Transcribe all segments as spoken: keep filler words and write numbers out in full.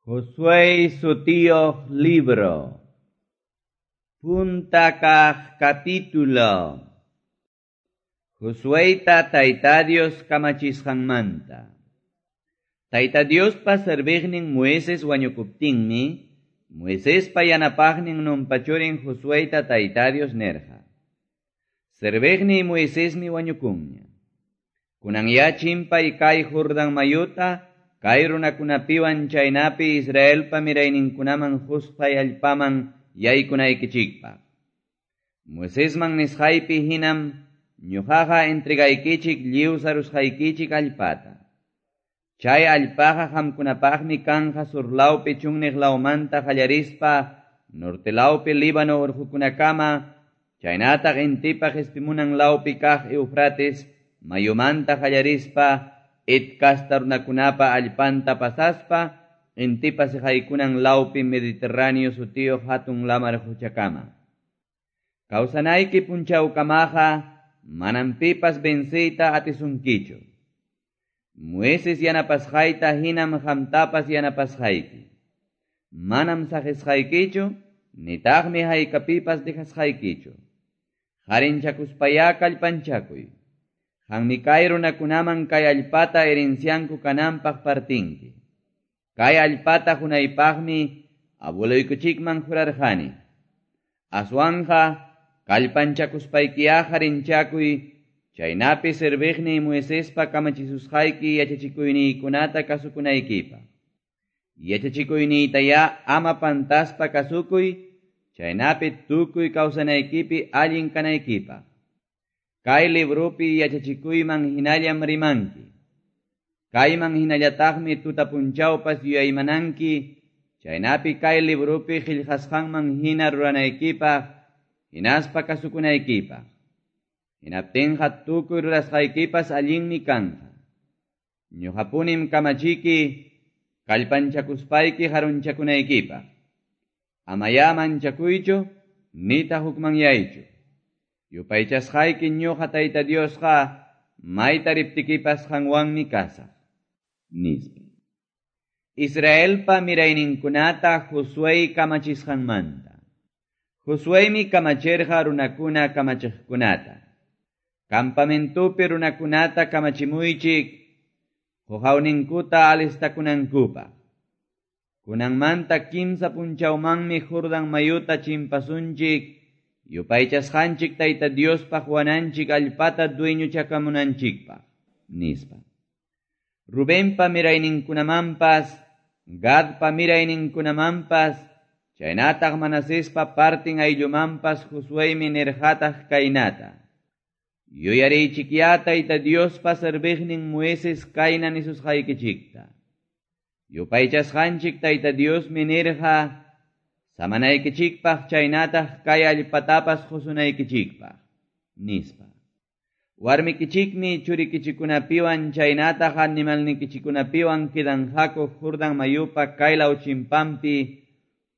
Josué sutiyuq libro. Punta kaq capítulo. Josueyta Tayta Dios kamachisqanmanta. Tayta Diospa serviqnin Moisés wañukuptinmi, Moisespa yanapaqnin Nunpa churin Josueyta Tayta Dios nirqa. Serviqniy Moisesmi wañukunña. Kunanyá chimpay kay Jordán mayuta, kay runakunapiwan chaynapi Israelpa mirayninkunaman qusqay allpaman yaykunaykichikpaq. Moisesman nisqaypi hinam ñuqaqa entregaykichik lliw sarusqaykichik allpata. Chay allpaqa qamkunapaqmi kanja surlawpi chunniq lawmanta qallarispa norte lawpi Líbano urqukunakama, chaynataq intipa qispimunan lawpi kaq Eufrates mayumanta qallarispa Het kasta runakunapa allpanta pasaspa, intipa siqaykunan lawpi Mediterráneo sutiyuq hatun lamar quchakama. Kawsanayki punchawkamaqa manam pipas venceyta atisunkichu. Moisés yanapasqayta hinam qamtapas yanapasqayki. Manam saqisqaykichu, nitaqmi haykapipas dejasqaykichu. Qarinchakuspayá kallpanchakuy. Qanmi kay runakunaman kay allpata herencianku kananpaq partinki. Kay allpata qunaypaqmi abueloykichikman jurarqani. Aswanja kallpanchakuspaykiyá qarinchakuy, chaynapi serviqniy Moisespa kamachisusqayki yachachikuyniykunata kasukunaykipaq. Yachachikuyniytayá ama pantaspa kasukuy, chaynapi tukuy kawsanaykipi allin kanaykipaq. Kay libropi yachachikuyman hinallam rimanki. Kayman hinallataqmi tuta punchawpas yuyaymananki, chaynapi kay libropi qillqasqanman hina ruranaykipaq, hinaspa kasukunaykipaq. Hinaptinqa tukuy rurasqaykipas allinmi kanqa. Ñuqapunim kamachiki kallpanchakuspayki harunchakunaykipaq. Amayá manchakuychu, nitaq hukmanyaychu. Yupaychasqayki ñuqa Tayta Diosqa mayta riptikipas qanwanmi kasaq, nispa. Israelpa mirayninkunata Josué kamachisqanmanta. Josuémi kamachirqa runakuna kamachiqkunata. Campamentupi runakunata kamachimuychik, quqawninkuta alistakunankupaq. Kunanmanta kimsa punchawmanmi Jordán mayuta chimpasunchik, yupaychasqanchik Tayta Diospaq wananchik allpata dueñochakamunanchikpaq, nispa. Rubenpa mirayninkunamanpas, Gadpa mirayninkunamanpas, chaynataq Manasespa partin ayllumanpas Josuémi nirqataq kaynata. Yuyariychikyá Tayta Diospa serviqnin Moisés kayna nisusqaykichikta. Yupaychasqanchik Tayta Diosmi nirqa, samanaykichikpaq chaynataq kay allpatapas qusunaykichikpaq, nispa. Warmikichikmi churikichikunapiwan chaynataq animalnikichikunapiwan kidanqaku Jordán mayupa kaylaw chimpanpi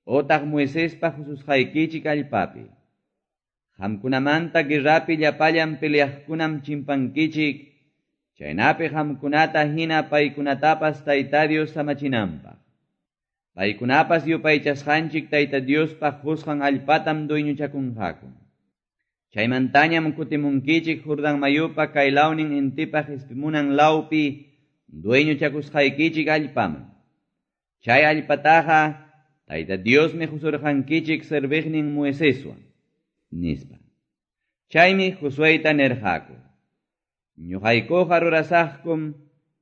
otaq Moisespa qususqaykichik allpapi. Qamkunamanta guerrapi llapallan peleaqkunam chimpankichik, chaynapi qamkunata hina paykunatapas Tayta Dios samachinanpaq. Paykunapas yupaychasqanchik Tayta Diospaq qusqan allpatam dueñochakunqaku. Chaymantañam kutimunkichik Jordán mayupa kaylawnin intipa qispimunan lawpi dueñochakusqaykichik allpaman. Chay allpataqa Tayta Diosmi qusurqankichik serviqnin Moiseswan, nispa. Chaymi Josueyta nirqaku. Ñuqaykuqa rurasaqkum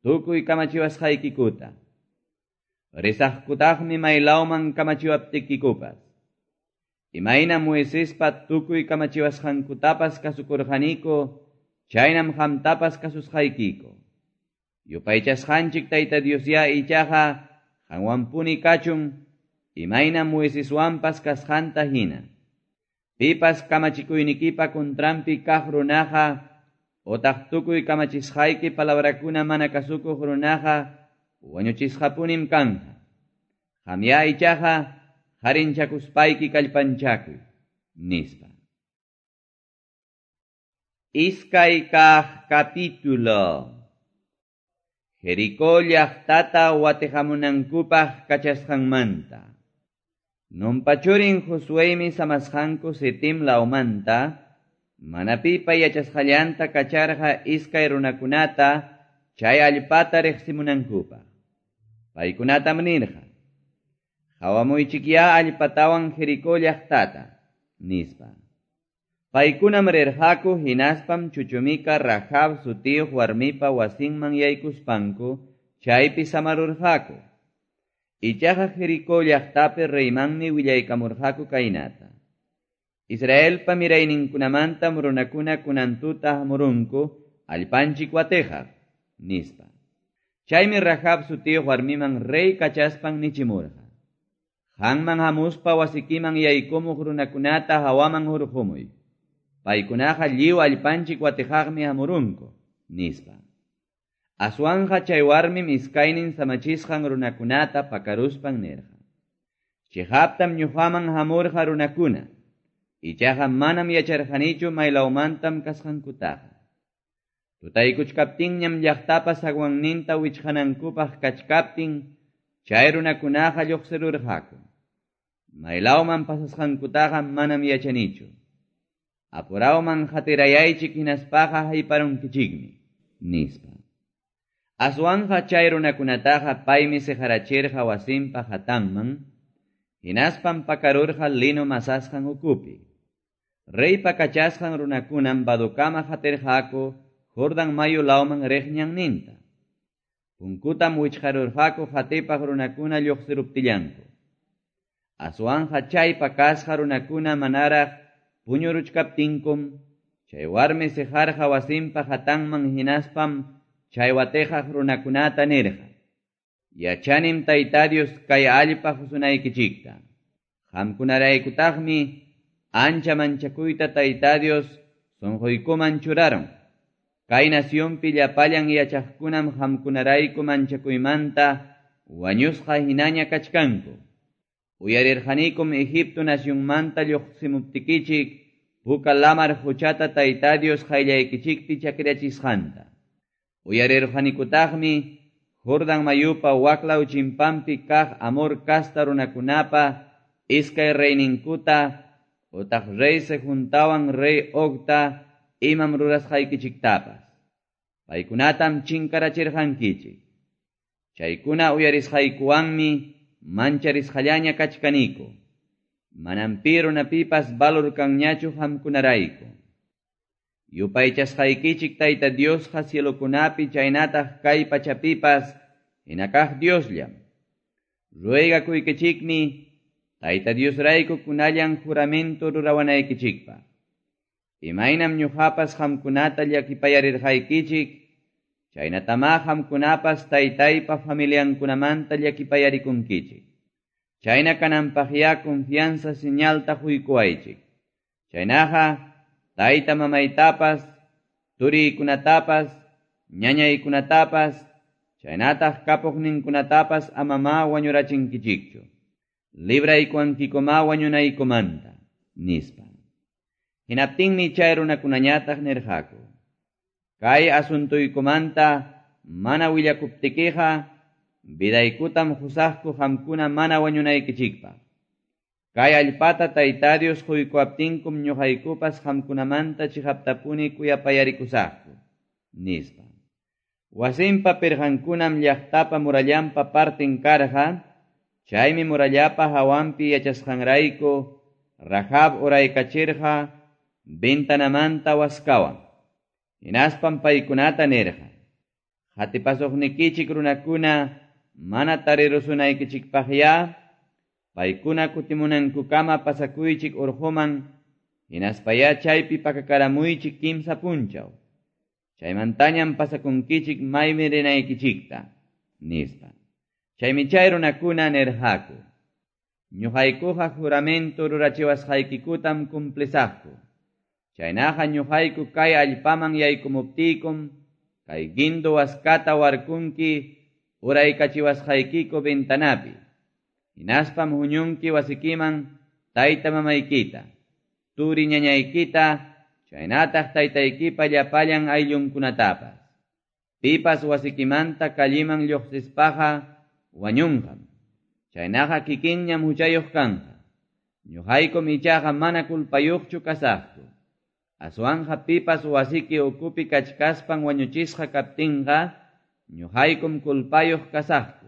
tukuy kamachiwasqaykikuta. Risaqkutaqmi maylawman kamachiwaptikikupas. Imayna Moisespa tukuy kamachiwasqankutapas kasukurqaniku, chaynam qamtapas kasusqaykiku. Yupaychasqanchik Tayta Diosyá ichaqa qanwanpuni kachun, imayna Moiseswanpas kasqanta hina. Pipas kamachikuynikipa contranpi kaq runaqa, otaq tukuy kamachisqayki palabrakuna mana kasukuq runaqa, wañuchisqapunim kanja. Qamyá ichaqa qarinchakuspayki kallpanchakuy, nispa. Iskay kaq capítulo. Jericó llaqtata watiqamunankupaq kachasqanmanta. Nunpa churin Josueymi samasqanku Sitim lawmanta, mana pipa yachasqallanta kacharqa iskay runakunata chay allpata riqsimunankupaq. Paykunatam nirqa: "Qawamuychikyá allpatawan Jericó llaqtata", nispa. Paykunam rirqaku hinaspam chuchumika Rahab sutiyuq warmipa wasinman yaykuspanku chaypi samarurqaku. Ichaqa Jericó llaqtapi reymanmi willaykamurqaku kaynata: "Israelpa mirayninkunamantam runakuna kunan tuta hamurunku allpanchik watiqaq", nispa. Chaymi Rahab sutiyuq warmiman rey kachaspan nichimurqa: "Qanman hamuspa wasikiman yaykumuq runakunata hawaman hurqumuy. Paykunaqa lliw allpanchik watiqaqmi hamurunku", nispa. Aswanqa chay warmim iskaynin samachisqan runakunata pakaruspan nirqa: "Chiqaptam ñuqaman hamurqa runakuna, ichaqa manam yacharqanichu maylawmantam kasqankutaqa. Tutaykuchkaptinñam llaqtapa zaguanninta wichqanankupaq kachkaptin, chay runakunaqa lluqsirurqaku. Maylawman pasasqankutaqa manam yachanichu. Apurawman qatirayaychik hinaspaqa hayparunkichikmi", nispa. Aswanqa chay runakunataqa paymi siqarachirqa wasinpa hatanman, hinaspam pakarurqa lino masasqan ukupi. Reypa kachasqan runakunam badukama qatirqaku Jordan mayu lawman riq ñanninta. Punkutam wichqarurqaku qatipaq runakuna lluqsiruptillanku. Aswanqa chay pakasqa runakuna manaraq puñuruchkaptinkum, chay warmi siqarqa wasinpa hatanman hinaspam chay watiqaq runakunata nirqa: "Yachanim Tayta Dios kay allpa qusunaykichikta. Qamkunaraykutaqmi ancha manchakuyta Tayta Dios sunquykuman churarun. Kay nacionpi llapallan yachaqkunam qamkunarayku manchakuymanta wañusqa hinaña kachkanku. Uyarirqanikum Egipto nacionmanta lluqsimuptikichik puka lamar quchata Tayta Dios qayllaykichikpi chakrachisqanta. Uyarirqanikutaqmi Jordan mayupa waklaw chimpanpi kaq Amor casta runakunapa iskay reyninkuta utaq rey Sehuntawan rey Ogta imam rurasqaykichiktapas. Paykunatam chinkarachirqankichik. Chaykuna uyarisqaykuwanmi mancharisqallaña kachkaniku. Manam pi runapipas valor kanñachu qamkunarayku. Yupaychasqaykichik Tayta Diosqa cielokunapi chaynataq kay pachapipas hinakaq Diosllam. Ruegakuykichikmi Tayta Diosrayku kunallan juramento rurawanaykichikpaq. Imaynam ñuqapas qamkunata llakipayarirqaykichik, chaynatamá qamkunapas taytaypa familiankunamanta llakipayarikunkichik. Chayna kananpaqyá confianza señalta quykuwaychik. Chaynaqa tayta mamaytapas, turiykunatapas, ñañaykunatapas, chaynataq kapuqninkunatapas amamá wañurachinkichikchu. Libraykuwankikumá wañunaykumanta", nispa. Hinaptinmi chay runakunañataq nirqaku: "Kay asuntuykumanta mana willakuptikiqa vidaykutam qusaqku qamkuna mana wañunaykichikpaq. Kay allpata Tayta Dios quykuwaptinkum ñuqaykupas qamkunamanta chiqaptapuni kuyapayarikusaqku", nispa. Wasinpa pirqankunam llaqtapa murallanpa partin karqa, chaymi murallapa hawanpi yachasqanrayku Rahab uraykachirqa ventanamanta waskawan. Hinaspam paykunata nirqa: "Qatipasuqnikichik runakuna mana tarirusunaykichikpaqyá, paykuna kutimunankukama pasakuychik urquman, hinaspayá chaypi pakakaramuychik kimsa punchaw. Chaymantañam pasakunkichik maymi rinaykichikta", nispa. Chaymi chay runakuna nirqaku: "Ñuqaykuqa juramento rurachiwasqaykikutam cumplisaqku. Chaynaqa ñuqayku kay allpaman yaykumuptiykum, kay guindo waskata warkunki uraykachiwasqaykiku ventanapi. Hinaspam huñunki wasikiman tayta mamaykita, turi ñañaykita, chaynataq taytaykipa llapallan ayllunkunatapas. Pipas wasikimanta kalliman lluqsispaqa wañunqam. Chaynaqa kikinñam huchayuq kanqa. Ñuqaykum ichaqa mana kulpayuqchu kasaqku. Aswanja pipas wasiki ukupi kachkaspan wañuchisqa kaptinqa, ñuqaykum kulpayuq kasaqku.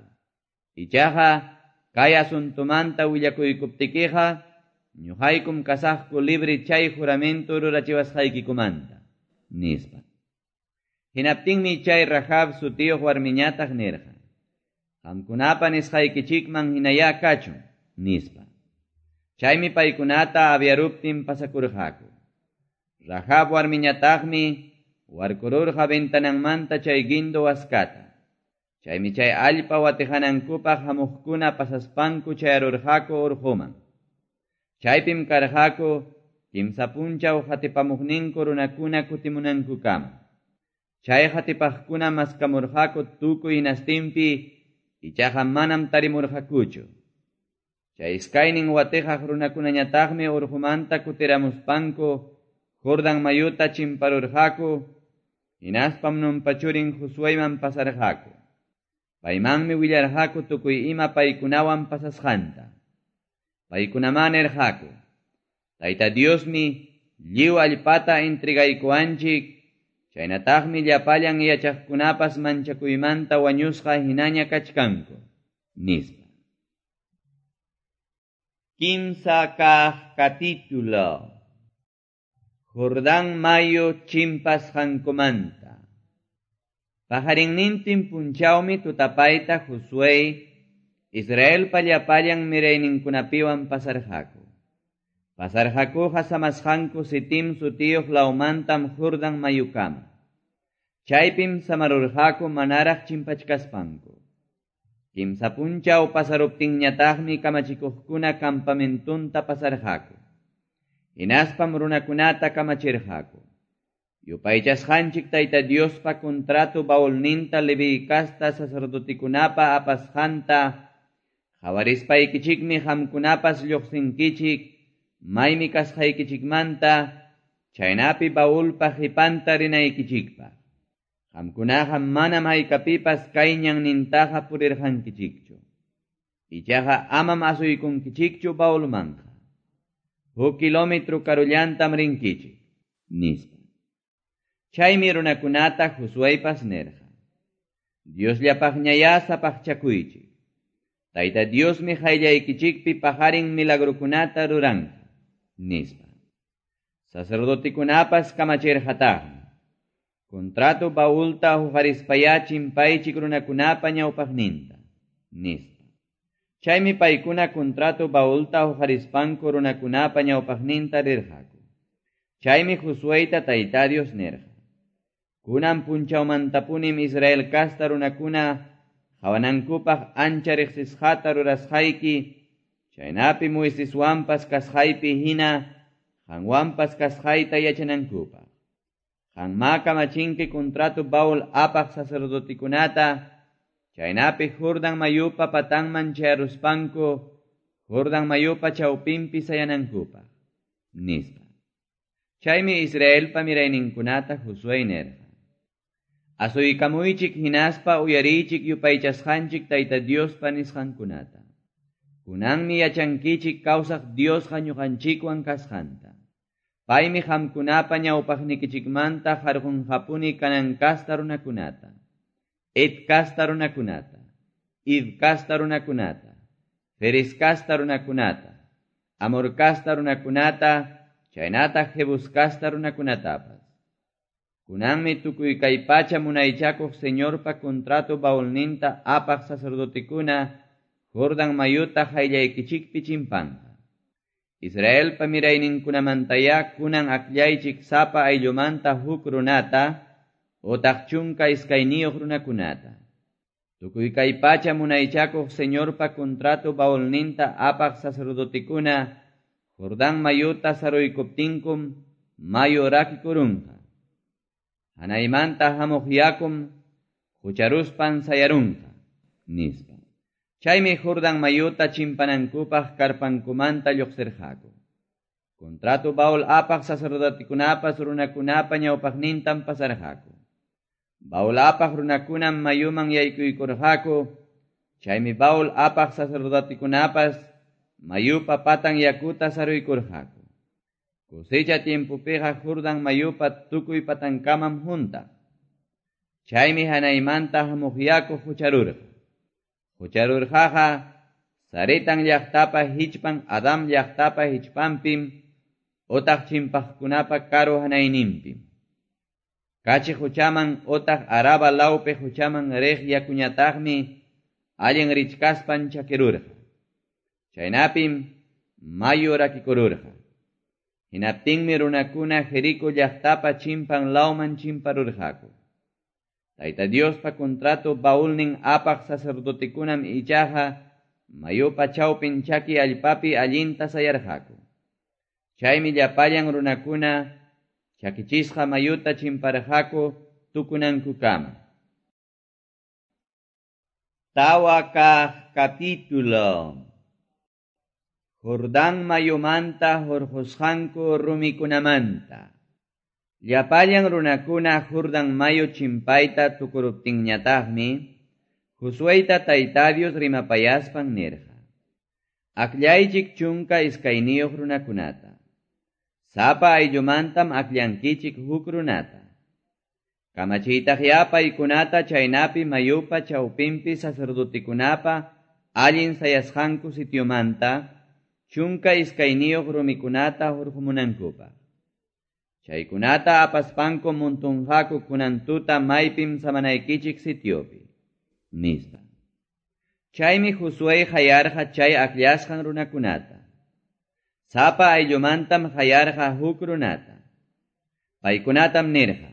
Ichaqa kay asuntumanta willakuykuptikiqa, ñuqaykum kasaqku libre chay juramento rurachiwasqaykikumanta, nispa. Hinaptinmi chay Rahab sutiyuq warmiñataq nirqa: Qamkunapa nisqaykichikman hinayá kachun, nispa. Chaymi paykunata aviaruptin pasakurqaku. Rahab warmiñataqmi warkururqa ventananmanta chay guindo waskata. Chaymi chay allpa watihanankupaq hamuqkuna pasaspanku chayarurqaku urquman. Chaypim karqaku kimsa punchaw hatipamuqninku runakuna kutimunankukama. Chay hatipaqkuna maskamurqaku tukuy hinastinpi, ichaqa manam tarimurqakuchu. Chay iskaynin watihaq runakunañataqmi urqumanta kutiramuspanku Jordan mayuta chimparurqaku, hinaspam Nunpa churin Josueyman pasarqaku. Paymanmi willarqaku tukuy ima paykunawan pasasqanta. Paykunaman nirqaku: Tayta Diosmi lliw allpata entregaykuwanchik, chaynataqmi llapallan yachaqkunapas manchakuymanta wañusqa hinaña kachkanku, nispa. Kimsa kaq capítulo. Jordán mayu chimpasqankumanta. Pajarinnintin punchawmi tutapayta Josué Israelpa llapallan mirayninkunapiwan pasarqaku. Pasarqakuqa samasqanku Sitim sutiyuq lawmantam Jordán mayukama. Chaypim samarurqaku manaraq chimpachkaspanku. Kimsa punchaw pasaruptinñataqmi kamachikuqkuna campamentunta pasarqaku. Hinaspam runakunata kamachirqaku. Yupaychasqanchik Tayta Diospa contrato baulninta Leví kasta sacerdotikunapa apasqanta qhawarispaykichikmi qamkunapas lluqsinkichik maymi kasqaykichikmanta chaynapi baulpa qhipanta rinaykichikpaq. Qamkunaqa manam haykapipas kay ñannintaqa purirqankichikchu. Ichaqa amam asuykunkichikchu baulmanqa. Huk kilómetro karullantam rinkichik, nispa. Chaymi runakunata Josueypas nirqa: Diosllapaqñayá sapaqchakuychik. Tayta Diosmi qayllaykichikpi paqarin milagrukunata ruranqa, nispa. Sacerdotikunapas kamachirqataqmi: Contrato baulta huqarispayá chimpaychik runakunapa ñawpaqninta, nispa. Chaymi paykuna contrato baulta huqarispanku runakunapa ñawpaqninta rirqaku. Chaymi Josueyta Tayta Dios nirqa: Kunan punchawmantapunim Israel kasta runakuna qhawanankupaq ancha riqsisqata rurasqayki, chaynapi Moiseswanpas kasqaypi hina qanwanpas kasqayta yachanankupaq. Qanmá kamachinki contrato baul apaq sacerdotikunata, chaynapi Jordan mayupa patanman chayaruspanku Jordan mayupa chawpinpi sayanankupaq, nispa. Chaymi Israelpa mirayninkunata Josué nirqa: Asuykamuychik hinaspa uyariychik yupaychasqanchik Tayta Diospa nisqankunata. Kunanmi yachankichik kawsaq Diosqa ñuqanchikwan kasqanta. Paymi qamkunapa ñawpaqnikichikmanta harqunqapuni Canaán kasta runakunata, Het kasta runakunata, Hiv kasta runakunata, Ferez kasta runakunata, Amor kasta runakunata, chaynataq Jebus kasta runakunatapas. Kunanmi tukuy kay pacha munaychakuq Señorpa contrato baulninta apaq sacerdotikuna Jordan mayuta qayllaykichikpi chimpanqa. Israelpa mirayninkunamantayá kunan akllaychik sapa ayllumanta huk runata otaq chunka iskayniyuq runakunata. Tukuy kay pacha munaychakuq Señorpa contrato baulninta apaq sacerdotikuna Jordán mayuta saruykuptinkum mayu rakikurunqa. Hanaymanta hamuq yakum hucharuspan sayarunqa, nispa. Chaymi Jordán mayuta chimpanankupaq karpankumanta lluqsirqaku. Contrato baul apaq sacerdotikunapas runakunapa ñawpaqnintam pasarqaku. Baul apaq runakunam mayuman yaykuykurqaku, chaymi baul apaq sacerdotekunapas mayupa patan yakuta saruykurqaku. Cosecha tiempopiqa Jordán mayupa tukuy patankamam huntaq. Chaymi hanaymanta hamuq yaku hucharurqa. Hucharurqaqa Saretan llaqtapa hichpan Adam llaqtapa hichpanpim otaq chimpaqkunapa karu hanayninpim. Kachi huchaman otaq Araba lawpi huchaman riq yakuñataqmi allin richkaspan chakirurqa. Chaynapim mayu rakikururqa. Hinaptinmi runakuna Jericó llaqtapa chimpan lawman chimparurqaku. Tayta Diospa contrato baulnin apaq sacerdotekunam ichaqa mayupa chawpin chaki allpapi allinta sayarqaku. Chaymi llapallan runakuna chakichisqa mayuta chimparqaku tukunankukama. Tawa kaq capítulo. Jordán mayumanta hurqusqanku rumikunamanta. Llapallan runakuna Jordán mayu chimpayta tukuruptinñataqmi Josueyta Tayta Dios rimapayaspan nirqa. Akllaychik chunka iskayniyuq runakunata. Sapa ayllumantam akllankichik huk runata. Kamachiytaqya paykunata chaynapi mayupa chawpinpi sacerdotekunapa allin sayasqanku sitiomanta chunka iskayniyuq rumikunata hurqumunankupaq. Chaykunata apaspanku muntunqaku kunan tuta maypim samanaykichik sitiopi, nispa. Chaymi Josué hayarqa chay akllasqan runakunata. Sapa ayllumantam hayarqa huk runata. Paykunatam nirqa: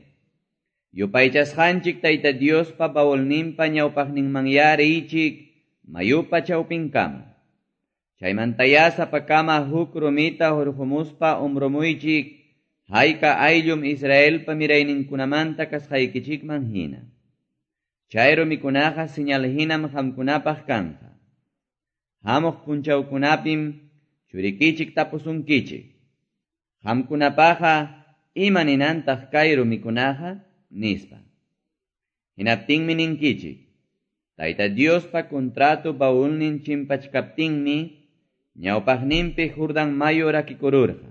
Yupaychasqanchik Tayta Diospa baulninpa ñawpaqninmanyá riychik mayupa chawpinkama. Chaymantayá sapakama huk rumita hurqumuspa umrumuychik hayka ayllum Israelpa mirayninkunamanta kasqaykichikman hina. Chay rumikunaqa señal hinam qamkunapaq kanqa. Hamuq punchawkunapim churikichik tapusunkichik. Qamkunapaqa ima ninantaq kay rumikunaqa, nispa. Hinaptinmi ninkichik: Tayta Diospa contrato baulnin chimpachkaptinmi ñawpaqninpi Jordán mayu rakikururqa.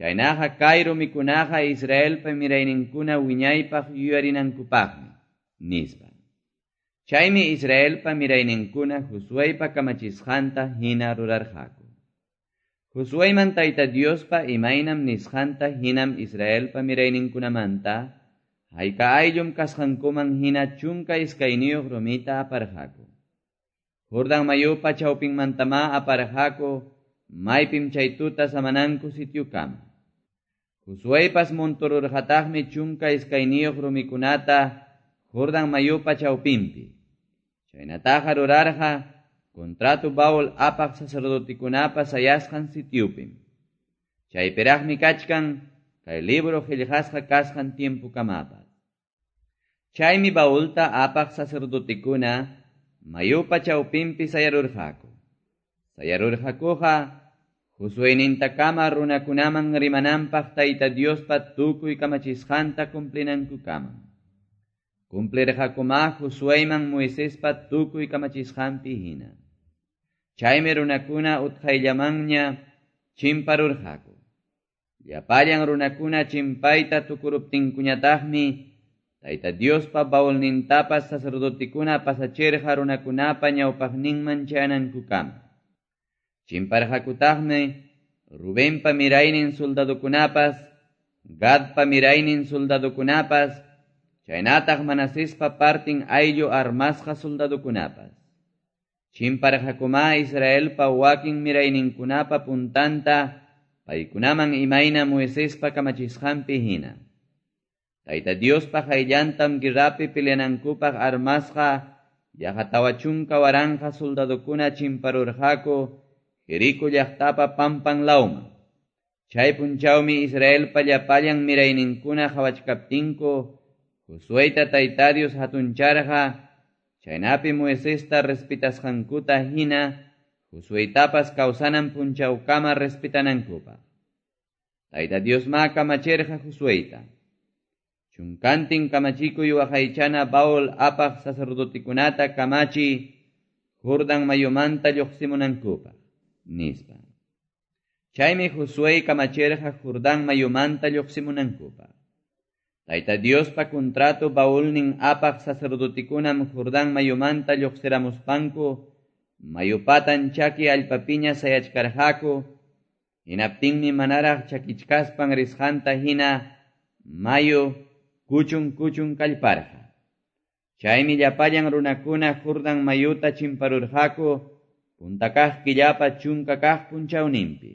Chaynaqa kay rumikunaqa Israelpa mirayninkuna wiñaypaq yuyarinankupaqmi, nispa. Chaymi Israelpa mirayninkuna Josueypa kamachisqanta hina rurarqaku. Josueyman Tayta Diospa imaynam nisqanta hinam Israelpa mirayninkunamanta hayka ayllum kasqankuman hina chunka iskayniyuq rumita aparqaku. Jordán mayupa chawpinmantamá aparqaku maypim chay tuta samananku sitiokama. Josueypas muntururqataqmi chunka iskayniyuq rumikunata Jordán mayupa chawpinpi. Chaynataqa rurarqa contrato baul apaq sacerdotekunapa sayasqan sitiopim. Chaypiraqmi kachkan kay libro qillqasqa kasqan tiempokamapas. Chaymi baulta apaq sacerdotekuna mayupa chawpinpi sayarurqaku. Sayarurqakuqa Josueynintakama runakunaman rimananpaq Tayta Diospa tukuy kamachisqanta cumplinankukama. Cumplirqakumá Josueyman Moisespa tukuy kamachisqanpi hina. Chaymi runakuna utqayllamanña chimparurqaku. Llapallan runakuna chimpayta tukuruptinkuñataqmi Tayta Diospa baulnintapas sacerdotekuna pasachirqa runakunapa ñawpaqninman chayanankukama. Chimparqakutaqmi Rubenpa miraynin soldadokunapas, Gadpa miraynin soldadokunapas, chaynataq Manasespa partin ayllu armasqa soldadokunapas. Chimparqakumá Israelpa wakin mirayninkunapa puntanta paykunaman imayna Moisespa kamachisqanpi hina. Tayta Diospa qayllantam guerrapi peleanankupaq armasqa yaqa tawa chunka waranqa soldadokuna chimparurqaku Jericó llaqtapa pampan lawman. Chay punchawmi Israelpa llapallan mirayninkuna qhawachkaptinku Josueyta Tayta Dios hatuncharqa, chaynapi Moisesta respetasqankuta hina Josueytapas kawsanan punchawkama respetanankupaq. Tayta Diosmá kamachirqa Josueyta: Chunkantin kamachikuy waqaychana baul apaq sacerdotekunata kamachi Jordán mayumanta lluqsimunankupaq, nispa. Chaymi Josué kamachirqa Jordán mayumanta lluqsimunankupaq. Tayta Diospa contrato baulnin apaq sacerdotekunam Jordán mayumanta lluqsiramuspanku mayupatan chaki allpapiña sayachkarqaku, hinaptinmi manaraq chakichkaspan risqanta hina mayu kuchun kuchun kallparqa. Chaymi llapallan runakuna Jordán mayuta chimparurqaku punta kaq killapa chunka kaq punchawninpi.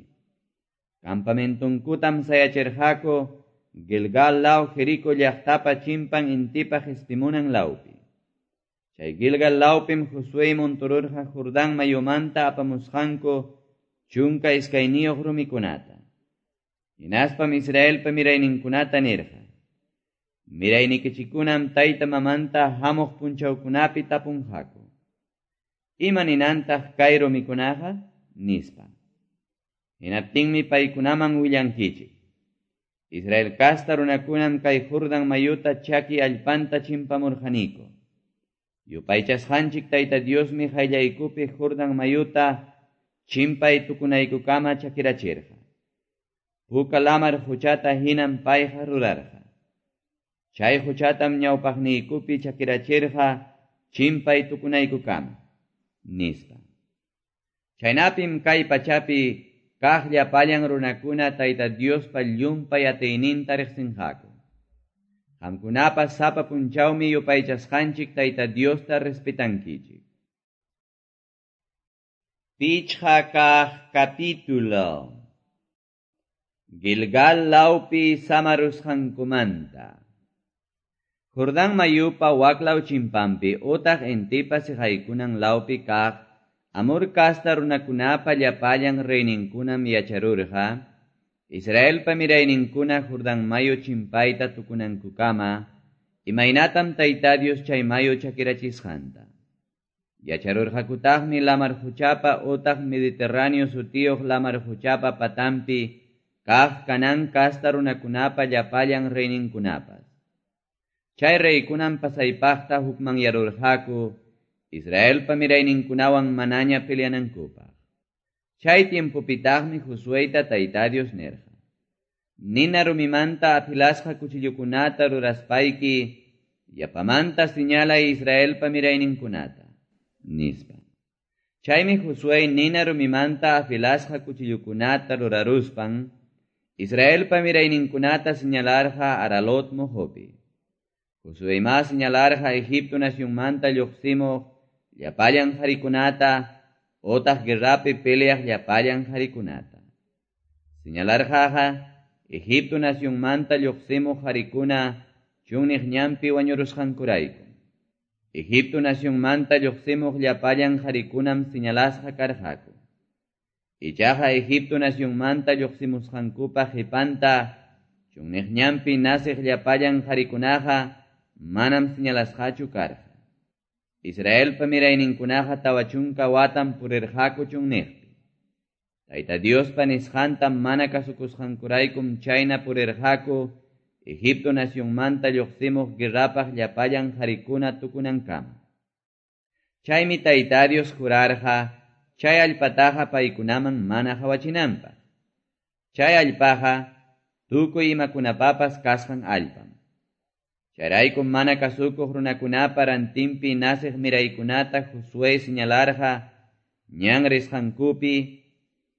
Campamentunkutam sayachirqaku Gilgal law Jerico llaqtapa chimpan intipa qispimunan lawpi. Chay Gilgal lawpim Josué montururqa Jordán mayumanta apamusqanku chunka iskayniyuq rumikunata. Hinaspam Israelpa mirayninkunata nirqa: Miraynikichikunam tayta mamanta hamuq punchawkunapi tapunqaku. Ima ninantaq kay rumikunaqa? Nispa. Hinaptinmi paykunaman willankichik: Israel kasta runakunam kay Jordán mayuta chaki allpanta chimpamurqaniku. Yupaychasqanchik Tayta Diosmi qayllaykupi Jordán mayuta chimpay tukunaykukama chakirachirqa. Puka lamar huchata hinam payqa rurarqa. Chay huchatam ñawpaqniykupi chakirachirqa chimpay tukunaykukama, nispa. Chaynapim kay pachapi kaq llapallan runakuna Tayta Diospa llumpay atiyninta riqsinqaku. Qamkunapas sapa punchawmi yupaychasqanchik Tayta Diosta respetankichik. Pichqa kaq capítulo. Gilgal lawpi samarusqankumanta. Jordán mayupa waklaw chimpampi utaq intipa siqaykunan lawpi kaq Amor kasta runakunapa llapallan reyninkunam yacharurqa, Israelpa mirayninkuna Jordán mayu chimpayta tukunankukama, imaynatam Tayta Dios chay mayu chakirachisqanta. Yacharurqakutaqmi lamar huchapa utaq Mediterráneo sutiyuq lamar huchapa patampi kaq Canaán kasta runakunapa llapallan reyninkunapas. Chay reykunam pasaypaqta hukmanyarurqaku Israelpa mirayninkunawan manaña peleanankupaq. Chay tiempopitaqmi Josuéta Tayta Dios nirqa: Nina rumimanta afilasqa cuchillukunata ruraspayki yapamanta señalay Israelpa mirayninkunata, nispa. Chaymi Josué nina rumimanta afilasqa cuchillukunata ruraruspan Israelpa mirayninkunata señalarqa Aralot mojopi. Josué ma señalarqa Egipto nacionmanta lluqsimuq llapallan qharikunata otaq guerrapi peleaq llapallan qharikunata. Señalarqaqa Egipto nacionmanta lluqsimuq qharikuna chunniq ñanpi wañurusqankurayku. Egipto nacionmanta lluqsimuq llapallan qharikunam señalasqa karqaku. Ichaqa Egipto nacionmanta lluqsimusqankupa qhipanta chunniq ñanpi nasiq llapallan qharikunaqa manam señalasqachu karqa. Israelpa mirayninkunaqa tawa chunka watam purirqaku chunniqpi. Tayta Diospa nisqanta mana kasukusqankuraykum chayna purirqaku Egipto nacionmanta lluqsimuq guerrapaq llapallan qharikuna tukunankama. Chaymi Tayta Dios jurarqa chay allpataqa paykunaman mana qhawachinanpaq. Chay allpaqa tukuy imakunapapas kasqan allpam. Chayraykum mana kasukuq runakunapa rantinpi nasiq miraykunata Josué señalarqa ñan risqankupi,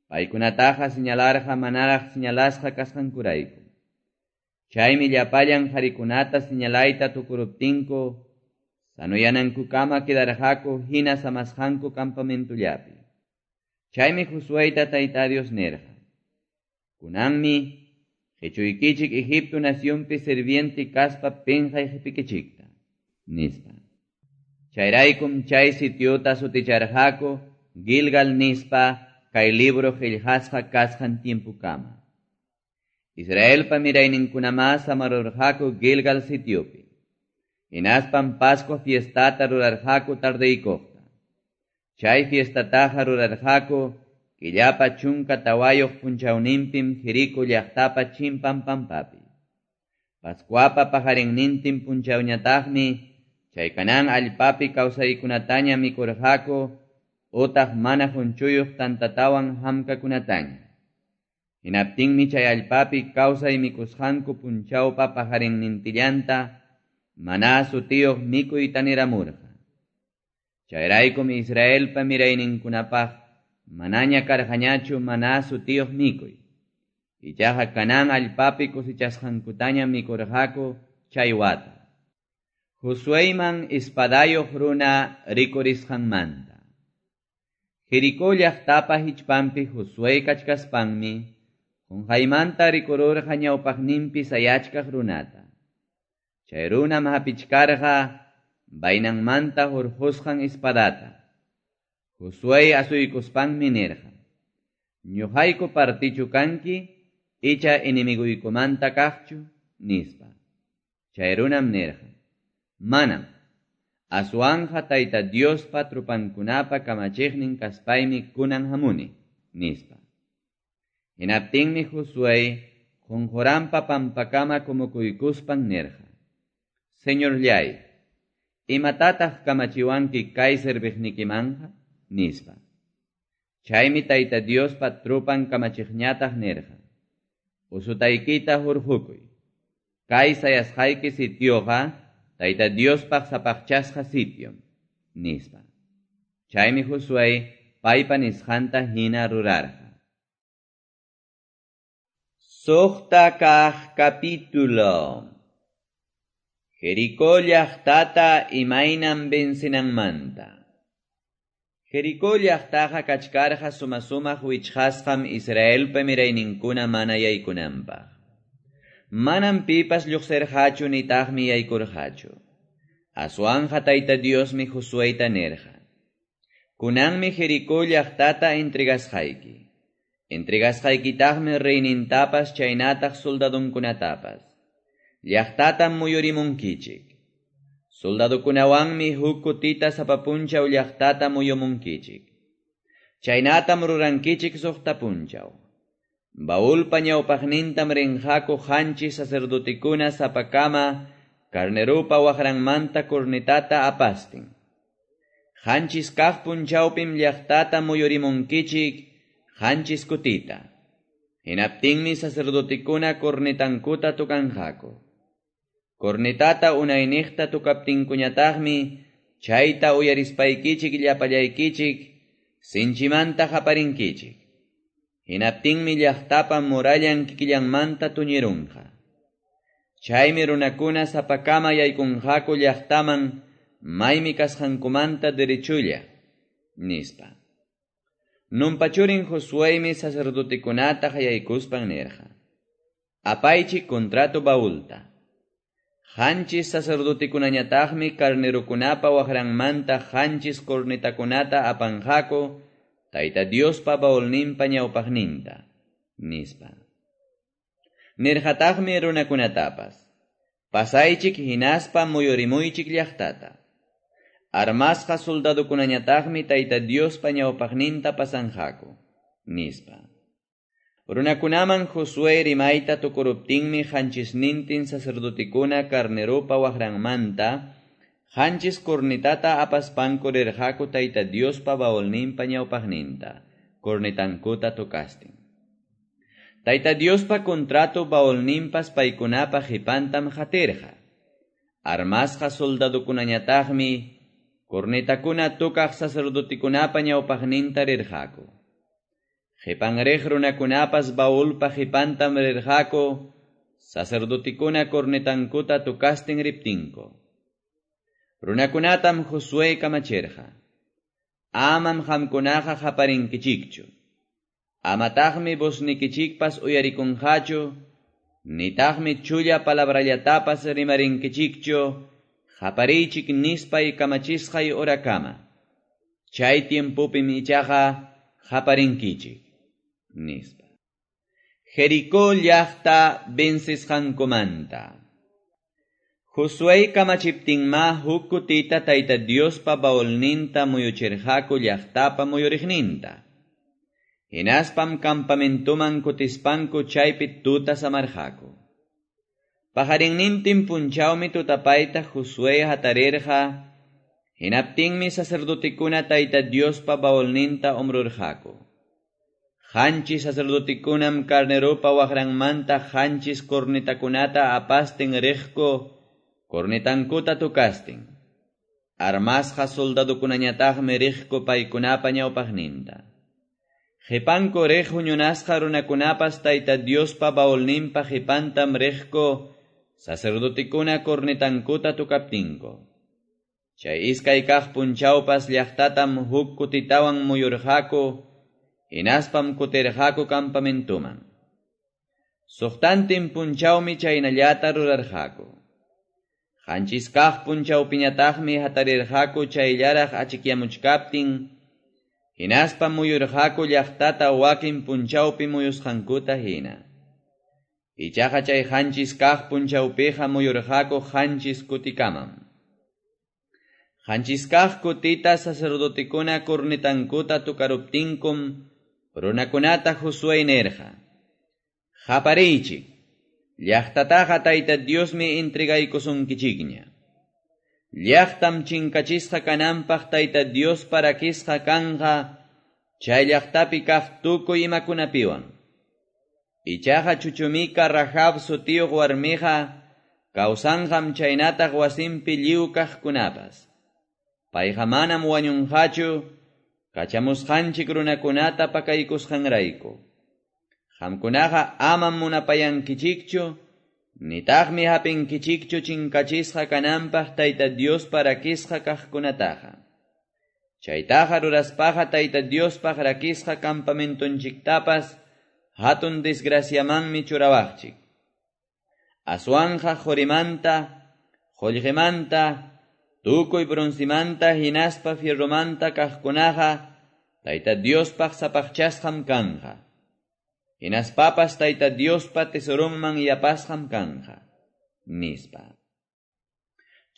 paykunataqa señalarqa manaraq señalasqa kasqankurayku. Chaymi llapallan qharikunata señalayta tukuruptinku sanuyanankukama quedarqaku hina samasqanku campamentullapi. Chaymi Josuéta Tayta Dios nirqa: Kunanmi qichuykichik Egipto nacionpi sirviente kaspa pinqay qipikichikta, nispa. Chayraykum chay sitiota suticharqaku Gilgal nispa kay libro qillqasqa kasqan tiempukama. Israelpa mirayninkunamá samarurqaku Gilgal sitiopi. Hinaspam Pascua fiestata rurarqaku tardeykuqta. Chay fiestataqa rurarqaku killapa chunka tawayuq punchawninpim Jerico llaqtapa chimpan pampapi. Pascuapa paqarinnintin punchawñataqmi chay Canaán allpapi kawsaykunataña mikurqaku utaq mana qunchuyuq tantatawan hamkakunataña. Hinaptinmi chay allpapi kawsay mikusqanku punchawpa paqarinnintillanta maná sutiyuq mikuy taniramurqa. Chayraykum Israelpa mirayninkunapaq manaña karqañachu maná sutiyuq mikuy. Ichaqa Canaán allpapi cosechasqankutaña mikurqaku chay wata. Josueyman espadayuq runa rikurisqanmanta. Jericó llaqtapa hichpanpi Josué kachkaspanmi qunqaymanta rikururqa ñawpaqninpi sayachkaq runata. Chay runam hapichkarqa vainanmanta hurqusqan espadata. Josué asuykuspanmi nirqa: Ñuqayku partichu kanki, icha enemiguykumanta kaqchu, nispa. Chay runam nirqa: Manam, aswanja Tayta Diospa trupankunapa kamachiqnin kaspaymi kunan hamuni, nispa. Hinaptinmi Josué qunquranpa pampakama kumukuykuspan nirqa: Señorllay, imatataq kamachiwanki kay serviqnikimanja, nispa. Chaymi Tayta Diospa trupan kamachiqñataq nirqa: Usutaykita hurqukuy. Kay sayasqayki sitioqa Tayta Diospaq sapaqchasqa sitiom, nispa. Chaymi Josué paypa nisqanta hina rurarqa. Suqta kaq capítulo. Jericó llaqtata imaynam vencinanmanta. Jericó llaqtaqa kachkarqa suma-sumaq wichqasqam Israelpa mirayninkuna mana yaykunanpaq. Manam pipas lluqsirqachu nitaqmi yaykurqachu. Aswanja Tayta Diosmi Josueyta nirqa: Kunanmi Jericó llaqtata entregasqayki. Entregasqaykitaqmi reynintapas chaynataq soldadunkunatapas. Llaqtatam muyurimunkichik. Soldadukunawanmi huk kutita sapa punchaw llaqtata muyumunkichik. Chaynatam rurankichik suqta punchaw. Baulpa ñawpaqnintam rinqaku qanchis sacerdotekuna sapakama carnerupa waqranmanta cornetata apastin. Qanchis kaq punchawpim llaqtata muyurimunkichik qanchis kutita. Hinaptinmi sacerdotekuna cornetankuta tukanqaku. Cornetata unayniqta tukaptinkuñataqmi chayta uyarispaykichik llapallaykichik sinchimanta qaparinkichik. Hinaptinmi llaqtapa murallan kikillanmanta tuñirunqa. Chaymi runakuna sapakama yaykunqaku llaqtaman maymi kasqankumanta derechulla, nispa. Nunpa churin Josueymi sacerdotekunata qayaykuspan nirqa: Apaychik contrato baulta. Qanchis sacerdotekunañataqmi carnerukunapa waqranmanta qanchis cornetakunata apanqaku Tayta Diospa baulninpa ñawpaqninta, nispa. Nirqataqmi runakunatapas: Pasaychik hinaspa muyurimuychik llaqtata. Armasqa soldadukunañataqmi Tayta Diospa ñawpaqninta pasanqaku, nispa. Runakunaman Josué rimayta tukuruptinmi qanchisnintin sacerdotekuna carnerupa waqranmanta qanchis cornetata apaspanku rirqaku Tayta Diospa baulninpa ñawpaqninta, cornetankuta tocastin. Tayta Diospa contrato baulninpas paykunapa qipantam qatirqa. Armasqa soldadukunañataqmi cornetakuna tukaq sacerdotekunapa ñawpaqninta rirqaku. Qipanriq runakunapas baulpa qipantam rirqaku sacerdotekuna cornetankuta tukastin riptinku. Runakunatam Josué kamachirqa: Amam qamkunaqa qaparinkichikchu. Amataqmi voznikichikpas uyarikunqachu, nitaqmi chulla palabrallatapas rimarinkichikchu, qapariychik nispay kamachisqay horakama. Chay tiempopim ichaqa qaparinkichik, nispa. Jericó llaqta vencisqankumanta. Josué kamachiptinma huk kutita Tayta Diospa baulninta muyuchirqaku llaqtapa muyuriqninta. Hinaspam campamentuman kutispanku chaypi tuta samarqaku. Paqarinnintin punchawmi tutapayta Josué hatarirqa, hinaptinmi sacerdotekuna Tayta Diospa baulninta hombrurqaku. Qanchis sacerdotekunam carneropa waqranmanta qanchis cornetakunata apastin riqku, cornetankuta tukastin. Armasqa soldadokunañataqmi riqku paykunapa ñawpaqninta. Qipanku riq huñunasqa runakunapas Tayta Diospa baulninpa qipantam riqku, sacerdotekuna cornetankuta tukaptinku. Chay iskay kaq punchawpas llaqtatam huk kutitawan muyurqaku, hinaspam kutirqaku campamentuman. Suqtantin punchawmi chaynallata rurarqaku. Qanchis kaq punchawpiñataqmi hatarirqaku chayllaraq achikyamuchkaptin, hinaspam muyurqaku llaqtata wakin punchawpi muyusqankuta hina. Ichaqa chay qanchis kaq punchawpiqa muyurqaku qanchis kutikamam. Qanchis kaq kutita sacerdotekuna cornetankuta tukaruptinkum, runakunata Josué nirqa: Qapariychik, llaqtataqa Tayta Diosmi entregaykusunkichikña. Llaqtam chinkachisqa kananpaq Tayta Diospa rakisqa kanqa, chay llaqtapi kaq tukuy imakunapiwan. Ichaqa chuchumika Rahab sutiyuq warmiqa kawsanqam chaynataq wasinpi lliw kaqkunapas. Payqa manam wañunqachu, kachamusqanchik runakunata pakaykusqanrayku. Qamkunaqa amam munapayankichikchu, nitaqmi hapinkichikchu chinkachisqa kananpaq Tayta Diospa rakisqa kaqkunataqa. Chaytaqa ruraspaqa Tayta Diospaq rakisqa campamentonchiktapas hatun desgraciamanmi churawaqchik. Aswanja qorimanta, qullqimanta, tukuy broncimanta hinaspa fierromanta kaqkunaqa Tayta Diospaq sapaqchasqam kanqa. Hinaspapas Tayta Diospa tesoronman yapasqam kanqa, nispa.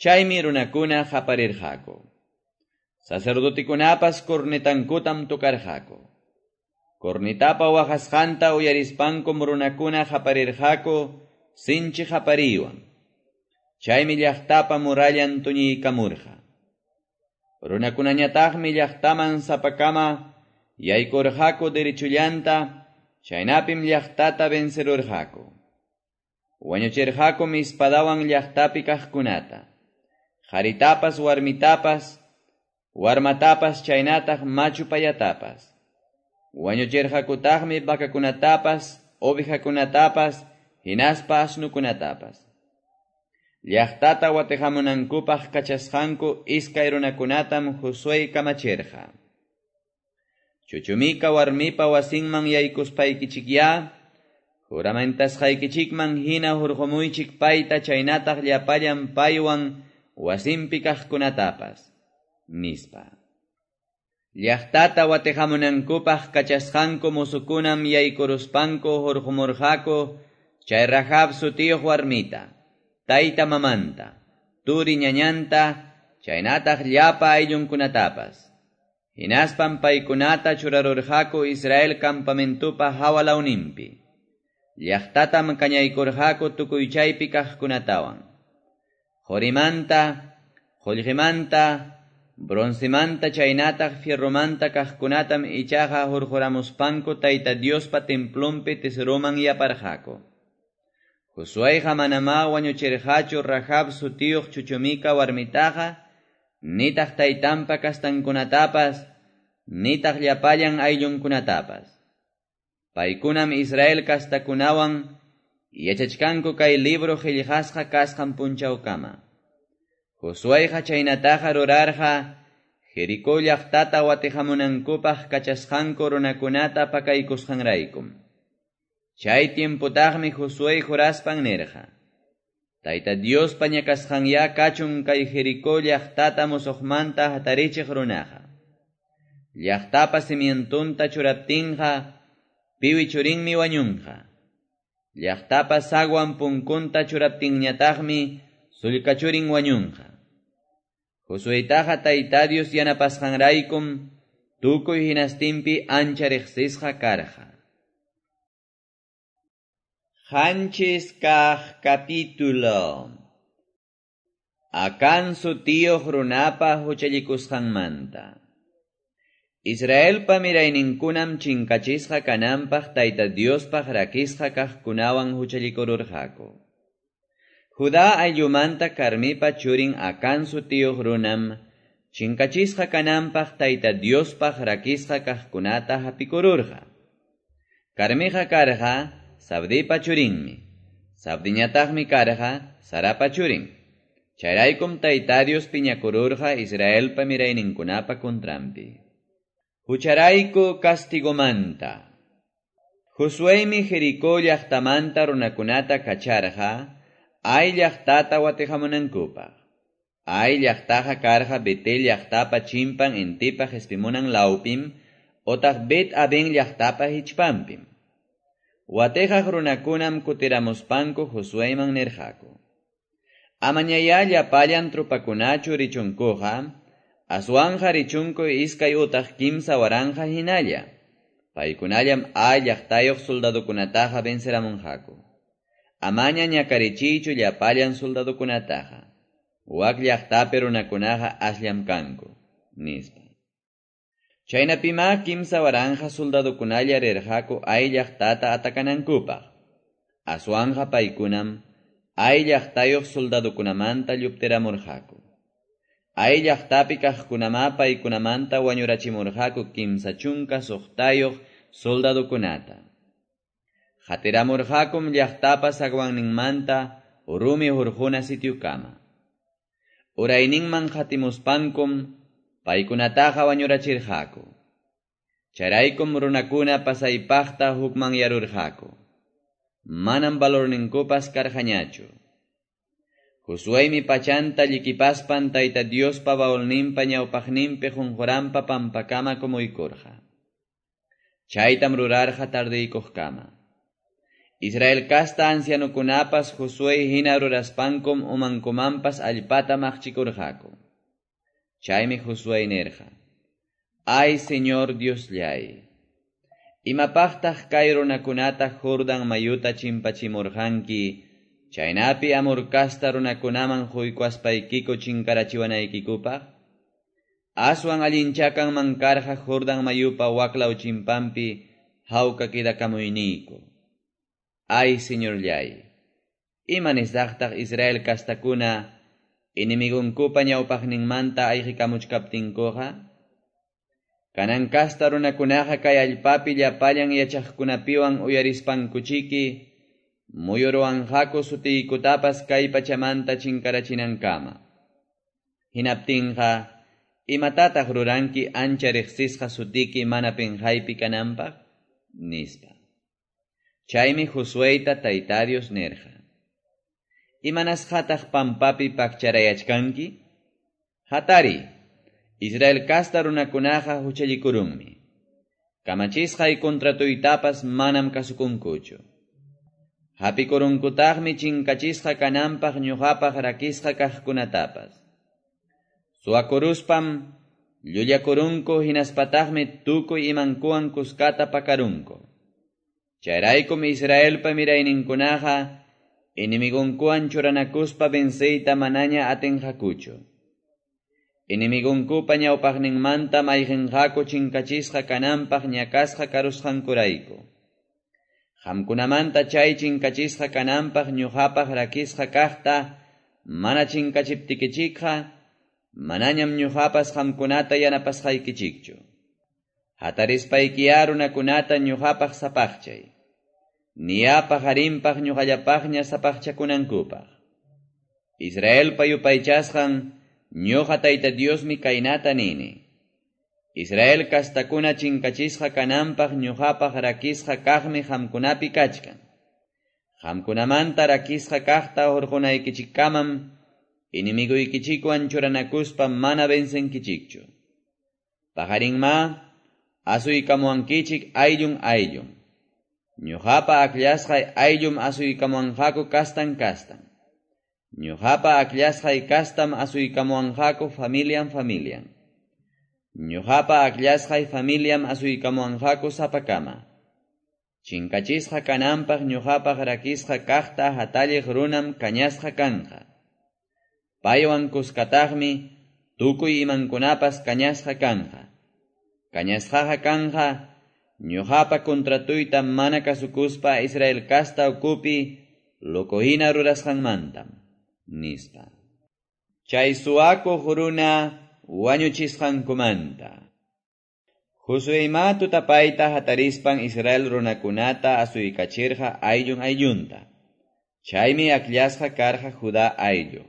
Chaymi runakuna qaparirqaku. Sacerdotekunapas cornetankutam tocarqaku. Cornetapa waqasqanta uyarispankum runakuna qaparirqaku sinchi qapariywan. Chaymi llaqtapa murallan tuñiykamurqa. Runakunañataqmi llaqtaman sapakama yaykurqaku derechullanta, chaynapim llaqtata vencerurqaku. Wañuchirqakum espadawan llaqtapi kaqkunata, qaritapas warmitapas, warmatapas chaynataq machu payatapas. Wañuchirqakutaqmi vacakunatapas, ovejakunatapas, hinaspa asnukunatapas. Llaqtata watiqamunankupaq kachasqanku iskay runakunatam Josué kamachirqa. Chuchumika warmipa wasinman yaykuspaykichikyá, juramentasqaykichikman hina hurqumuychik payta chaynataq llapallan paywan wasinpi kaqkunatapas, nispa. Llaqtata watiqamunankupaq kachasqanku musukunam yaykuruspanku hurqumurqaku chay Rahab sutiyuq warmita, tayta mamanta, turi ñañanta, chaynataq llapa ayllunkunatapas. Hinaspam paykunata churarurqaku Israel campamentupa hawa lawninpi. Llaqtatam kañaykurqaku tukuy chaypi kaqkunatawan. Qorimanta, qullqimanta, broncemanta chaynataq fierromanta kaqkunatam ichaqa hurquramuspanku Tayta Diospa templonpi tesoroman yaparqaku. Josuéqa manamá wañuchirqachu Rahab sutiyuq chuchumika warmitaqa, nitaq taytanpa kastankunatapas, nitaq llapallan ayllunkunatapas. Paykunam Israel kastakunawan yachachkanku kay libro qillqasqa kasqan punchawkama. Josuéqa chaynataqa rurarqa Jericó llaqtata watiqamunankupaq kachasqanku runakunata pakaykusqanraykum. Chay tiempotaqmi Josué juraspan nirqa: Tayta Diospa ñakasqanyá kachun kay Jericó llaqtata musuqmanta hatarichiq runaqa. Llaqtapa cimientonta churaptinqa piwi churinmi wañunqa. Llaqtapa sagwan punkunta churaptinñataqmi sullka churin wañunqa. Josuetaqa Tayta Dios yanapasqanraykum tukuy hinastinpi ancha riqsisqa karqa. Qanchis kaq capítulo. Acán sutiyuq runapa huchallikusqanmanta. Israelpa mirayninkunam chinkachisqa kananpaq Tayta Diospaq rakisqa kaqkunawan huchallikururqaku. Judá ayllumanta Carmipa churin Acán sutiyuq runam chinkachisqa kananpaq Tayta Diospaq rakisqa kaqkunata hapikururqa. Carmiqa karqa Sabdipa churinmi. Sabdiñataqmi karqa Sarapa churin. Chayraykum Tayta Dios piñakururqa Israelpa mirayninkunapa contranpi. Hucharayku castigomanta. Josuemi Jericó llaqtamanta runakunata kacharqa Ai llaqtata watihamunankupaq. Ai llaqtaqa karqa Betel llaqtapa chimpan intipa qespimunan lawpim otaq Bet Aben llaqtapa hichpanpim. Watejaq runakunam kutiramuspanku Josueman nirqaku: Amañayá llapallan tropakunachu richunkuqa, aswanja richunku iskay utaq kimsa waranqa hinalla. Paykunallam Ai llaqtayuq soldadokunataqa venceramunqaku. Amaña ñakarichiychu llapallan soldadokunataqa. Wak llaqtapi runakunaqa asllam kanku, nispa. Chaynapima kimsa waranja soldadokunalla rirqaku Ai llaqtata atakanankupaq. Aswanja paykunam Ai llaqtayuq soldadokunamanta lluptiramurqaku. Ai llaqtapi kaqkunama paykunamanta wañurachimurqaku kimsa chunka suqtayuq soldadokunata. Qatiramurqakum llaqtapa zaguanninmanta rumi hurquna sitiokama. Urayninman qatimuspankum paykunataqa wañurachirqaku. Chayraykum runakuna pasaypaqta hukmanyarurqaku. Manam valorninkupas karqañachu. Josuemi pachanta llikipaspan Tayta Diospa baulninpa ñawpaqninpi qunquranpa pampakama kumuykurqa. Chaytam rurarqa tardeykuqkama. Israel kasta ancianukunapas Josué hina ruraspankum umankumanpas allpata maqchikurqaku. Chaymi Josué nirqa: Ay Señor Diosllay, imapaqtaq kay runakunata Jordán mayuta chimpachimurqanki, chaynapi Amor kasta runakunaman quykuaspaykiku chinkarachiwanaykikupaq? Aswan allincha kanman karqa Jordán mayupa waklaw chimpanpi hawka quedakamuyniyku. Ay Señorllay, ima nisaqtaq Israel kastakuna enemigunkupa ñawpaqninmanta ayqikamuchkaptinkuqa? Kanan kasta runakunaqa kay allpapi llapallan yachaqkunapiwan uyarispankuchiki muyuruwanqaku sutiykutapas kay pachamanta chinkarachinankama. Hinaptinqa, imatataq ruranki ancha riqsisqa sutiki mana pinqaypi kananpaq? Nispa. Chaymi Josueta Tayta Dios nirqa: Imanasqataq pampapi pakcharayachkanki? Hatari, Israel kasta runakunaqa huchallikurunmi. Kamachisqay contratuytapas manam kasukunkuchu. Hapikurunkutaqmi chinkachisqa kananpaq ñuqapaq rakisqa kaqkunatapas. Suwakuruspam llullakurunku hinaspataqmi tukuy imankuwan kuskata pakarunku. Chayraykum Israelpa mirayninkunaqa enemigunkuwan churanakuspa venceyta manaña atinqakuchu. Enemigunkupa ñawpaqninmanta mayqinqaku chinkachisqa kananpaq ñakasqa karusqankurayku. Qamkunamanta chay chinkachisqa kananpaq ñuqapaq rakisqa kaqta mana chinkachiptikichikqa manañam ñuqapas qamkunata yanapasqaykichikchu. Hatarispaykiya runakunata ñuqapaq sapaqchay. Niya paqarinpaq ñuqallapaqña sapaqchakunankupaq. Israelpa yupaychasqan ñuqa Tayta Diosmi kaynata nini: Israel kastakuna chinkachisqa kananpaq ñuqapaq rakisqa kaqmi qamkunapi kachkan. Qamkunamanta rakisqa kaqta hurqunaykichikkamam enemiguykichikwan churanakuspa mana vencenkichikchu. Paqarinma asuykamuwankichik ayllun ayllun. Ñuqapa akllasqay ayllum asuykamuwanqaku kastan kastan. Ñuqapa akllasqay kastam asuykamuwanqaku familian familian. Ñuqapa akllasqay familiam asuykamuwanqaku sapakama. Chinkachisqa kananpaq ñuqapaq rakisqa kaqta hatalliq runam kañasqa kanqa. Paywan kuskataqmi tukuy imankunapas kañasqa kanqa. Kañasqaqa kanqa ñuqapa contratuyta mana kasukuspa Israel kasta ukupi locohina rurasqanmantam, nispa. Chay suwakuq runa wañuchisqankumanta. Josueyma tutapayta hatarispan Israel runakunata asuykachirqa ayllun ayllunta. Chaymi akllasqa karqa Judá ayllu.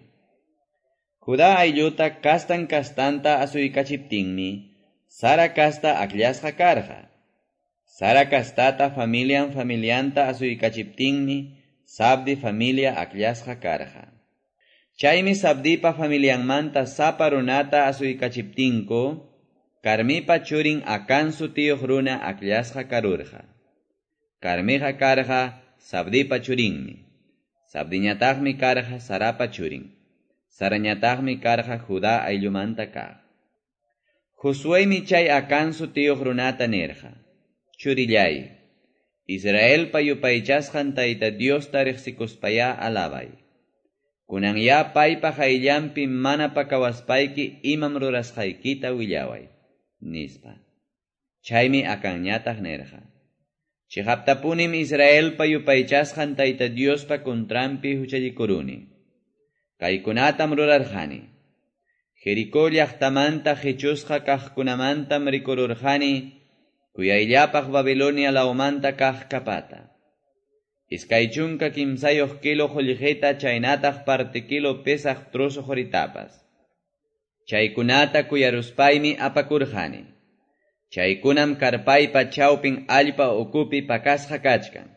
Judá aylluta kastan kastanta asuykachiptinmi Sara kasta akllasqa karqa. Sara kastata familian familianta asuykachiptinmi Sabdi familia akllasqa karqa. Chaymi Sabdipa familianmanta sapa runata asuykachiptinku Karmipa churin Acán sutiyuq runa akllasqa karurqa. Karmiqa karqa Sabdipa churinmi. Sabdiñataqmi karqa Sarapa churin. Sarañataqmi karqa Judá ayllumanta kaq. Josueymi chay Acán sutiyuq runata nirqa: Churillay, Israelpa yupaychasqan Tayta Diosta riqsikuspayá alabay. Kunanyá paypa qayllanpi mana pakawaspayki imam rurasqaykita willaway, nispa. Chaymi Acanñataq nirqa: Chiqaptapunim Israelpa yupaychasqan Tayta Diospa contranpi huchallikuruni. Kaykunatam rurarqani. Jericó llaqtamanta qichusqa kaqkunamantam rikururqani kuyayllapaq Babilonia lawmanta kaq kapata. Iskay chunka kimsayuq kilo qullqita chaynataq parte kilo pesaq trozo quritapas. Chaykunata kuyaruspaymi apakurqani. Chaykunam karpaypa chawpin allpa ukupi pakasqa kachkan.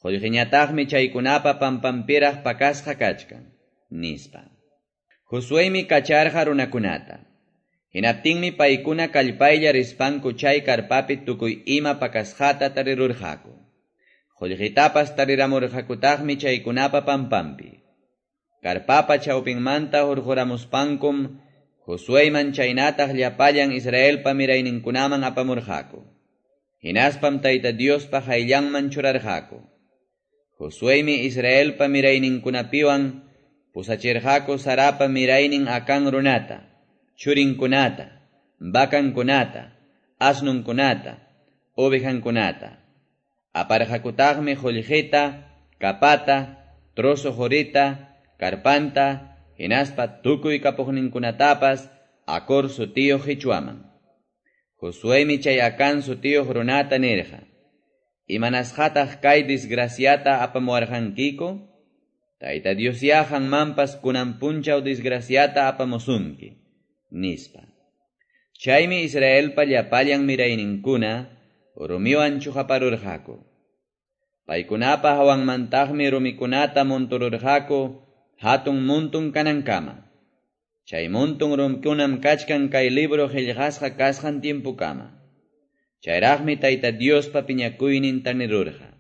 Qullqiñataqmi chaykunapa pampampiraq pakasqa kachkan, nispa. Josueymi kacharqa runakunata. Hinaptinmi paykuna kallpaylla rispanku chay karpapi tukuy ima pakasqata tarirurqaku. Qullqitapas tariramurqakutaqmi chaykunapa pampampi. Karpapa chawpinmanta hurquramuspankum Josueyman chaynataq llapallan Israelpa mirayninkunaman apamurqaku. Hinaspam Tayta Diospa qayllanman churarqaku. Josueymi Israelpa mirayninkunapiwan pusachirqaku Sarapa miraynin Acán runata, churinkunata, vacankunata, asnunkunata, ovejankunata. Aparqakutaqmi qullqita, kapata, trozo qurita, karpanta, hinaspa tukuy kapuqninkunatapas Acor sutiyuq qichwaman. Josueymi chay Acán sutiyuq runata nirqa: Imanasqataq kay disgraciata apamuwarqankiku? Tayta Diosyá qanmanpas kunan punchaw disgraciata apamusunki, nispa. Chaymi Israelpa llapallan mirayninkuna rumiwan chuqaparurqaku. Paykunapa hawanmantaqmi rumikunata montururqaku hatun muntun kanankama. Chay muntun rumikunam kachkan kay libro qillqasqa kasqan tiempukama. Chayraqmi Tayta Diospa piñakuynin tanirurqa.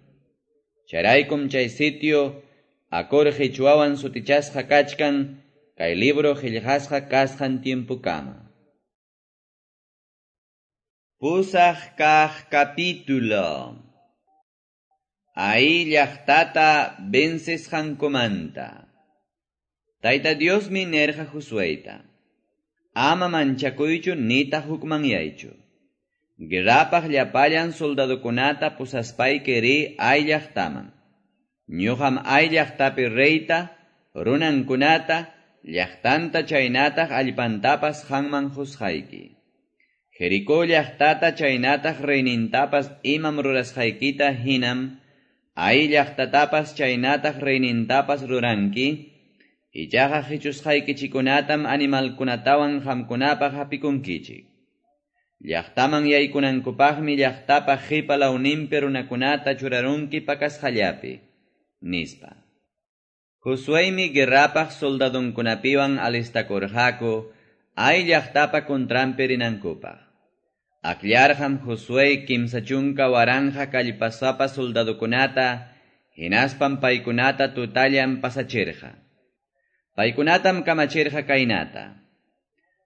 Chayraykum chay sitio Acor qichwawan sutichasqa kachkan kay libro qillqasqa kasqan tiempukama. Pusaq kaq capítulo. Ai llaqtata vencesqankumanta. Tayta Diosmi nirqa Josueyta: Ama manchakuychu nitaq hukmanyaychu. Guerrapaq llapallan soldadokunata pusaspayki riy Ai llaqtaman. Ñuqam Ai llaqtapi reyta, runankunata, llaqtanta chaynataq allpantapas qanman qusqayki. Jericó llaqtata chaynataq reynintapas imam rurasqaykita hinam Ai llaqtatapas chaynataq reynintapas ruranki. Ichaqa qichusqaykichikkunatam animalkunatawan qamkunapaq hapikunkichik. Llaqtaman yaykunankupaqmi llaqtapa qipa lawninpi runakunata churarunki pakasqallapi, nispa. Josueymi guerrapaq soldadunkunapiwan alistakurqaku Ai llaqtapa contranpi rinankupaq. Akllarqam Josué kimsa chunka waranqa kallpasapa soldadukunata, hinaspam paykunata tutallan pasachirqa. Paykunatam kamachirqa kaynata: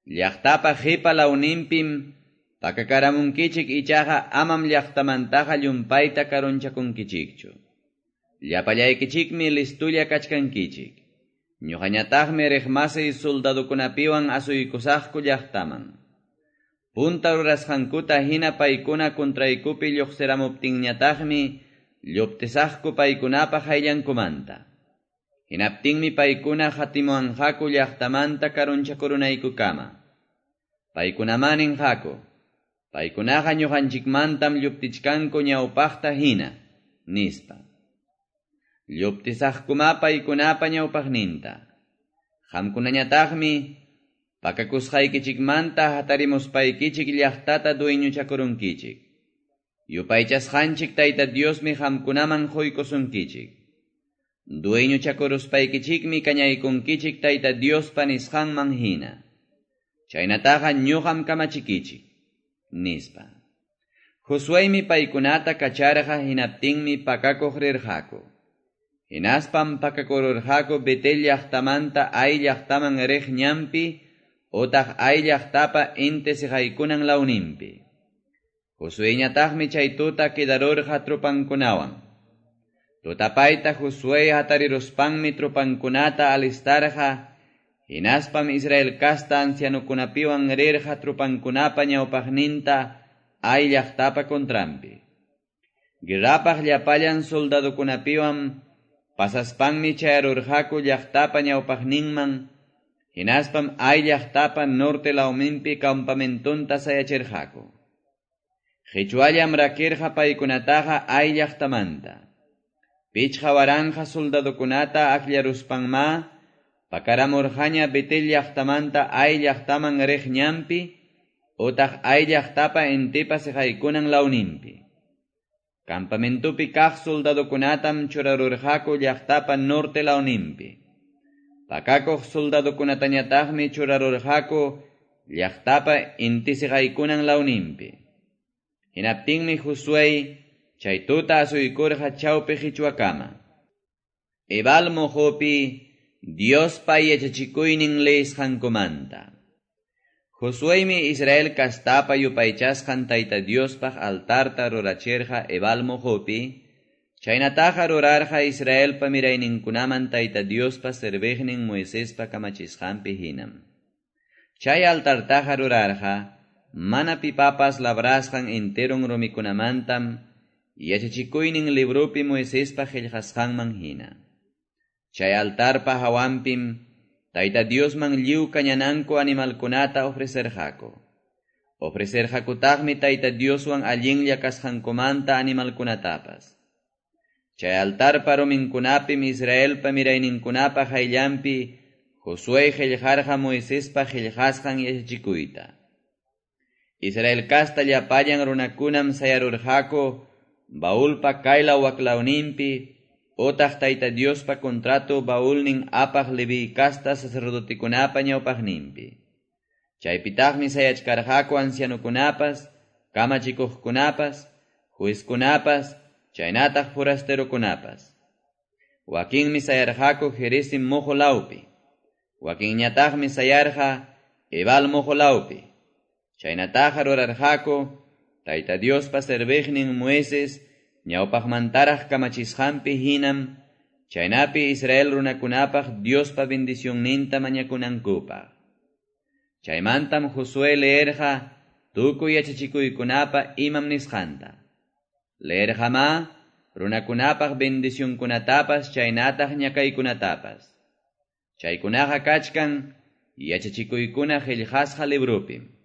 Llaqtapa qipa lawninpim Pakakaramunkichik ichaqa amam llaqtamantaqa llumpayta karunchakunkichikchu. Llapallaykichikmi listulla kachkankichik. Ñuqañataqmi riqmasiy soldadokunapiwan asuykusaqku llaqtaman. Punta rurasqankuta hina paykuna contraykupi lluqsiramuptinñataqmi lluptisaqku paykunapa hayllankumanta. Hinaptinmi paykuna hatimuanqaku llaqtamanta karunchakurunaykukama. Paykunaman ninqaku, paykunaqa ñuqanchikmantam lluptichkanku ñawpaqta hina, nispa. Lluptisaqkuma paykunapa ñawpaqninta. Qamkunañataqmi pakakusqaykichikmanta hatarimuspaykichik llaqtata dueñochakurunkichik. Yupaychasqanchik Tayta Diosmi qamkunaman quykusunkichik. Dueñochakuruspaykichikmi kañaykunkichik Tayta Diospa nisqanman hina. Chaynataqa ñuqam kamachikichik, nispa. Josueymi paykunata kacharqa hinaptinmi pakakuq rirqaku. Hinaspam pakakururqaku Betel llaqtamanta Ai llaqtaman riq ñanpi otaq Ai llaqtapa inti siqaykunan lawninpi. Josueyñataqmi chay tuta quedarurqa tropankunawan. Tutapayta Josué hatariruspanmi tropankunata alistarqa, hinaspam Israel casta ancianokunapiwan rirqa tropankunapa ñawpaqninta Ai llaqtapa contranpi. Guerrapaq llapallan soldadokunapiwan pasaspanmi chayarurqaku llaqtapa ñawpaqninman, hinaspam Ai llaqtapa norte lawninpi campamentonta sayachirqaku. Qichwallam rakirqa paykunataqa Ai llaqtamanta. Pichqa waranqa soldadokunata akllaruspanma pakaramurqaña Betel llaqtamanta Ai llaqtaman riq ñanpi utaq Ai llaqtapa intipa siqaykunan lawninpi. Campamentopi kaq soldadokunatam churarurqaku llaqtapa norte lawninpi. Pakakuq soldadokunatañataqmi churarurqaku llaqtapa inti siqaykunan lawninpi. Hinaptinmi Josué chay tuta asuykurqa chawpi qichwakama. Ebal mojopi Diospa yachachikuynin leesqankumanta. Josueymi Israel kastapa yupaychasqan Tayta Diospaq altarta rurachirqa Ebal mojopi, chaynataqa rurarqa Israelpa mirayninkunaman Tayta Diospa serviqnin Moisespa kamachisqanpi hinam. Chay altartaqa rurarqa mana pipapas labrasqan enteron rumikunamantam yachachikuynin libropi Moisespa qillqasqanman hina. Chay altarpa hawanpim Tayta Diosman lliw kañananku animalkunata ofrecerqaku. Ofrecerqakutaqmi Tayta Dioswan allinlla kasqankumanta animalkunatapas. Chay altarpa ruminkunapim Israelpa mirayninkunapa hayllanpi Josué qillqarqa Moisespa qillqasqan yachachikuyta. Israel kasta llapallan runakunam sayarurqaku baulpa kaylaw waklawninpi utaq Tayta Diospa contrato baulnin apaq Leví kasta sacerdotekunapa ñawpaqninpi. Chaypitaqmi sayachkarqaku ancianokunapas, kamachikuqkunapas, juezkunapas, chaynataq forasterokunapas. Wakinmi sayarqaku Gerizim mojo lawpi, wakinñataqmi sayarqa Ebal mojo lawpi. Chaynataqa rurarqaku Tayta Diospa serviqnin Moisés ñawpaqmantaraq kamachisqanpi hinam, chaynapi Israel runakunapaq Diospa bendicionninta mañakunankupaq. Chaymantam Josué leerqa tukuy yachachikuykunapa imam nisqanta. Leerqamá runakunapaq bendicionkunatapas chaynataq ñakaykunatapas. Chaykunaqa kachkan yachachikuykuna qillqasqa librupim.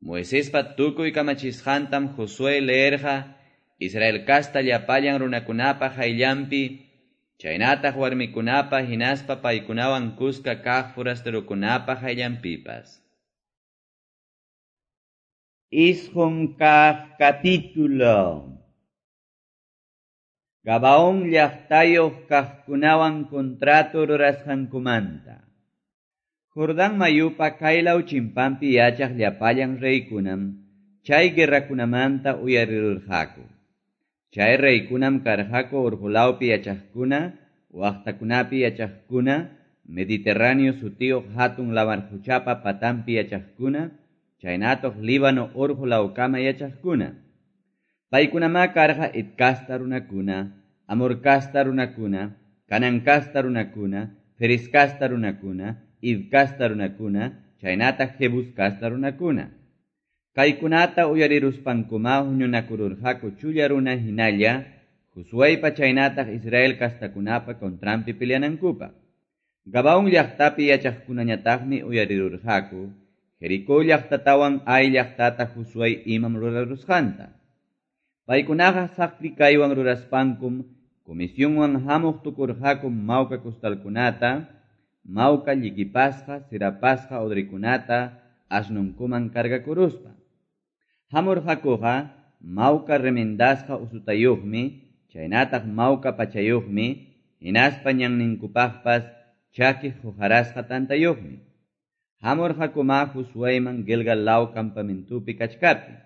Moisespa tukuy kamachisqantam Josué leerqa Israel kasta llapallan runakunapa hayllanpi, chaynataq warmikunapa hinaspa paykunawan kuska kaq forasterokunapa hayllanpipas. Isqun kaq capítulo. Gabaón llaqtayuq kaqkunawan contrato rurasqankumanta. Jordán mayupa kaylaw chimpanpi yachaq llapallan reykunam chay guerrakunamanta uyarirurqaku. Chay reykunam karqaku urqulawpi yachaqkuna, waqtakunapi yachaqkuna, Mediterráneo sutiyuq hatun lamar quchapa patanpi yachaqkuna, chaynataq Líbano urqu lawkama yachaqkuna. Paykunamá karqa Het kasta runakuna, Amor kasta runakuna, Canaan kasta runakuna, Ferez kasta runakuna, Hiv kasta runakuna, chaynataq Jebus kasta runakuna. Kaykunata uyariruspankumá huñunakururqaku chulla runa hinalla, Josueypa chaynataq Israel kastakunapa contranpi peleanankupaq. Gabaón llaqtapi yachaqkunañataqmi uyarirurqaku, Jericó llaqtatawan Ai llaqtata Josué imam rurarusqanta. Paykunaqa saqri kaywan ruraspankum, comisionwan hamuq tukurqaku mawka costalkunata, mawka llikipasqa, sirapasqa odrikunata, asnunkuman cargakuruspa. Hamurqakuqa mawka remendasqa usutayuqmi, chaynataq mawka pachayuqmi, hinaspa ñanninkupaqpas chaki hujarasqa tantayuqmi. Hamurqakuma Josueyman Gilgal law campamentupi kachkaptin.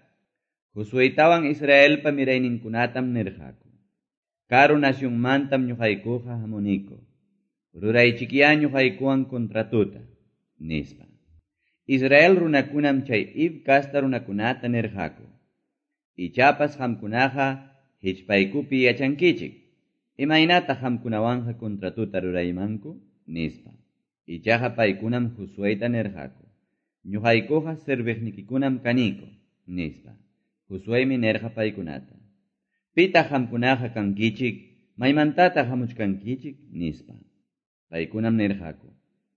Josueytawan Israelpa mirayninkunatam nirqaku. Karu nacionmantam ñuqaykuqa hamuniku. Ruraychikyá ñuqaykuwan contratuta, nispa. Israel runakunam chay Hiv kasta runakunata nirqaku. Ichapas qamkunaqa hichpaykupi yachankichik. Imaynataq qamkunawanqa contratuta ruraymanku? Nispa. Ichaqa paykunam Josueyta nirqaku. Ñuqaykuqa serviqnikikunam kaniku, nispa. Josueymi nirqa paykunata. Pitaq qamkunaqa kankichik, maymantataq hamuchkankichik, nispa. Paykunam nirqaku.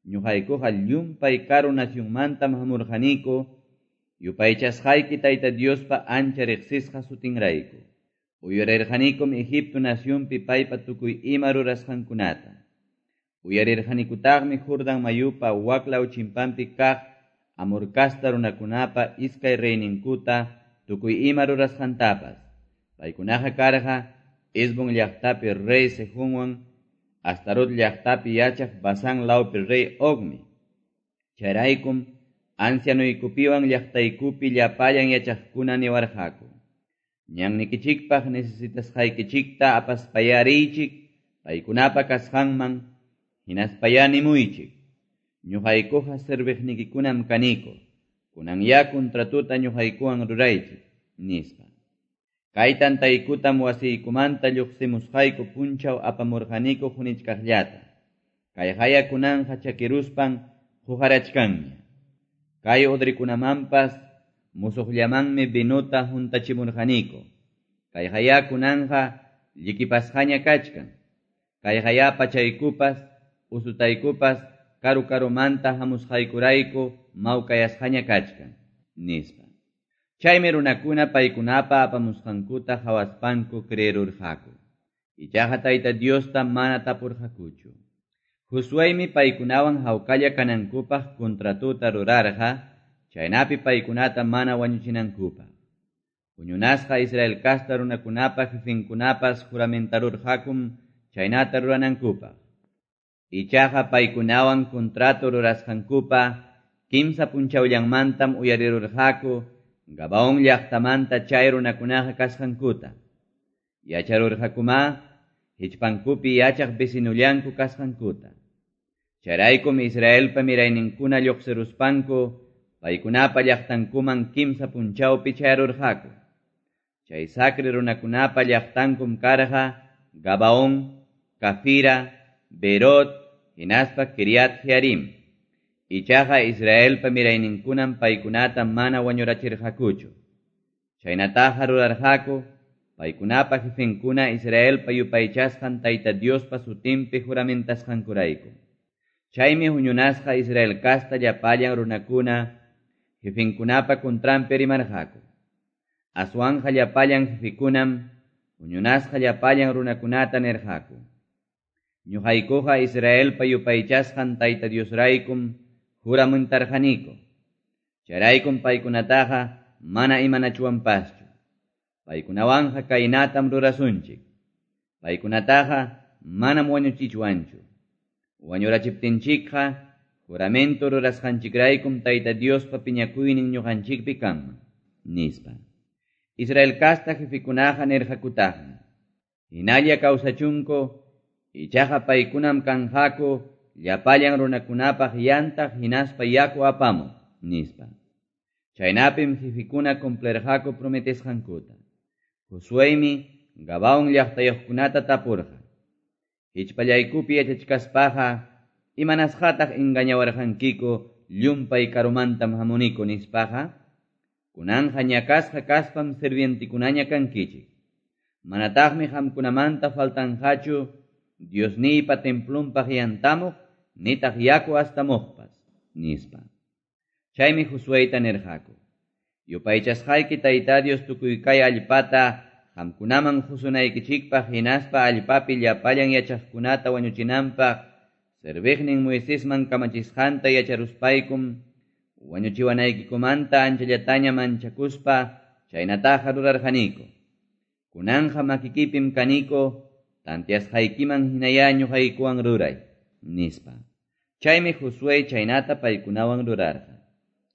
Ñuqaykuqa llumpay karu nacionmantam hamurqaniku, yupaychasqayki Tayta Diospa ancha riqsisqa sutinrayku. Uyarirqanikum Egipto nacionpi paypa tukuy ima rurasqankunata. Uyarirqanikutaqmi Jordán mayupa waklaw chimpanpi kaq Amor kasta runakunapa iskay reyninkuta tukuy ima rurasqantapas. Paykunaqa karqa Hesbón llaqtapi rey Sehonwan, Astarot llaqtapi yachaq Basán lawpi rey Ogmi. Chayraykum ancianoykupiwan llaqtaykupi llapallan yachaqkuna niwarqaku. Ñannikichikpaq necesitasqaykichikta apaspayariychik, paykunapa kasqanman, hinaspayá nimuychik. Ñuqaykuqa serviqnikikunam kaniku, kunanyá contratuta ñuqaykuwan ruraychik, nispa. Kay tantaykutam wasiykumanta lluqsimusqayku punchaw apamurqaniku hunichkaqllata. Kay haya kunanja chakiruspan hujarachkanña. Kay odrikunamanpas musuqllamanmi vinuta huntachimurqaniku. Kay haya kunanja llikipasqaña kachkan. Kay haya pachaykupas, usutaykupas, karu karumanta hamusqaykurayku mawkayasqaña kachkan, nispa. Chaymi runakuna paykunapa apamusqankuta hawaspanku creerurqaku. Ichaqa Tayta Diosta mana tapurqakuchu. Josueymi paykunawan hawkalla kanankupaq contratuta rurarqa, chaynapi paykunata mana wañuchinankupaq. Huñunasqa Israel kasta runakunapa jefinkunapas juramentarurqakum chaynata ruranankupaq. Ichaqa paykunawan contrato rurasqankupa kimsa punchawllanmantam uyarirurqaku Gabaón llaqtamanta chay runakunaqa kasqankuta. Yacharurqakumá hichpankupi yachaq vecinullanku kasqankuta. Chayraykum Israelpa mirayninkuna lluqsiruspanku paykunapa llaqtankuman kimsa punchawpi chayarurqaku. Chay sacri runakunapa llaqtankum karqa Gabaón, Cafira, Berot, hinaspa Kiriat Jearim. Ichaqa Israelpa mirayninkunam paykunata mana wañurachirqakuchu. Chaynataqa rurarqaku paykunapa jefenkuna Israelpa yupaychasqan Tayta Diospa sutinpi juramentasqankurayku. Chaymi huñunasqa Israel kasta llapallan runakuna jefenkunapa contranpi rimarqaku. Aswanja llapallan jefekunam huñunasqa llapallan runakunata nirqaku. Ñuqaykuqa Israelpa yupaychasqan Tayta Diosraykum juramentarqaniku. Chayraykum paykunataqa mana imanachuwanpaschu. Paykunawanqa kaynatam rurasunchik. Paykunataqa manam wañuchichwanchu. Wañurachiptinchikqa juramento rurasqanchikraykum Tayta Diospa piñakuynin ñuqanchikpi kanman, nispa. Israel kasta jefekunaqa nirqakutaqmi. Hinalla kawsachunku, ichaqa paykunam kanqaku llapallan runakunapaq yantaq hinaspa yaku apamuq, nispa. Chaynapim jefikuna cumplirqaku prometesqankuta. Josueymi Gabaón llaqtayuqkunata tapurqa. Hichpallaykupi yachachkaspaqa imanasqataq engañawarqankiku llumpay karumantam hamuniku nispaqa? Kunanqa ñakasqa kaspam sirvientikunaña kankichik. Manataqmi qamkunamanta faltanqachu Diosniypa templunpaq yantamuq nitaq yaku astamuqpas, nispa. Chaymi Josueyta nirqaku. Yupaychasqayki Tayta Dios tukuy kay allpata qamkunaman qusunaykichikpaq hinaspa allpapi llapallan yachaqkunata wañuchinanpaq serviqnin Moisesman kamachisqanta yacharuspaykum wañuchiwanaykikumanta anchallataña manchakuspa chaynataqa rurarqaniku. Kunanqa makikipim kaniko tantiasqaykiman hinaya ñuqaykuwan ruray, nispa. Chaymi Josué chaynata paykunawan rurarqa.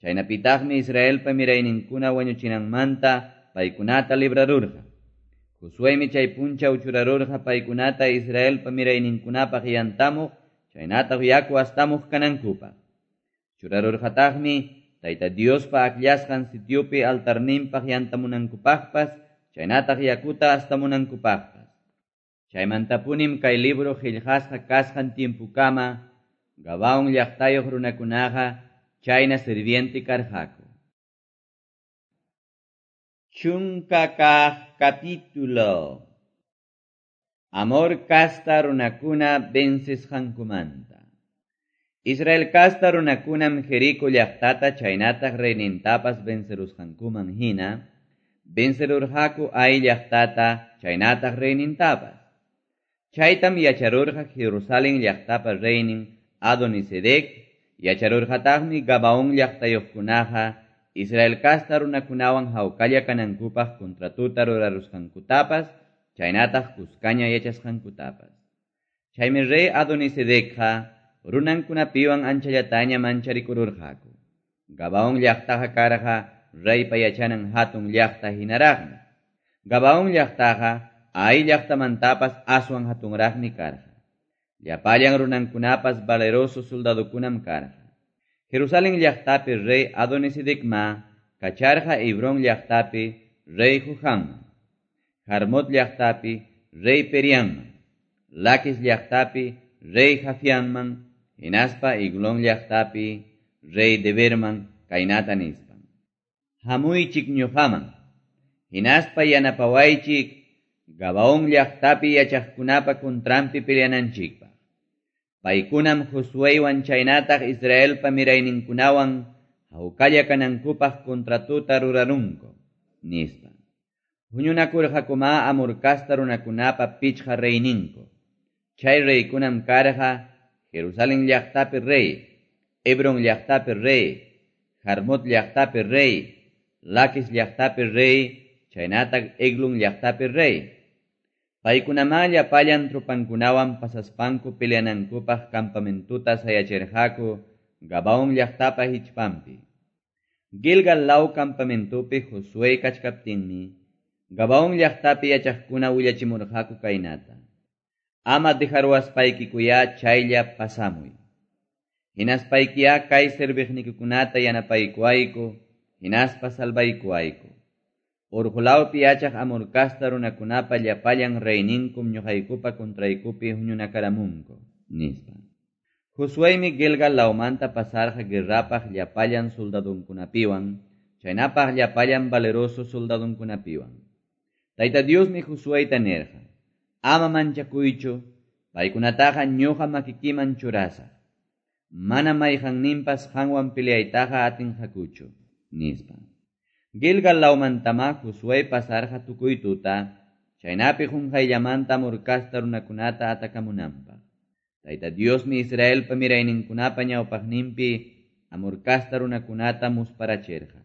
Chaynapitaqmi Israelpa mirayninkuna wañuchinanmanta paykunata librarurqa. Josuémi chay punchaw churarurqa paykunata Israelpa mirayninkunapaq yantamuq chaynataq yaku astamuq kanankupaq. Churarurqataqmi Tayta Diospa akllasqan sitiopi altarninpaq yantamunankupaqpas chaynataq yakuta astamunankupaqpas. Chaymantapunim kay libro qillqasqa kasqan tiempukama Gabaón llaqtayuq runakunaqa chayna sirviente karqaku. Chunka kaq capítulo. Amor kasta runakuna vencesqankumanta. Israel kasta runakunam Jerico llaqtata chaynataq reynintapas vencerusqankuman hina, vencerurqaku Ai llaqtata chaynataq reynintapas. Chaytam yacharurqa Jerusalén llaqtapa reynin Adonisedec, yacharurqataqmi Gabaón llaqtayuqkunaqa Israel kasta runakunawan hawkalla kanankupaq contratuta rurarusqankutapas, chaynataq kuskaña yachasqankutapas. Chaymi rey Adonisedecqa runankunapiwan anchallataña mancharikururqaku. Gabaón llaqtaqa karqa reypa yachanan hatun llaqta hinaraqmi. Gabaón llaqtaqa Ai llaqtamantapas aswan hatunraqmi karqa. Llapallan runankunapas valeroso soldadokunam karqa. Jerusalén llaqtapi rey Adonisedecma kacharqa Hebrón llaqtapi rey Johanman, Jarmot llaqtapi rey Perianman, Laquis llaqtapi rey Jafianman, hinaspa Eglón llaqtapi rey Deberman kaynata nispan. Hamuychik ñuqaman, hinaspa yanapawaychik Gabaón llaqtapi yachaqkunapa contranpi peleananchikpaq. Paykunam Josueywan chaynataq Israelpa mirayninkunawan hawkalla kanankupaq contratuta rurarunku, nispa. Huñunakurqakuma Amor kasta runakunapa pichqa reyninku. Chay reykunam karqa Jerusalén llaqtapi rey, Hebrón llaqtapi rey, Jarmut llaqtapi rey, Laquis llaqtapi rey, chaynataq Eglón llaqtapi rey. Paykunamá llapallan tropankunawan pasaspanku peleanankupaq campamentuta sayachirqaku Gabaón llaqtapa hichpanpi. Gilgal law campamentupi Josué kachkaptinmi, Gabaón llaqtapi yachaqkuna willachimurqaku kaynata. Ama dejaruaspaykikuya chaylla pasamuy. Hinaspaykiya kay serviqnikikunata yanapaykuayku, hinaspa salvaykuayku. Urqulawpi yachaq Amor kasta runakunapa llapallan reyninkum ñuqaykupa contraykupi huñunakaramunku, nispa. Josuémi Gilgal lawmanta pasarqa guerrapaq llapallan soldadunkunapiwan, chaynapaq llapallan valeroso soldadunkunapiwan. Tayta Diosmi Josueyta nirqa: Ama manchakuychu, paykunataqa ñuqa makikiman churasaq. Mana mayqanninpas qanwan peleaytaqa atinqakuchu, nispa. Gilgal lawmantama Josué pasarqa tukuy tuta, chaynapi qunqayllamanta Amor kasta runakunata atakamunanpaq. Tayta Diosmi Israelpa mirayninkunapa ñawpaqninpi Amor kasta runakunata musparachirqa.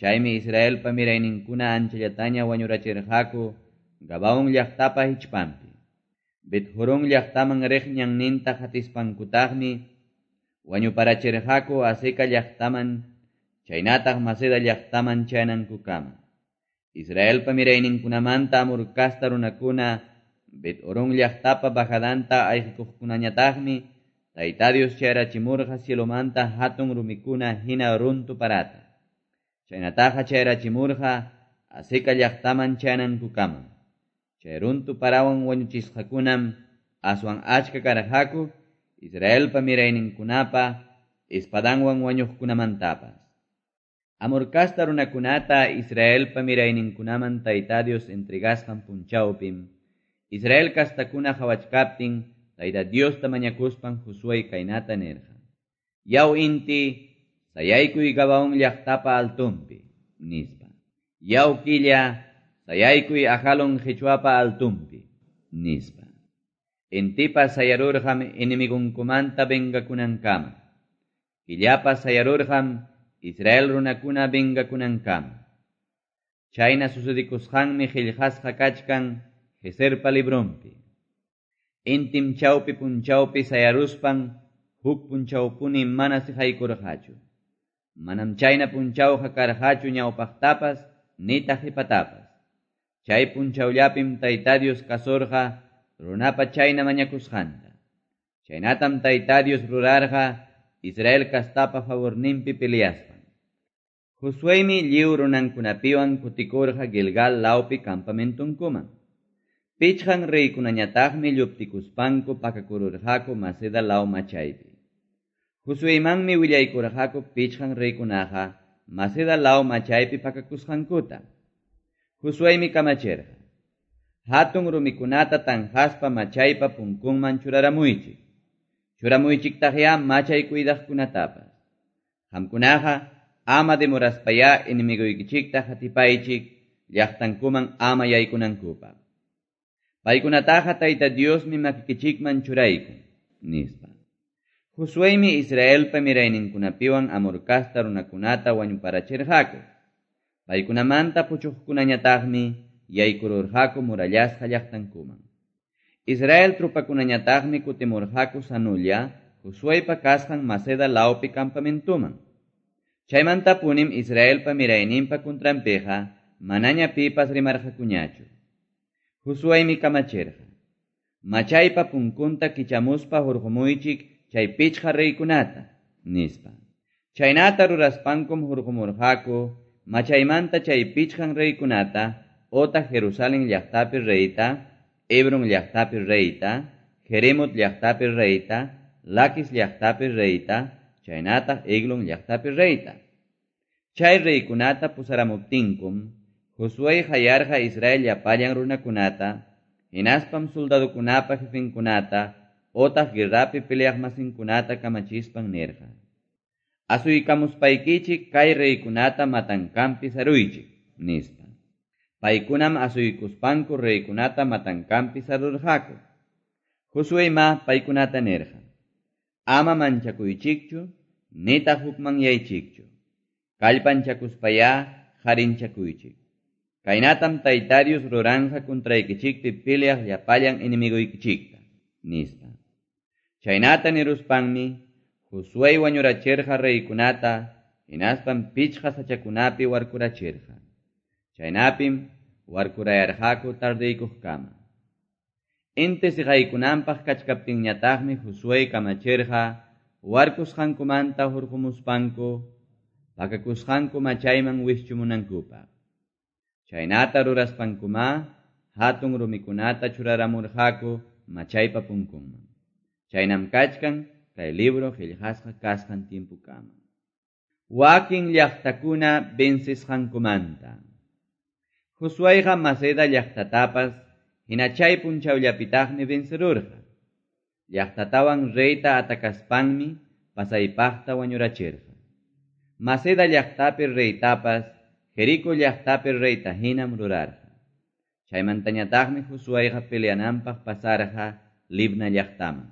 Chaymi Israelpa mirayninkuna anchallataña wañurachirqaku Gabaón llaqtapa hichpanpi. Bet-Horón llaqtaman riq ñanninta qatispankutaqmi wañuparachirqaku Azeca llaqtaman chaynataq Maceda llaqtaman chayanankukama. Israelpa mirayninkunamanta Amor kasta runakuna Bet-Horón llaqtapa bajadanta ayqikuqkunañataqmi Tayta Dios chayrachimurqa cielomanta hatun rumikuna hina runtu parata. Chaynataqa chayrachimurqa Azeca llaqtaman chayanankukamam. Chay runtu parawan wañuchisqakunam aswan achka karqaku Israelpa mirayninkunapa espadanwan wañuqkunamantapas. Amor casta runakunata Israelpa mirayninkunaman Tayta Dios entregasqan punchawpim, Israel castakuna qawachkaptin Tayta Diosta mañakuspan Josué kaynata nirqa: Yaw inti, sayaykuy Gabaón llaqtapa altunpi, nispa. Yaw killa, sayaykuy Ajalón qhichwapa altunpi, nispa. Intipas sayarurqam enemigunkumanta vengakunankama. Killapas sayarurqam Israel runakuna vengakunankama. Chayna sucedikusqanmi qillqasqa kachkan Jeserpa librunpi. Intim chawpi punchawpi sayaruspan huk punchawpuni mana siqaykurqachu. Manam chayna punchawqa karqachu ñawpaqtapas nitaq qhipatapas. Chay punchawllapim Tayta Dios kasurqa runapa chayna mañakusqanta. Chaynatam Tayta Dios rurarqa Israel castapa favorninpi peleaspan. Josuemi lliw runankunapiwan kutikurqa Gilgal lawpi campamentunkuman. Pichqan reykunañataqmi lluptikuspanku pakakururqaku Maceda law machaypi. Josueymanmi willaykurqaku pichqan reykunaqa Maceda law machaypi pakakusqankuta. Josueymi kamachirqa: Hatun rumikunata tanqaspa machaypa punkunman churaramuychik. Churamuychiktaqya machay cuidaqkunatapas. Qamkunaqa ama demoraspayá enemiguykichikta hatipaychik llaqtankuman ama yaykunankupaq. Paykunataqa Tayta Diosmi makikichikman churaykun, nispa. Josueymi Israelpa mirayninkunapiwan Amor casta runakunata wañuparachirqaku. Paykunamanta puchuqkunañataqmi yaykururqaku murallasqa llaqtankuman. Israel trupakunañataqmi kutimurqaku sanulla Josueypa kasqan Maceda lawpi campamentuman. Chaymantapunim Israelpa mirayninpa contranpiqa manaña pipas rimarqakuñachu. Josueymi kamachirqa: Machaypa punkunta kichamuspa hurqumuychik chay pichqa reykunata, nispa. Chaynata ruraspankum hurqumurqaku machaymanta chay pichqan reykunata otaq Jerusalén llaqtapi reyta, Hebron llaqtapi reyta, Jeremot llaqtapi reyta, Laquis llaqtapi reyta, chaynataq Eglon llaqtapi reyta. Chay reykunata pusaramuptinkum, Josué hayarqa Israel llapallan runakunata, hinaspam soldadokunapa jefenkunata, otaq guerrapi peleaqmasinkunata kamachispan nirqa: Asuykamuspaykichik kay reykunata matankampi saruychik, nispa. Paykunam asuykuspanku reykunata matankampi sarurqaku. Josueyma paykunata nirqa: Ama manchakuychikchu, nitaq hukmanyaychikchu. Kallpanchakuspayá harinchakuychik. Kaynatam Tayta Dios ruranqa contraykichikpi peleaq llapallan enemiguykichikta, nispa. Chaynata niruspanmi Josué wañurachirqa reykunata, hinaspam pichqa sachakunapi warkurachirqa. Chaynapim warkurayarqaku tardeykuqkama. Inti siqaykunanpaq kachkaptinñataqmi Josué kamachirqa warkusqankumanta hurqumuspanku pakakusqanku machayman wischumunankupaq. Chaynata ruraspankuma hatun rumikunata churaramurqaku machaypa punkunman. Chaynam kachkan kay libro qillqasqa kasqan tiempukama. Wakin llaqtakuna vencisqankumanta. Josueyqa Maceda llaqtatapas hina chay punchawllapitaqmi vencerurqa. Llaqtatawan reyta atakaspanmi pasaypaqta wañurachirqa. Maceda llaqtapi reytapas Jerico llaqtapi reyta hinam rurarqa. Chaymantañataqmi Josueyqa peleananpaq pasarqa Libna llaqtaman.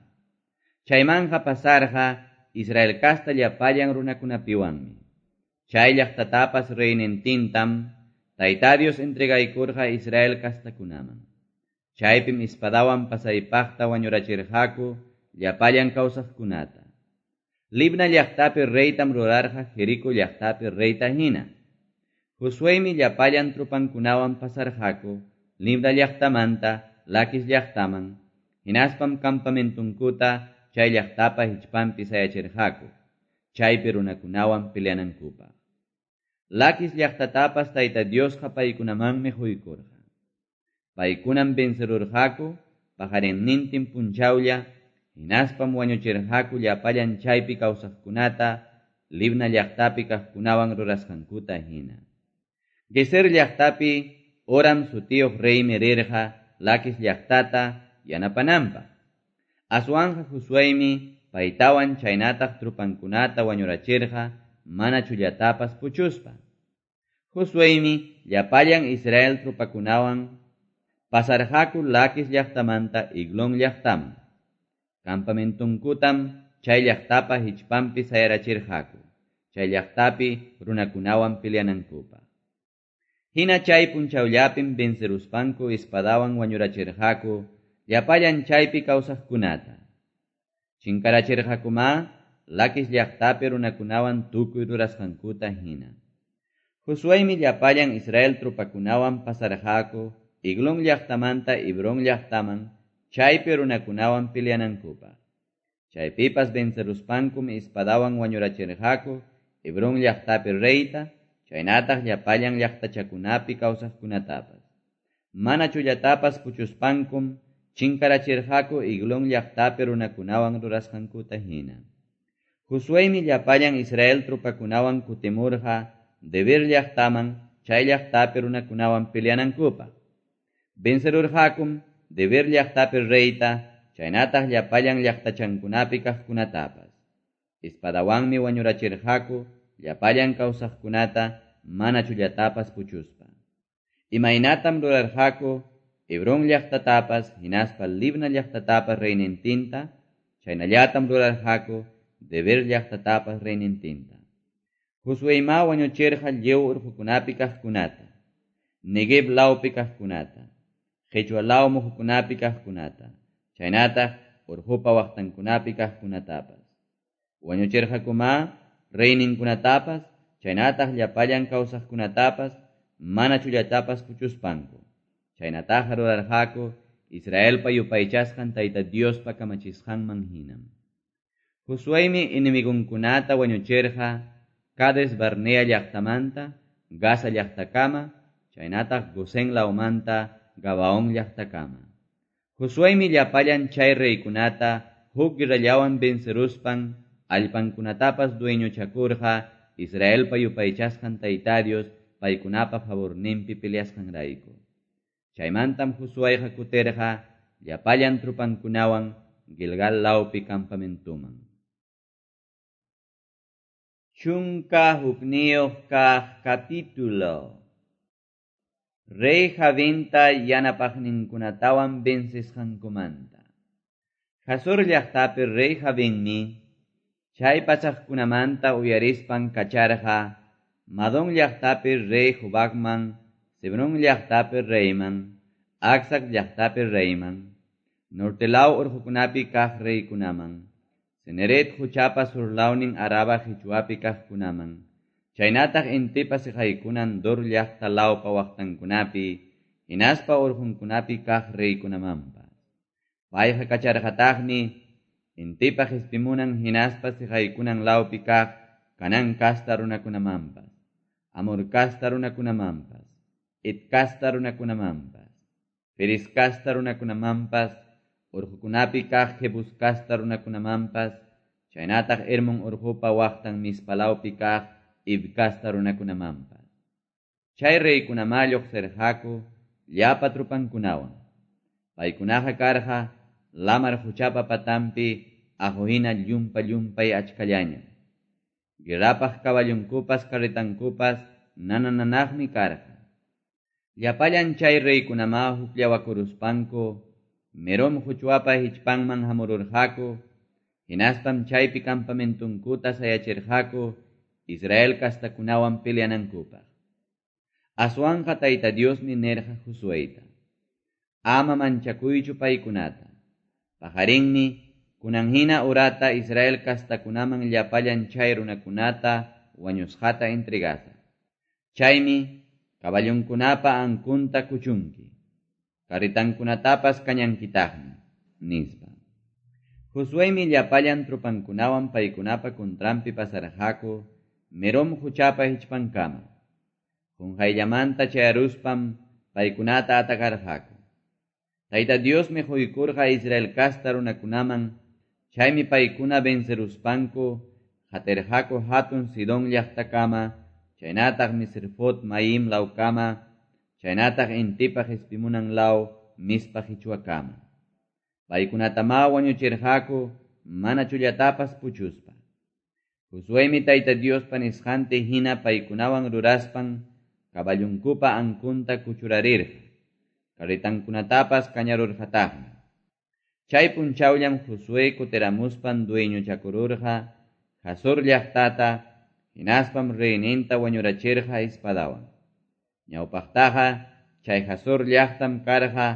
Chaymanqa pasarqa Israel casta llapallan runakunapiwanmi. Chay llaqtatapas reynintintam Tayta Dios entregaykurqa Israel castakunaman. Chaypim espadawan pasaypaqta wañurachirqaku llapallan kawsaqkunata. Libna llaqtapi reytam rurarqa Jerico llaqtapi reyta hina. Josueymi llapallan trupankunawan pasarqaku Libna llaqtamanta Laquis llaqtaman, hinaspam campamentunkuta chay llaqtapa hichpanpi sayachirqaku, chaypi runakunawan peleanankupaq. Laquis llaqtatapas Tayta Diosqa paykunamanmi quykurqa. Paykunam vencerurqaku paqarinnintin punchawlla, hinaspam wañuchirqaku llapallan chaypi kawsaqkunata, Libna llaqtapi kaqkunawan rurasqankuta hina. Geser llaqtapi Oram sutiyuq reymi rirqa Laquis llaqtata yanapananpaq. Aswanja Josueymi paytawan chaynataq trupankunata wañurachirqa mana chullatapas puchuspa. Josueymi llapallan Israel trupakunawan pasarqaku Laquis llaqtamanta Eglón llaqtaman. Campamentunkutam chay llaqtapa hichpanpi sayarachirqaku, chay llaqtapi runakunawan peleanankupaq. Hina chay punchawllapim venceruspanku espadawan wañurachirqaku llapallan chaypi kawsaqkunata. Chinkarachirqakuma Laquis llaqtapi runakunawan tukuy rurasqankuta hina. Josueymi llapallan Israel trupakunawan pasarqaku Eglón llaqtamanta Hebrón llaqtaman chaypi runakunawan peleanankupaq. Chaypipas venceruspankum espadawan wañurachirqaku Hebrón llaqtapi reyta, chaynataq llapallan llaqtachakunapi kawsaqkunatapas. Mana chullatapas puchuspankum chinkarachirqaku Eglón llaqtapi runakunawan rurasqankuta hina. Josueymi llapallan Israel trupakunawan kutimurqa Debir llaqtaman chay llaqtapi runakunawan peleanankupaq. Vencerurqakum Debir llaqtapi reyta, chaynataq llapallan llaqtachankunapi kaqkunatapas. Espadawanmi wañurachirqaku llapallan kawsaqkunata mana chullatapas puchuspa. Imaynatam rurarqaku Hebrón llaqtatapas hinaspa Libna llaqtatapas reynintinta, chaynallatam rurarqaku Debir llaqtatapas reynintinta. Josueyma wañuchirqa lliw urqukunapi kaqkunata, Neguev lawpi kaqkunata, Qhichwa law muhukunapi kaqkunata, chaynataq urqupa waqtankunapi kaqkunatapas. Wañuchirqakuma reyninkunatapas, chaynataq llapallan kawsaqkunatapas, mana chullatapas puchuspanku. Chaynataqa rurarqaku Israelpa yupaychasqan Tayta Diospa kamachisqanman hinam. Josueymi enemigunkunata wañuchirqa Cades Barnea llaqtamanta, Gaza llaqtakama, chaynataq Gosén lawmanta Gabaón llaqtakama. Josueymi llapallan chay reykunata huk guerrallawan venceruspan allpankunatapas dueñochakurqa Israelpa yupaychasqan Tayta Dios paykunapa favorninpi peleasqanrayku. Chaymantam Josueyqa kutirqa llapallan trupankunawan Gilgal lawpi campamentuman. Chunka hukniyuq kaq capítulo. Rey Jabinta yanapaqninkunatawan vencisqankumanta. Hazor llaqtapi rey Jabinmi chay pasaqkunamanta uyarispan kacharqa Madón llaqtapi rey Jobabman, Sebrón llaqtapi reyman, Acsac llaqtapi reyman, norte law urqukunapi kaq reykunaman, Cineret huchapa surlawnin Araba hichwapi kaqkunaman, chaynataq intipa siqaykunan Dor llaqta lawpa waqtankunapi, hinaspa urqunkunapi kaq reykunamanpas. Payqa kacharqataqmi intipa qispimunan hinaspa siqaykunan lawpi kaq Canaán kasta runakunamanpas, Amor kasta runakunamanpas, Het kasta runakunamanpas, Feris kasta runakunamanpas, urqukunapi kaq Jebus kasta runakunamanpas, chaynataq Hermon urqupa waqtan Mispalawpi kaq Ib kasta runakunamanpas. Chay reykunama lluqsirqaku llapa trupankunawan. Paykunaqa karqa lamar huchapa patampi aquhina llumpa llumpay achkallaña. Guerrapaq kaballunkupas carretankupas nanananaqmi karqa. Llapallan chay reykunama hukllawakuruspanku Merom huchwapa hichpanman hamururqaku, hinaspam chaypi campamentunkuta sayachirqaku Israel kastakunawan peleanankupaq. Aswanja Tayta Diosmi nirqa Josueyta: Ama manchakuychu paykunata. Pajarinmi kunan hina urata Israel kastakunaman llapallan chay runakunata wañusqata entregasaq. Chaymi kaballunkunapa ankunta kuchunki, carretankunatapas kañankitaqmi, nispa. Josueymi llapallan trupankunawan paykunapa contranpi pasarqaku Merom huchapa hichpankama. Qunqayllamanta chayaruspam paykunata atacarqaku. Tayta Diosmi quykurqa Israel kasta runakunaman, chaymi paykuna venceruspanku qatirqaku hatun Sidón llaqtakama, chaynataq Misrfot Maim lawkama, chaynataq intipa qispimunan law Mispa hichwakama. Paykunatama wañuchirqaku mana chullatapas puchuspa. Josuemi Tayta Diospa nisqanta hina paykunawan ruraspan kaballunkupa ankunta kuchurarirqa, carretankunatapas kañarurqataqmi. Chay punchawllam Josué kutiramuspan dueñochakururqa Hazor llaqtata, hinaspam reyninta wañurachirqa espadawan. Ñawpaqtaqa chay Hazor llaqtam karqa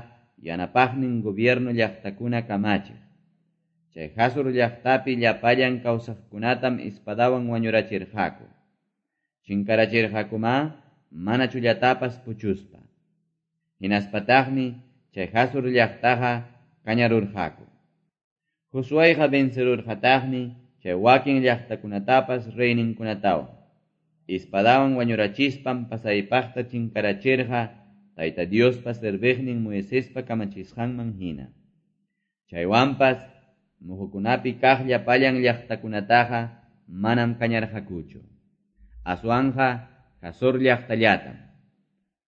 yanapaqnin gobierno llaqtakuna kamachiq. Chay Hazor llaqtapi llapallan kawsaqkunatam espadawan wañurachirqaku. Chinkarachirqakuma mana chullatapas puchuspa. Hinaspataqmi chay Hazor llaqtaqa kañarurqaku. Josuéqa vencerurqataqmi chay wakin llaqtakunatapas reyninkunatawan. Espadawan wañurachispan pasaypaqta chinkarachirqa Tayta Diospa serviqnin Moisespa kamachisqanman hina. Chaywanpas muhukunapi kaq llapallan llaqtakunataqa manam kañarqakuchu. Aswanja Hazor llaqtallatam.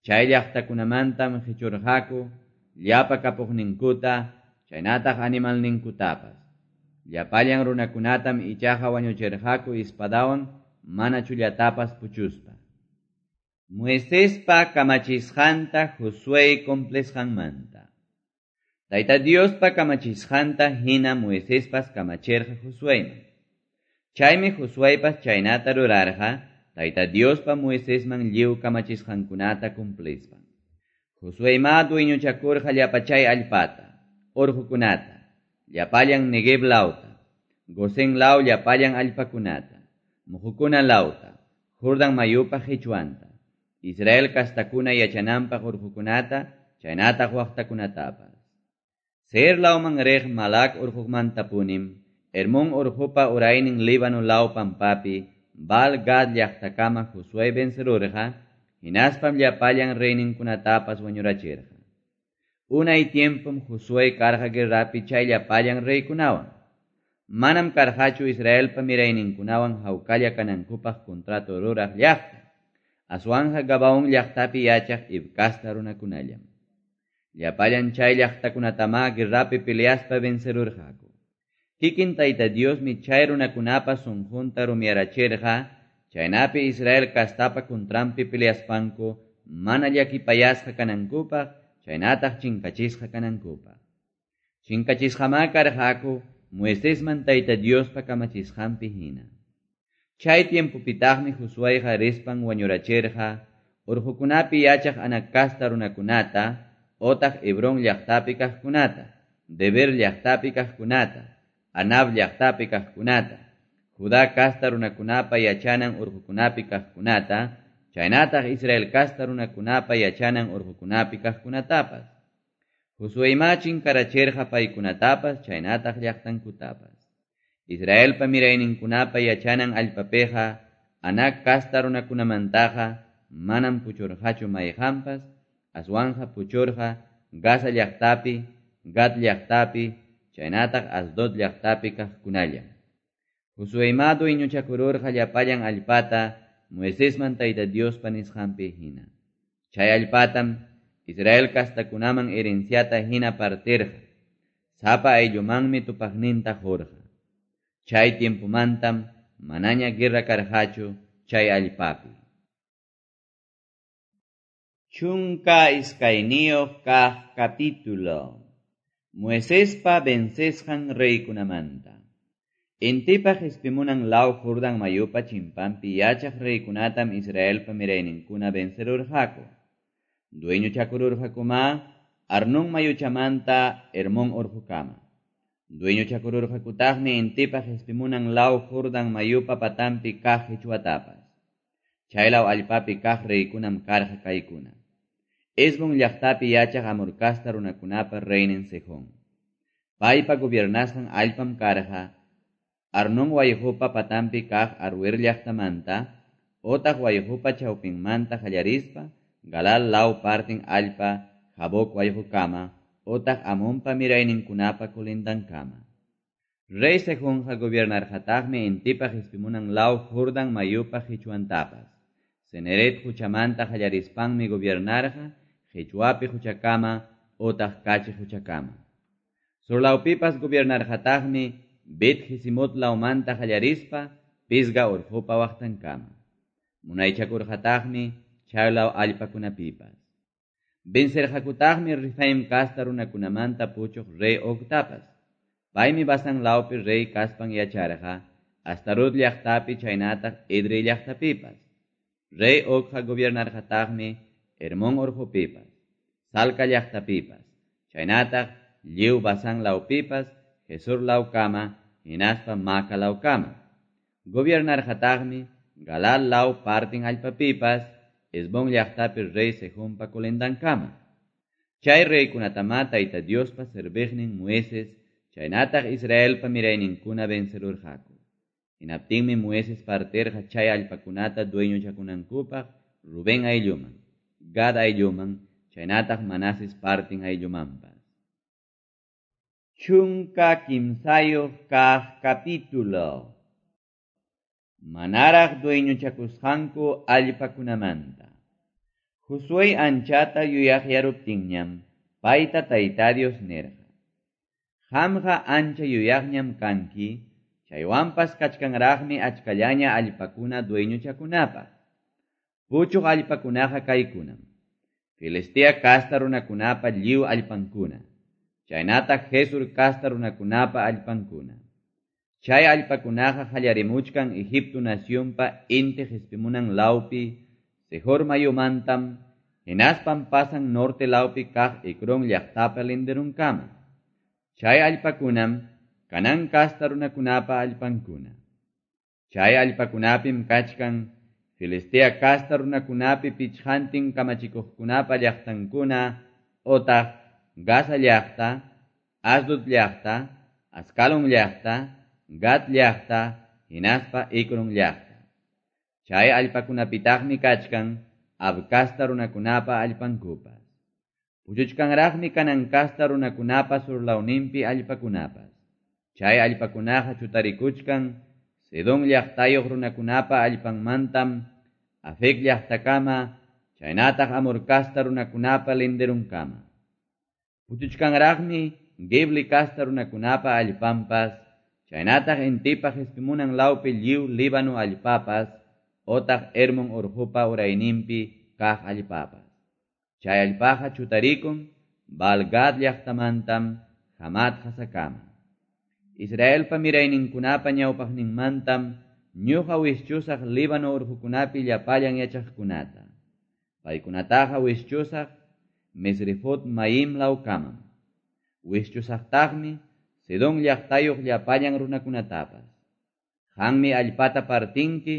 Chay llaqtakunamantam qichurqaku llapa kapuqninkuta, chaynataq animalninkutapas. Llapallan runakunatam ichaqa wañuchirqaku espadawan mana chullatapas puchuspa. Moisespa kamachisqanta Josué cumplisqanmanta. Tayta Diospa kamachisqanta hina Moisespas kamachirqa Josuéman. Chaymi Josuépas chaynata rurarqa Tayta Diospa Moisesman lliw kamachisqankunata cumplispan. Josuéma dueñochakurqa llapa chay allpata, urqukunata, llapallan Negev lawta, Gosén law llapallan allpakunata, muhukuna lawta, Jordan mayupa qichwanta, Israel kastakuna yachananpaq urqukunata, chaynataq waqtakunatapas. Seir lawman riq Malak urqumantapunim, Hermón urqupa uraynin Líbano law pampapi, Baal Gad llaqtakama Josué vencerurqa, hinaspam llapallan reyninkunatapas wañurachirqa. Unay tiempom Josué karqa guerrapi chay llapallan reykunawan. Manam karqachu Israelpa mirayninkunawan hawkalla kanankupaq contrato ruraq llaqta. Aswanja Gabaón llaqtapi yachaq Hiv kasta runakunallam. Llapallan chay llaqtakunatama guerrapi peleaspa vencerurqaku. Kikin Tayta Diosmi chay runakunapa sunqunta rumiyarachirqa, chaynapi Israel kastapa kuntranpi peleaspanku mana llakipayasqa kanankupaq, chaynataq chinkachisqa kanankupaq. Chinkachisqamá karqaku Moisesman Tayta Diospa kamachisqanpi hina. Chay tiempopitaqmi Josuéqa rispan wañurachirqa urqukunapi yachaq Anac kasta runakunata, otaq Hebrón llaqtapi kaqkunata, Debir llaqtapi kaqkunata, Anab llaqtapi kaqkunata, Judá kasta runakunapa yachanan urqukunapi kaqkunata, chaynataq Israel kasta runakunapa yachanan urqukunapi kaqkunatapas. Josuéma chinkarachirqa paykunatapas chaynataq llaqtankutapas. Israelpa mirayninkunapa yachanan allpapiqa Anac kasta runakunamantaqa manam puchurqachu mayqanpas, aswanja puchurqa Gaza llaqtapi, Gat llaqtapi, chaynataq Asdod llaqtapi kaqkunalla. Josuéma dueñochakururqa llapallan allpata Moisesman Tayta Diospa nisqanpi hina. Chay allpatam Israel kastakunaman herenciata hina partirqa. Sapa ayllumanmi tupaqninta qurqa. Chay tiempomantam manaña guerra karqachu chay allpapi. Chunka iskayniyuq kaq capítulo. Moisespa vencesqan reykunamanta. Intipa qispimunan law Jordan mayupa chimpanpi yachaq reykunatam Israelpa mirayninkuna vencerurqaku. Dueñochakururqakuma Arnón mayuchamanta Hermón urqukama. Dueñochakururqakutaqmi intipa qispimunan law Jordan mayupa patanpi kaq qichwatapas. Chay law allpapi kaq reykunam karqa kaykuna. Hesbón llaqtapi yachaq Amor kasta runakunapa reynin Sejón. Paypa gobiernasqan allpam karqa Arnón wayqupa patanpi kaq Aroer llaqtamanta otaq wayqupa chawpinmanta qallarispa Galal law partin allpa Jaboc wayqukama otaq Amonpa mirayninkunapa colindankama. Rey Sehonqa gobiernarqataqmi intipa qispimunan law Jordan mayupa qichwantapas. Cineret quchamanta qallarispanmi gobiernarqa qichwapi quchakama otaq Kachi quchakama. Surlawpipas gobiernarqataqmi Bet Jesimot lawmanta qallarispa Pisga urqupa waqtankama. Munaychakurqataqmi chaylaw allpakunapipas. Vencerqakutaqmi Refaim kasta runakunamanta puchuq rey Ogtapas. Paymi Basan lawpi rey kaspan yacharqa Astarot llaqtapi chaynataq Edrei llaqtapipas. Rey Ogqa gobiernarqataqmi Hermón urqupipas, Salca llaqtapipas, chaynataq lliw Basan lawpipas, Gesur lawkama, hinaspa Maca lawkama. Gobiernarqataqmi Galal law partin allpapipas, Hesbón llaqtapi rey Sehonpa colindankama. Chay reykunatama Tayta Diospa serviqnin Moisés, chaynataq Israelpa mirayninkuna vencerurqaku. Hinaptinmi Moisés partirqa chay allpakunata dueñochakunankupaq Rubén aylluman, Gad aylluman, chaynataq Manases partin ayllumanpas. Chunka kimsayuq kaq capítulo. Manaraq dueñochakusqanku allpakunamanta. Josué anchata yuyaqyaruptinñam payta Tayta Dios nirqa: Qamqa ancha yuyaqñam kanki, chaywanpas kachkanraqmi achkallaña allpakuna dueñochakunapaq. Puchuq allpakunaqa kaykunam: Filistea kasta runakunapa lliw allpankuna, chaynataq Gesur kasta runakunapa allpankuna. Chay allpakunaqa qallarimuchkan Egipto nacionpa inti qispimunan lawpi Sehor mayumantam, hinaspam pasan norte lawpi kaq Ecrón llaqtapa linderunkama. Chay allpakunam Canaán kasta runakunapa allpankuna. Chay allpakunapim kachkan Filistea kasta runakunapi pichqantin kamachikuqkunapa llaqtankuna otaq Gaza llaqta, Asdod llaqta, Ascalón llaqta, Gat llaqta, hinaspa Ecrón llaqta. Chay allpakunapitaqmi kachkan Ab kasta runakunapa allpankupas. Puchuchkanraqmi Canaán kasta runakunapa surlawninpi allpakunapas. Chay allpakunaqa chutarikuchkan Sidón llaqtayuq runakunapa allpanmantam Afec llaqtakama, chaynataq Amor kasta runakunapa linderunkama. Puchuchkanraqmi Gebli kasta runakunapa allpanpas, chaynataq intipa qispimunan lawpi lliw Líbano allpapas, otaq Hermón urqupa urayninpi kaq allpapas. Chay allpaqa chutarikun Baal-Gad llaqtamantam Hamat Hasakama. Israelpa mirayninkunapa ñawpaqninmantam ñuqa wischusaq Líbano urqukunapi llapallan yachaqkunata. Paykunataqa wischusaq Mesrefot Maim lawkamam. Wischusaqtaqmi Sidón llaqtayuq llapallan runakunatapas. Qanmi allpata partinki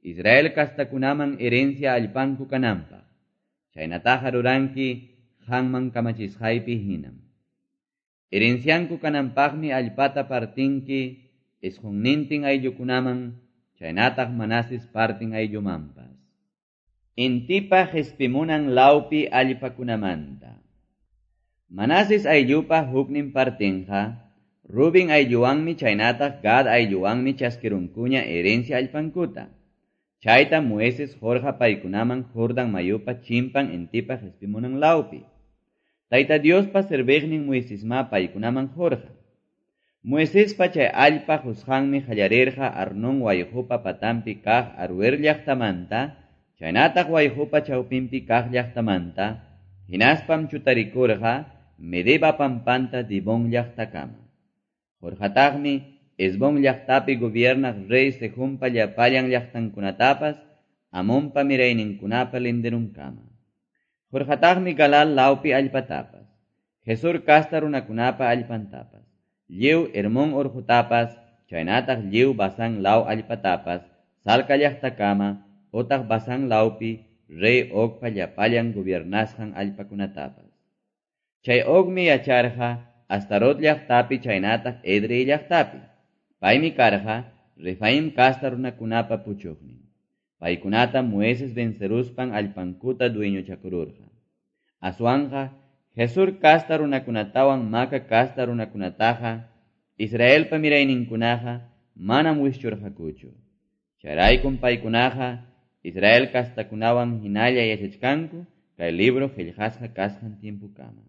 Israel kastakunaman herencia allpanku kananpaq. Chaynataqa ruranki qanman kamachisqaypi hinam. Herencianku kananpaqmi allpata partinki isqunnintin ayllukunaman, chaynataq Manases partin ayllumanpas. Intipa qispimunan lawpi allpakunamanta. Manases ayllupa huknin partinqa Rubén aylluwanmi chaynataq Gad aylluwanmi chaskirunkuña herencia allpankuta. Chayta Moisés qurqa paykunaman Jordan mayupa chimpan intipa qispimunan lawpi. Tayta Diospa serviqnin Moisesma paykunaman qurqa. Moisespa chay allpa qusqanmi qallarirqa Arnón wayqupa patanpi kaq Aroer llaqtamanta, chaynataq wayqupa chawpinpi kaq llaqtamanta, hinaspam chutarikurqa Medeba pampanta Dibón llaqtakama. Qurqataqmi Hesbón llaqtapi gobiernaq rey Sehonpa llapallan llaqtankunatapas, Amonpa mirayninkunapa linderunkama. Qurqataqmi Galal lawpi allpatapas, Gesur kasta runakunapa allpantapas, lliw Hermón urqutapas, chaynataq lliw Basán law allpatapas, Salca llaqtakama, otaq Basán lawpi rey Ogpa llapallan gobiernasqan allpakunatapas. Chay Ogmi yacharqa Astarot llaqtapi chaynataq Edrei llaqtapi. Paymi karqa Refaim kasta runakunapa puchuqnin. Paykunata Moises venceruspan allpankuta dueñochakururqa. Aswanqa Gesur kasta runakunatawan Maca kasta runakunataqa Israelpa mirayninkunaqa manam wischurqakuchu. Chayraykum paykunaqa Israel kastakunawan hinalla yachachkanku kay libro qillqasqa kasqan tiempukama.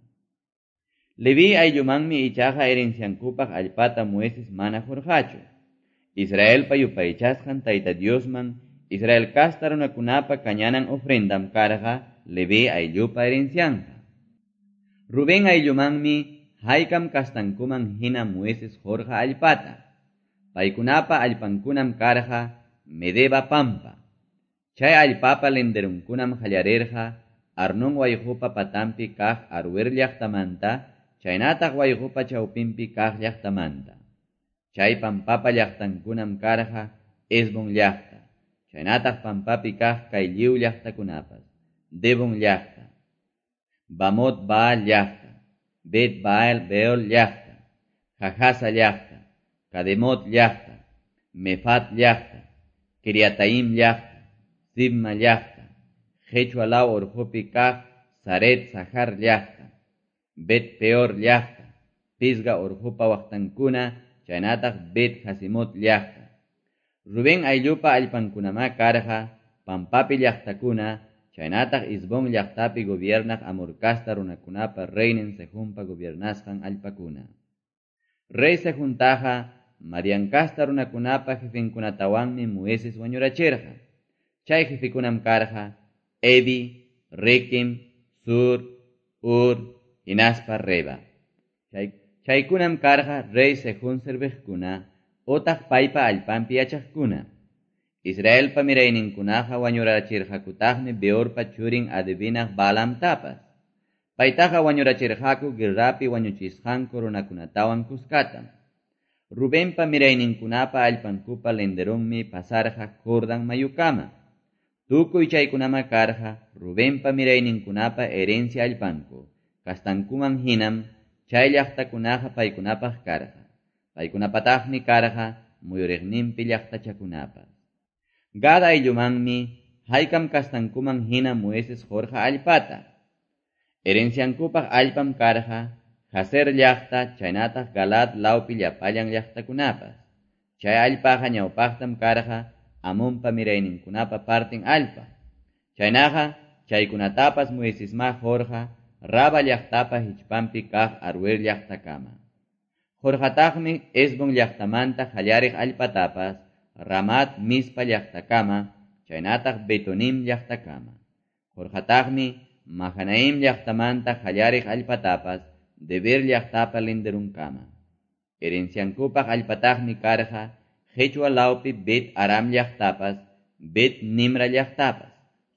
Leví ayllumanmi ichaqa herenciankupaq allpata Moises mana qurqachu. Israelpa yupaychasqan Tayta Diosman Israel kasta runakunapa kañanan ofrendam karqa Leví ayllupa herencianqa. Rubén ayllumanmi haykam kastankuman hina Moises qurqa allpata. Paykunapa allpankunam karqa Medeba pampa. Chay allpapa linderunkunam qallarirqa Arnón wayqupa patampi kaq Aroer llaqtamanta, chaynataq wayqupa chawpinpi kaq llaqtamanta. Chay pampapa llaqtankunam karqa Hesbón llaqta, chaynataq pampapi kaq kay lliw llaqtakunapas, Debón llaqta, Bamot Baal llaqta, Bet Baal Beol llaqta, Jahasa llaqta, Kademot llaqta, Mefat llaqta, Kiriataim llaqta, Sibma llaqta, Qechua law urqupi kaq Saret Sahar llaqta, Bet Peor llaqta, Pisga urqupa waqtankuna, chaynataq Bet Jasimot llaqta. Rubén ayllupa allpankunamá karqa pampapi llaqtakuna, chaynataq Hesbón llaqtapi gobiernaq Amor kasta runakunapa reynin Sehonpa gobiernasqan allpakuna. Rey Sehontaqa Madián kasta runakunapa jefenkunatawanmi Moises wañurachirqa. Chay jefekunam karqa Evi, Rekem, Zur, Hur, hinaspa Reba. Chay, chaykunam karqa rey Sehón serviqkuna, otaq paypa allpanpi yachaqkuna. Israelpa mirayninkunaqa wañurachirqakutaqmi Beorpa churin adivinaq Balaamtapas. Paytaqa wañurachirqaku guerrapi wañuchisqanku runakunatawan kuskatam. Rubenpa mirayninkunapa allpankupa linderunmi pasarqa Jordán mayukama. Tukuy chaykunama karqa Rubenpa mirayninkunapa herencia allpanku. Kastankuman hinam chay llaqtakunaqa paykunapaq karqa. Paykunapataqmi karqa muyuriqninpi llaqtachakunapas. Gad ayllumanmi haykam kastankuman hina Moises qurqa allpata. Herenciankupaq allpam karqa Jazer llaqta chaynataq Galaad lawpi llapallan llaqtakunapas. Chay allpaqa ñawpaqtam karqa Amonpa mirayninkunapa partin allpa. Chaynaqa chaykunatapas Moisesma qurqa Raba llaqtapa hichpanpi kaq Aroer llaqtakama. Qurqataqmi Hesbón llaqtamanta qallariq allpatapas Ramat Mispa llaqtakama, chaynataq Betonim llaqtakama. Qurqataqmi Mahanaim llaqtamanta qallariq allpatapas Debir llaqtapa linderunkama. Herenciankupaq allpataqmi karqa Qechua lawpi Bet Aram llaqtapas, Bet Nimra llaqtapas,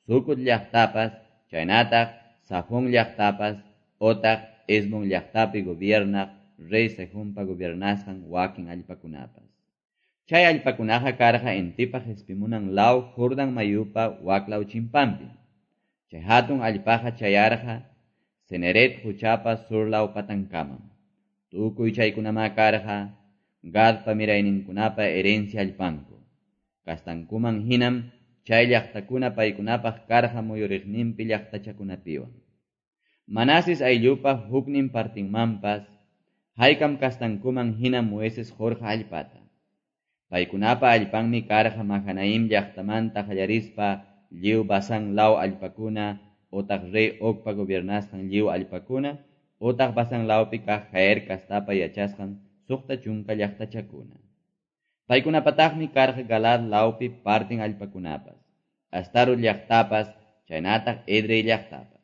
Sucot llaqtapas, chaynataq Safón llaqtapas, otaq Hesbón llaqtapi gobiernaq rey Sehonpa gobiernasqan wakin allpakunapas. Chay allpakunaqa karqa intipa qespimunan law Jordán mayupa waklaw chimpanpi. Chay hatun allpaqa chayarqa Cineret quchapa surlaw patankamam. Tukuy chaykunamá karqa Gadpa mirayninkunapa herencia allpanku. Kastankuman hinam chay llaqtakuna paykunapaq karqa muyuriqninpi llaqtachakunapiwan. Manases ayllupa huknin partinmanpas haykam kastankuman hinam Moises qurqa allpata. Paykunapa allpanmi karqa Mahanaim llaqtamanta qallarispa lliw Basán law allpakuna, otaq rey Ogpa gobiernasqan lliw allpakuna, otaq Basán lawpi kaq Jair kastapa yachasqan suqta chunka llaqtachakuna. Paykunapataqmi karqa Galaad lawpi partin allpakunapas, Astarot llaqtapas, chaynataq Edrei llaqtapas.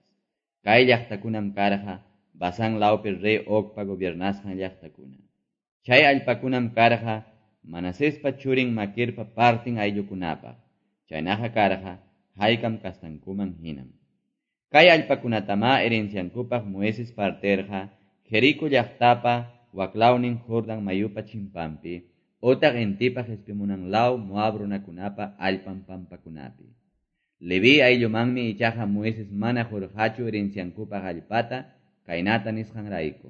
Kay llaqtakunam karqa Basán lawpi rey Ogpa gobiernasqan llaqtakuna. Chay allpakunam karqa Manasespa churin Maquirpa partin ayllukunapaq, chaynaqa karqa haykam kastankuman hinam. Kay allpakunatamá herenciankupaq Moises partirqa Jerico llaqtapa waklawnin Jordán mayupa chimpanpi, otaq intipa qespimunan law Moab runakunapa allpan pampakunapi. Leví ayllumanmi ichaqa Moises mana qurqachu herenciankupaq allpata kaynata nisqanrayku.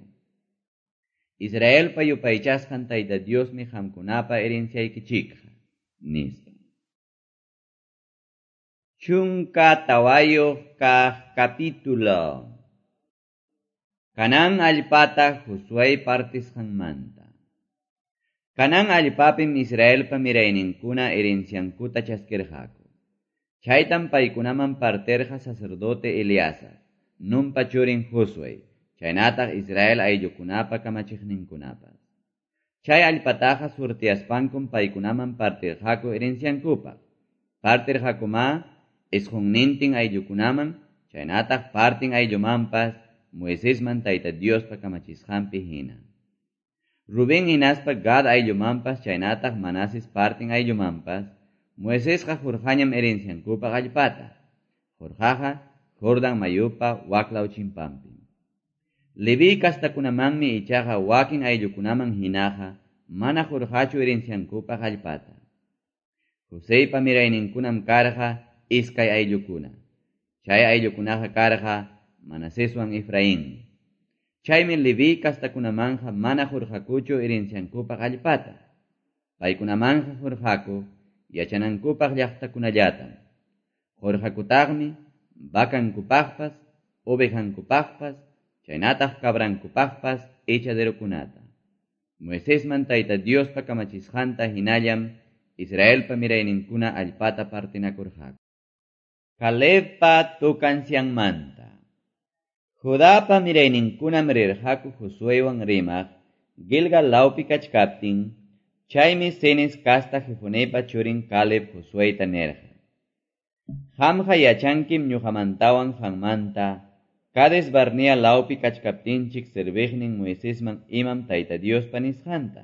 Israelpa yupaychasqan Tayta Diosmi qamkunapa herenciaykichikqa, nispa. Chunka tawayuq kaq capítulo. Canaán allpata Josué partisqanmanta. Canaán allpapim Israelpa mirayninkuna herenciankuta chaskirqaku. Chaytam paykunaman partirqa sacerdote Eleazar, Nunpa churin Josué, chaynataq Israel ayllukunapa kamachiqninkunapas. Chay allpataqa surtiaspankum paykunaman partirqaku herenciankupaq. Partirqakuma isqunnintin ayllukunaman, chaynataq partin ayllumanpas Moisesman Tayta Diospa kamachisqanpi hina. Rubén hinaspa Gad ayllumanpas chaynataq Manases partin ayllumanpas Moisesqa hurqañam herenciankupaq allpata. Hurqaqa Jordan mayupa waklaw chimpanpi. Leví kastakunamanmi ichaqa wakin ayllukunaman hinaqa mana hurqachu herenciankupaq allpata. Joseypa mirayninkunam karqa iskay ayllukuna. Chay ayllukunaqa karqa Manaseswan Efraín. Chaymi Leví kastakunamanja mana hurqakuchu herenciankupaq allpata. Paykunamanja hurqaku yachanankupaq llaqtakunallatam. Hurqakutaqmi vakankupaqpas, ovejankupaqpas, chaynataq cabrankupaqpas echaderokunata. Moisesman Tayta Diospa kamachisqanta hinallam Israelpa mirayninkuna allpata partinakurqaku. Calebpa tukancianmanta. Judapa mirayninkunam rirqaku Josuewan rimaq Gilgal lawpi kachkaptin, chaymi Cenes kasta Jefonepa churin Caleb Josueta nirqa: Qamqa yachankim ñuqamantawan qanmanta Cades Barnea lawpi kachkaptinchik serviqnin Moisesman imam Tayta Diospa nisqanta.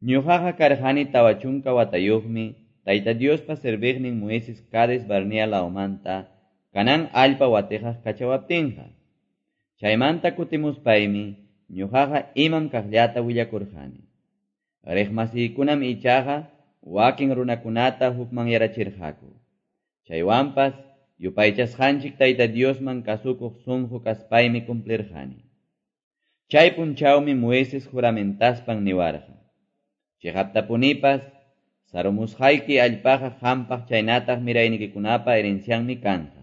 Ñuqaqa karqani tawa chunka watayuqmi Tayta Diospa serviqnin Moises Cades Barnea lawmanta Canaán allpa watiqaq kachawaptinqa. Chaymanta kutimuspaymi ñuqaqa imam kaqllata willakurqani. Riqmasiykunam ichaqa wakin runakunata hukmanyarachirqaku. Chaywanpas yupaychasqanchik Tayta Diosman kasukuq sunqu kaspaymi cumplirqani. Chay punchawmi Moises juramentaspan niwarqa: Chiqaptapunipas sarumusqayki allpaqa qampaq chaynataq miraynikikunapa herencianmi kanqa.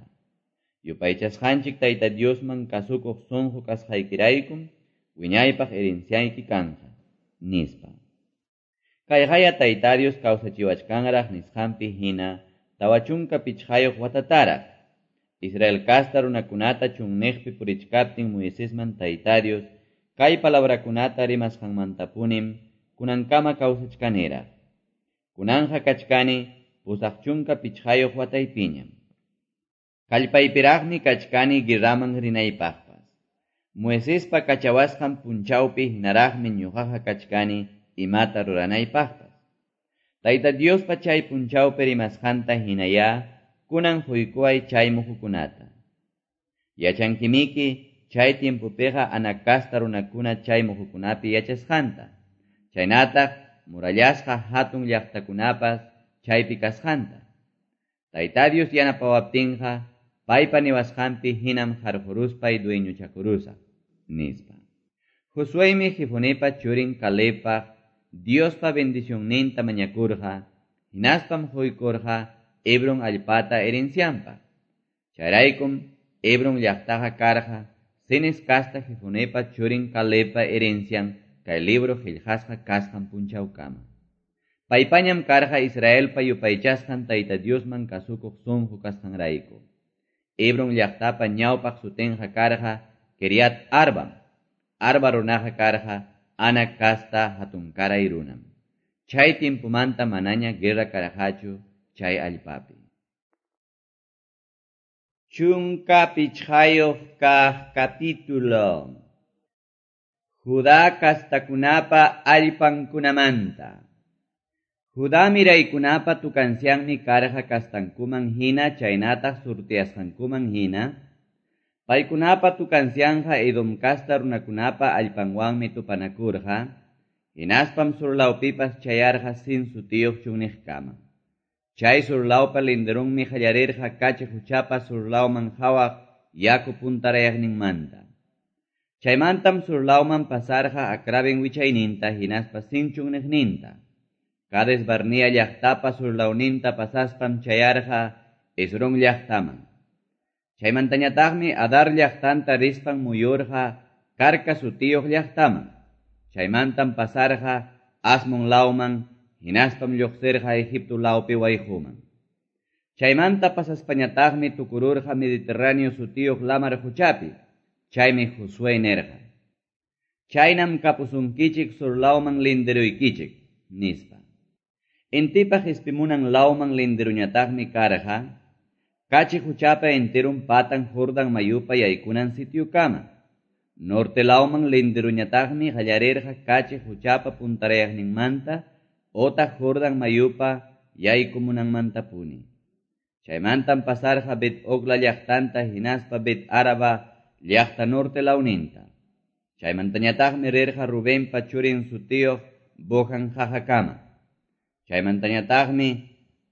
Yupaychasqanchik Tayta Diosman kasukuq sunqu kasqaykiraykum wiñaypaq herenciayki kanqa, nispa. Kayqaya Tayta Dios kawsachiwachkanraq nisqanpi hina tawa chunka pichqayuq watataraq. Israel kasta runakunata chunniqpi purichkaptin Moisesman Tayta Dios kay palabrakunata rimasqanmantapunim kunankama kawsachkaniraq. Kunanja kachkani pusaq chunka pichqayuq wataypiñam. Kallpaypiraqmi kachkani guerraman rinaypaqpas. Moisespa kachawasqan punchawpi hinaraqmi ñuqaqa kachkani imata ruranaypaqpas. Tayta Diospa chay punchawpi rimasqanta hinaya kunan huykuway chay muhukunata. Yachankimiki chay tiempopiqa Anac kasta runakuna chay muhukunapi yachasqanta. Chaynataq murallasqa hatun llaqtakunapas chaypi kasqanta. Tayta Dios yanapawaptinqa paypa niwasqanpi hinam harquruspay dueñochakurusaq, nispa. Josuemi Jefonepa churin Calebpaq Diospa bendicionninta mañakurqa, hinaspam huykurqa Hebron allpata herencianpaq. Chayraykum Hebron llaqtaqa karqa Cenes kasta Jefonepa churin Calebpa herencian kay libro qillqasqa kasqan punchawkama. Paypañam karqa Israelpa yupaychasqan Tayta Diosman kasukuq sunqu kasqanrayku. Hebron llaqtapa ñawpaq sutinqa karqa Kiriat Arbam. Arba runaqa karqa Anac kasta hatunkaray runam. Chay tiempomanta manaña guerra karqachu chay allpapi. Chunka pichqayuq kaq capítulo. Judá kastakunapa allpankunamanta. Judá miraykunapa tukancianmi karqa kastankuman hina chaynataq surtiasqankuman hina. Paykunapa tukancianja Edom kasta runakunapa allpanwanmi tupanakurqa, hinaspam surlawpipas chayarqa Sin sutiyuq chunniqkama. Chay surlawpa linderunmi qallarirqa kachi huchapa surlawman hawaq yaku puntarayaqninmanta. Chaymantam surlawman pasarqa Acrabin wichayninta hinaspa Sin chunniqninta. Cades Barnea llaqtapa surlawninta pasaspam chayarqa Hezrón llaqtaman. Chaymantañataqmi Adar llaqtanta rispan muyurqa Karka sutiyuq llaqtaman. Chaymantam pasarqa Asmon lawman, hinaspam lluqsirqa Egipto lawpi wayquman. Chaymanta pasaspañataqmi tukururqa Mediterráneo sutiyuq lamar quchapi. Chaymi Josué nirqa: Chaynam kapusunkichik sur lawman linderuykichik, nispa. Intipa qispimunan lawman linderuñataqmi karqa Kachi quchapa enterun patan Jordan mayupa yaykunan sitiokama. Norte lawman linderuñataqmi qallarirqa Kachi quchapa puntarayaqninmanta otaq Jordan mayupa yaykumunanmantapuni. Chaymantam pasarqa Bet Ogla llaqtanta hinaspa Bet Araba llaqta norte lawninta. Chaymantañataqmi rirqa Rubenpa churin sutiyuq Bohan qaqakama. Chaymantañataqmi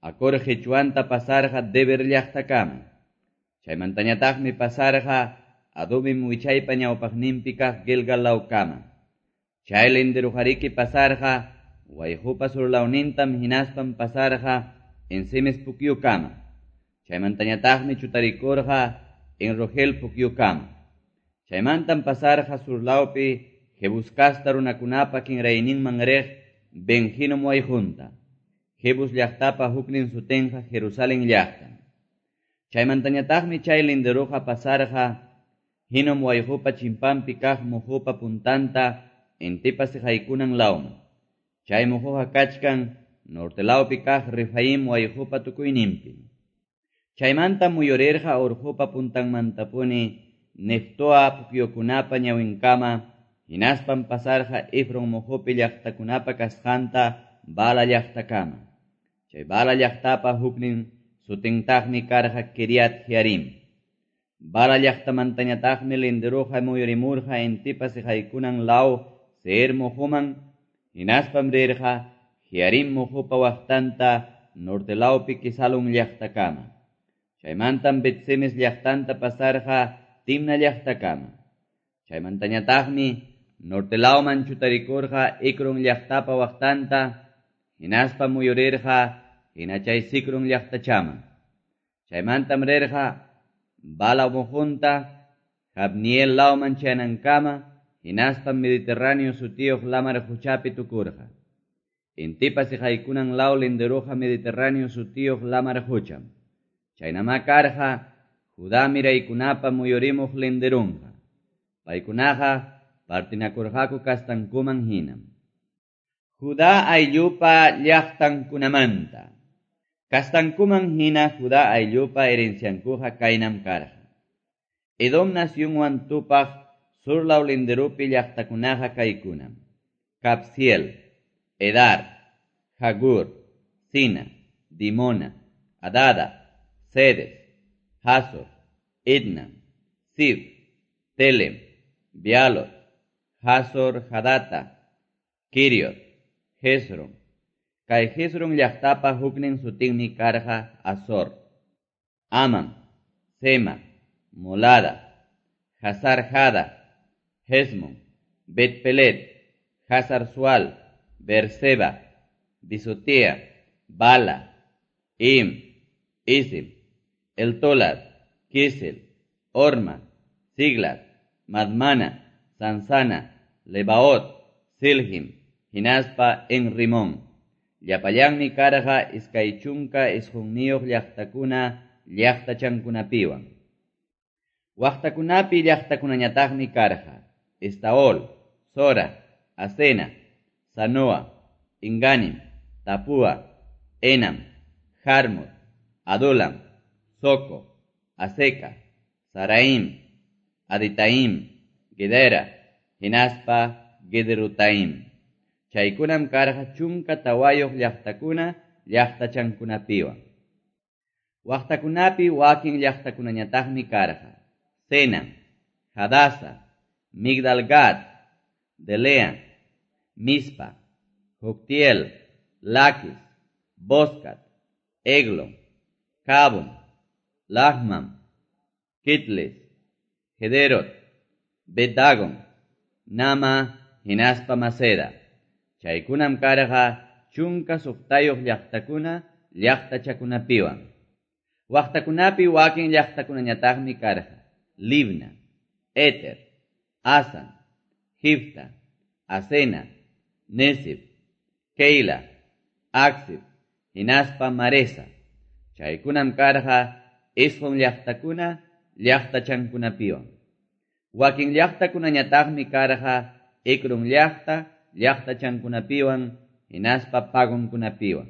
Acor qichwanta pasarqa Deber llaqtakama. Chaymantañataqmi pasarqa Adumim wichaypa ñawpaqninpi kaq Gilgal lawkama. Chay linderuqariki pasarqa Wayqupa surlawnintam hinaspam pasarqa En-semes pukyukama. Chaymantañataqmi chutarikurqa En-rogel pukyukama. Chaymantam pasarqa surlawpi Jebus kasta runakunapa kinrayninman riq Ben-hinom wayqunta. Jebus llaqtapa huknin sutinqa Jerusalén llaqtam. Chaymantañataqmi chay linderuqa pasarqa Hinom wayqupa chimpanpi kaq muhupa puntanta intipa siqaykunan lawman. Chay muhuqa kachkan norte lawpi kaq Refaim wayqupa tukuyninpi. Chaymanta muyurirqa urqupa puntanmantapuni Neftoa pukyukunapa ñawinkama, hinaspam pasarqa Efron muhupi llaqtakunapa kasqanta Bala llaqtakama. Chay Bala llaqtapa huknin sutintaqmi karqa Kiriat Jearim. Bala llaqtamantañataqmi linderuqa muyurimurqa intipa siqaykunan law Seir muhuman, hinaspam rirqa Jearim muhupa waqtanta norte lawpi Kisalun llaqtakama. Chaymantam Bet-semes llaqtanta pasarqa Timna llaqtakama. Chaymantañataqmi norte lawman chutarikurqa Ecrón llaqtapa waqtanta, hinaspa muyurirqa hina chay Sicrón llaqtachaman. Chaymantam rirqa Bala muhunta Jabniel lawman chayanankama, hinaspam Mediterráneo sutiyuq lamar quchapi tukurqa. Intipa siqaykunan law linderuqa Mediterráneo sutiyuq lamar qucham. Chaynama karqa Judá miraykunapa muyurimuq linderunqa. Paykunaqa partinakurqaku kastankuman hinam. Judá ayllupa llaqtankunamanta. Kastankuman hina Judá ayllupa herenciankuqa kaynam karqa. Edom nacionwan tupaq surlaw linderupi llaqtakunaqa kaykunam: Capsiel, Edar, Jagur, Sina, Dimona, Adada, Cedes, Hazor, Idna, Sib, Telem, Bealot, Hazor, Hadata, Kiriot, Hezron. Kay Hezron llaqtapa huknin sutinmi karqa Azor, Amam, Sema, Molada, Hazar Hada, Hesmon, Bet-pelet, Hazar Sual, Berseba, Bisotea, Bala, Im, Isim, Eltolad, Kisel, Orma, Siglat, Madmana, Sansana, Lebaot, Silhim, hinaspa En Rimón. Llapallanmi karqa iskay chunka isqunniyuq llaqtakuna llaqtachankunapiwan. Waqtakunapi llaqtakunañataqmi karqa Estaol, Sora, Asena, Sanoa, Inganim, Tapua, Enam, Jarmut, Adulam, Soco, Aseca, Saraim, Aditaim, Gedera, hinaspa Gederutaim. Chaykunam karqa chunka tawayuq llaqtakuna llaqtachankunapiwan. Waqtakunapi wakin llaqtakunañataqmi karqa Sena, Hadasa, Migdalgad, Delea, Mispa, Joctiel, Laquis, Boscat, Eglon, Cabon, Lahmam, Kitlis, Gederot, Bedagon, Nama, hinaspa Maceda. Chaykunam karqa chunka suqtayuq llaqtakuna llaqtachakunapiwan. Waqtakunapi wakin llaqtakunañataqmi karqa, Libna, Eter, Asan, Jifta, Asena, Nesib, Keila, Aczib, hinaspa Maresa. Chaykunam karqa isqun llaqtakuna llaqtachankunapiwan. Wakin llaqtakunañataqmi karqa Ecrón llaqta llaqtachankunapiwan hinaspa pagonkunapiwan.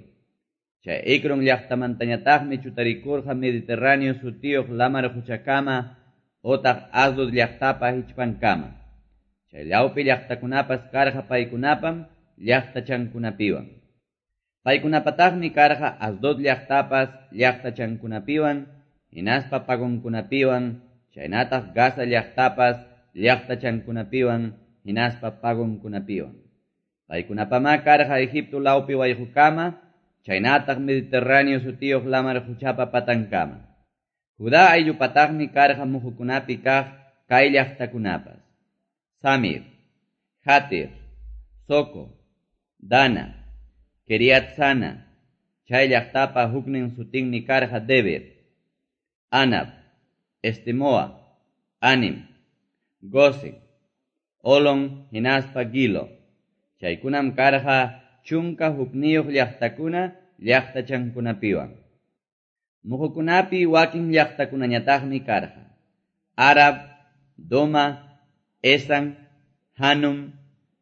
Chay Ecrón llaqtamantañataqmi chutarikurqa Mediterráneo sutiyuq lamar quchakama otaq Asdod llaqtapa hichpankama. Chay llawpi llaqtakunapas karqa paykunapam llaqtachankunapiwan. Paykunapataqmi karqa Asdod llaqtapas llaqtachankunapiwan hinaspa pagonkunapiwan, chaynataq Gaza llaqtapas llaqtachankunapiwan hinaspa pagonkunapiwan. Paykunapamá karqa Egipto lawpi wayqukama, chaynataq Mediterráneo sutiyuq lamar quchapa patankama. Judá ayllupataqmi karqa muhukunapi kaq kay llaqtakunapas: Samir, Jatir, Soco, Dana, Kiriat Sana, chay llaqtapa huknin sutinmi karqa Debir, Anab, Estemoa, Anim, Gosen, Olon hinaspa Gilo. Chaykunam karqa chunka hukniyuq llaqtakuna llaqtachankunapiwan. Muhukunapi wakin llaqtakunañataqmi karqa: Arab, Doma, Esan, Hanum,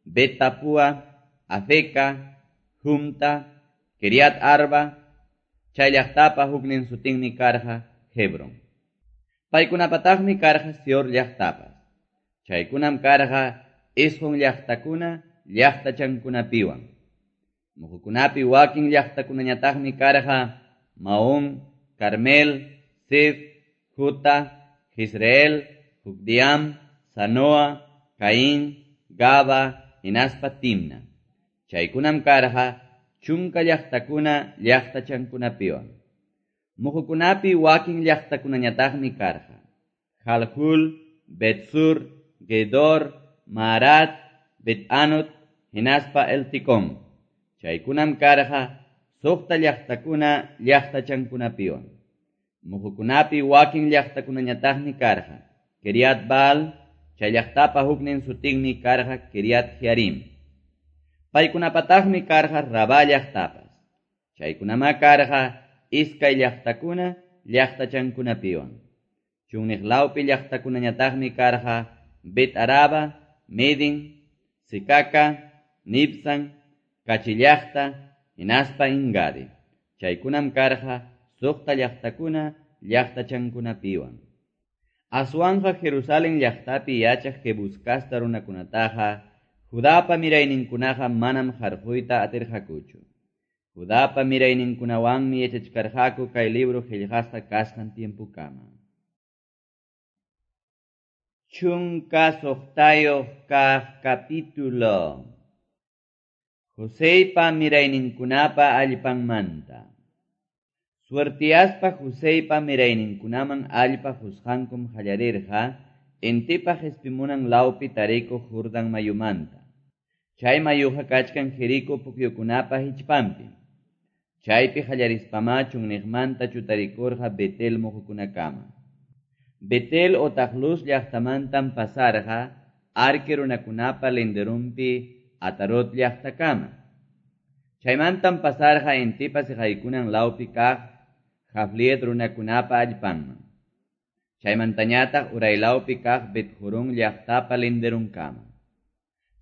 Betapua, Afeca, Jumta, Kiriat Arba, chay llaqtapa huknin sutinmi karqa Hebron. Paykunapataqmi karqa Sior llaqtapas. Chaykunam karqa isqun llaqtakuna llaqtachankunapiwan. Muhukunapi wakin llaqtakunañataqmi karqa Maón, Carmel, Sif, Juta, Jezreel, Jukdiam, Sanoa, Caín, Gaba, hinaspa Timna. Chaykunam karqa chunka llaqtakuna llaqtachankunapiwan. Muhukunapi wakin llaqtakunañataqmi karqa: Jaljul, Betsur, Gedor, Maarat, Bet-Anot, hinaspa Elticón. Chaykunam karqa suqta llaqtakuna llaqtachankunapiwan. Muhukunapi wakin llaqtakunañataqmi karqa: Kiriat Baal, chay llaqtapa huknin sutinmi karqa Kiriat Jearim. Paykunapataqmi karqa Rabá llaqtapas. Chaykunamá karqa iskay llaqtakuna llaqtachankunapiwan. Chunniq lawpi llaqtakunañataqmi karqa Bet Araba, Medin, Sicaca, Nibsan, Kachi llaqta, hinaspa Engadi. Chaykunam karqa suqta llaqtakuna llaqtachankunapiwan. Aswanqa Jerusalén llaqtapi yachaq Jebús casta runakunataqa Judapa mirayninkunaqa manam harquyta atirqakuchu. Judapa mirayninkunawanmi yachachkarqaku kay libro qillqasqa kasqan tiempukama. Chunka suqtayuq kaq capítulo. Joseypa mirayninkunapa allpanmanta. Suertiaspa Joseypa mirayninkunaman allpa qusqankum qallarirqa intipa qispimunan lawpi tarikuq Jordán mayumanta. Chay mayuqa kachkan Jericó pukyukunapa hichpanpi. Chaypi qallarispamá chunniqmanta chutarikurqa Betel muhukunakama. Betel otaq Luz llaqtamantam pasarqa Arque runakunapa linderunpi Atarot llaqtakama. Chaymantam pasarqa intipa siqaykunan lawpi kaq Jafliet runakunapa allpanman. Chaymantañataq uraylawpi kaq Bet-Jorón llaqtapa linderunkama.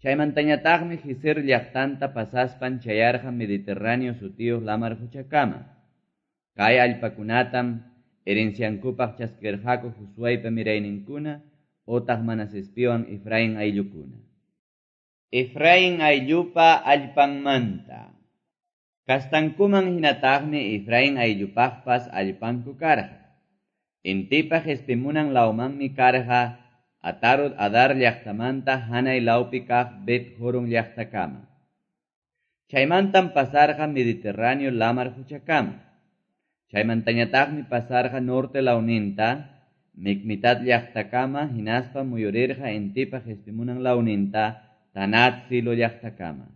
Chaymantañataqmi Gezer llaqtanta pasaspan chayarqa Mediterráneo sutiyuq lamar quchakama. Kay allpakunatam herenciankupaq chaskirqaku Josueypa mirayninkuna otaq Manasespiwan Efraín ayllukuna. Efraín ayllupa allpanmanta. Kastankuman hinataqmi Efraín ayllupaqpas allpanku karqa. Intipa qispimunan lawmanmi karqa Atarot Adar llaqtamanta hanay lawpi kaq Bet-Jorón llaqtakama. Chaymantam pasarqa Mediterráneo lamar quchakama. Chaymantañataqmi pasarqa norte lawninta Micmitat llaqtakama hinaspa muyurirqa intipa qispimunan lawninta Tanat Silo llaqtakama.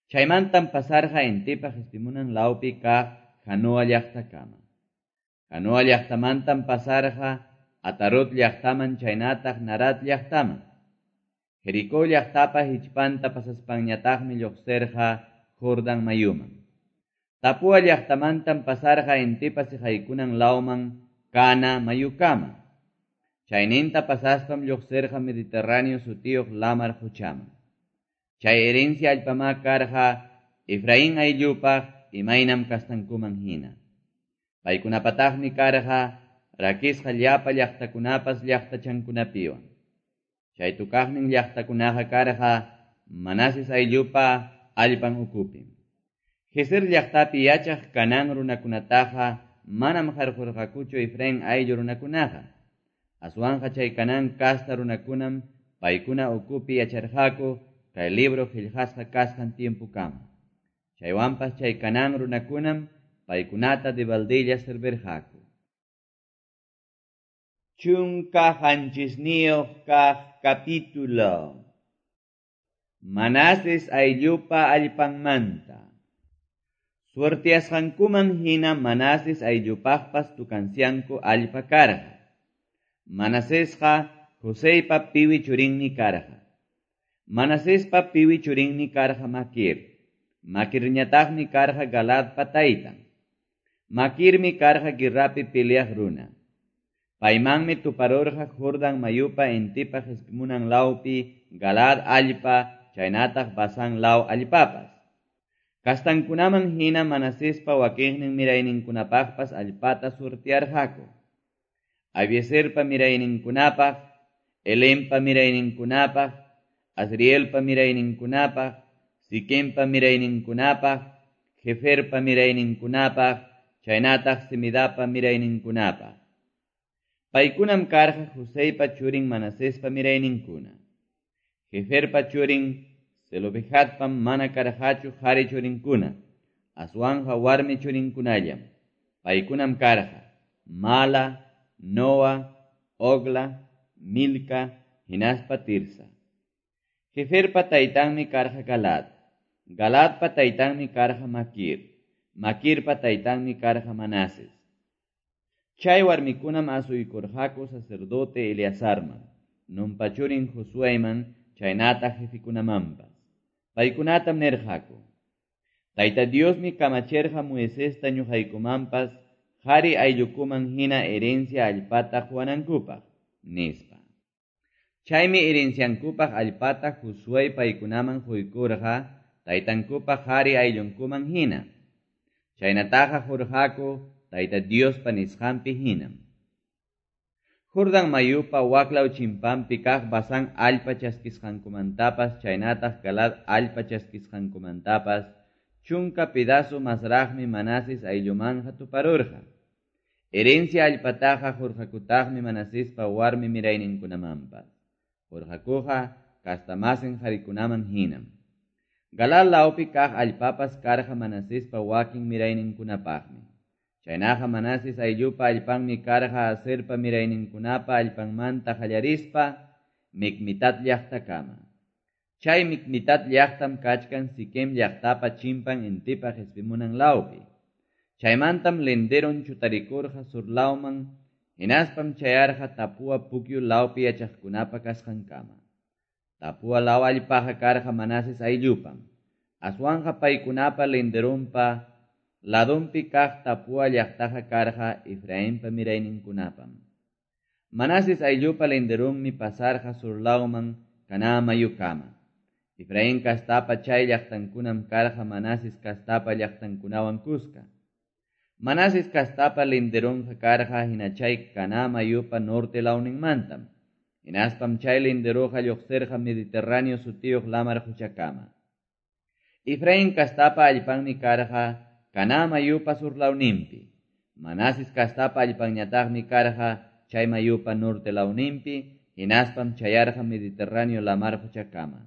Chaymantam pasarqa intipa qispimunan lawpi kaq Janoa llaqtakama. Janoa llaqtamantam pasarqa Atarot llaqtaman chaynataq Narat llaqtaman. Jericó llaqtapa hichpanta pasaspanñataqmi lluqsirqa Jordan mayuman. Tapua llaqtamantam pasarqa intipa siqaykunan lawman Kana mayukama. Chayninta pasaspam lluqsirqa Mediterráneo sutiyuq lamar quchaman. Chay herencia allpamá karqa Efraín ayllupaq imaynam kastankuman hina. Paykunapataqmi karqa rakisqa llapa llaqtakunapas llaqtachankunapiwan. Chay tukaqnin llaqtakunaqa karqa Manases ayllupa allpan ukupim. Gezer llaqtapi yachaq Canaán runakunataqa manam qarqurqakuchu Efraín ayllu runakunaqa. Aswanqa chay Canaán kasta runakunam paykuna ukupi yacharqaku kay libro qillqasqa kasqan tiempukama. Chaywanpas chay Canaán runakunam paykunata debaldilla servirqaku. Chunka qanchisniyuq kaq capítulo. Manases ayllupa allpanmanta. Suertiasqankuman hina Manases ayllupaqpas tukansianku allpa karqa. Manasesqa Joseypa piwi churinmi karqa. Manasespa piwi churinmi karqa Maquir. Maquirñataqmi karqa Galadpa taytan. Maquirmi karqa guerrapi peleaq runa. Paymanmi tuparurqa Jordan mayupa intipa qispimunan lawpi Galad allpa chaynataq Basán law allpapas. Kastankunaman hina Manasespa wakinnin mirayninkunapaqpas allpata surtiarqaku. Abieserpa mirayninkunapaq, Elenpa mirayninkunapaq, Asrielpa mirayninkunapaq, Siquempa mirayninkunapaq, Jeferpa mirayninkunapaq, chaynataq Semidapa mirayninkunapaq. Paykunam karqa Joseypa churin Manasespa mirayninkuna. Jeferpa churin Zelofehadpam mana karqachu qhari churinkuna, aswanqa warmi churinkunallam. Paykunam karqa Mala, Noa, Ogla, Milca, hinaspa Tirsa. Jeferpa taytanmi karqa Galad. Galadpa taytanmi karqa Maquir. Maquirpa taytanmi karqa Manases. Chay warmikunam asuykurqaku sacerdote Eleazarman, Nunpa churin Josueyman, chaynataq jefikunamanpas. Paykunatam nirqaku: Tayta Diosmi kamachirqa Moisesta ñuqaykumanpas qhari ayllukuman hina herencia allpata quwanankupaq, nispa. Chaymi herenciankupaq allpata Josué paykunaman quykurqa taytankupaq qhari ayllunkuman hina. Chaynataqa qurqaku Tayta Diospa nisqanpi hinam. Jordan mayupa waklaw chimpanpi kaq Basán allpa chaskisqankumantapas chaynataq Galad allpa chaskisqankumantapas chunka pedazo masraqmi Manases ayllumanqa tuparurqa. Herencia allpataqa qurqakutaqmi Manasespa warmi mirayninkunamanpas. Qurqakuqa kastamasin qarikunaman hinam. Galad lawpi kaq allpapas karqa Manasespa wakin mirayninkunapaqmi. Chaynaqa Manases ayllupa allpanmi karqa Aserpa mirayninkunapa allpanmanta qallarispa Micmitat llaqtakama. Chay Micmitat llaqtam kachkan Siquem llaqtapa chimpan intipa qispimunan lawpi. Chaymantam linderon chutarikurqa sur lawman, hinaspam chayarqa Tapua pukyu lawpi yachaqkunapa kasqankama. Tapua law allpaqa karqa Manases ayllupam. Aswanqa paykunapa linderunpa ladunpi kaq Tapua llaqtaqa karqa Efrainpa mirayninkunapam. Manases ayllupa linderunmi pasarqa sur lawman Caná mayukama. Efraín kastapa chay llaqtankunam karqa Manases kastapa llaqtankunawan kuska. Manases kastapa linderunqa karqa hina chay Caná mayupa norte lawninmantam. Hinaspam chay linderuqa lluqsirqa Mediterráneo sutiyuq lamar quchakama. Efraín kastapa allpanmi karqa Caná mayupa sur lawninpi. Manases kastapa allpanñataqmi karqa chay mayupa norte lawninpi, hinaspam chayarqa Mediterráneo lamar quchakama.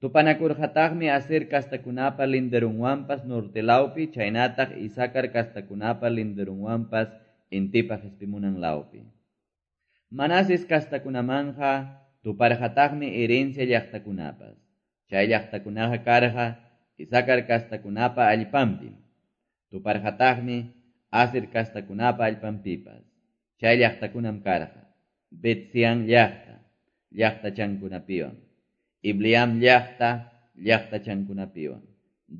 Tupanakurqataqmi Aser kastakunapa linderunwanpas norte lawpi, chaynataq Isakar kastakunapa linderunwanpas intipa qispimunan lawpi. Manases kastakunamanqa tuparqataqmi herencia llaqtakunapas. Chay llaqtakunaqa karqa Isakar kastakunapa allpanpim. Tuparqataqmi Aser kastakunapa allpanpipas. Chay llaqtakunam karqa: Bet-seán llaqta, llaqtachankunapiwan; Ibleam llaqta, llaqtachankunapiwan;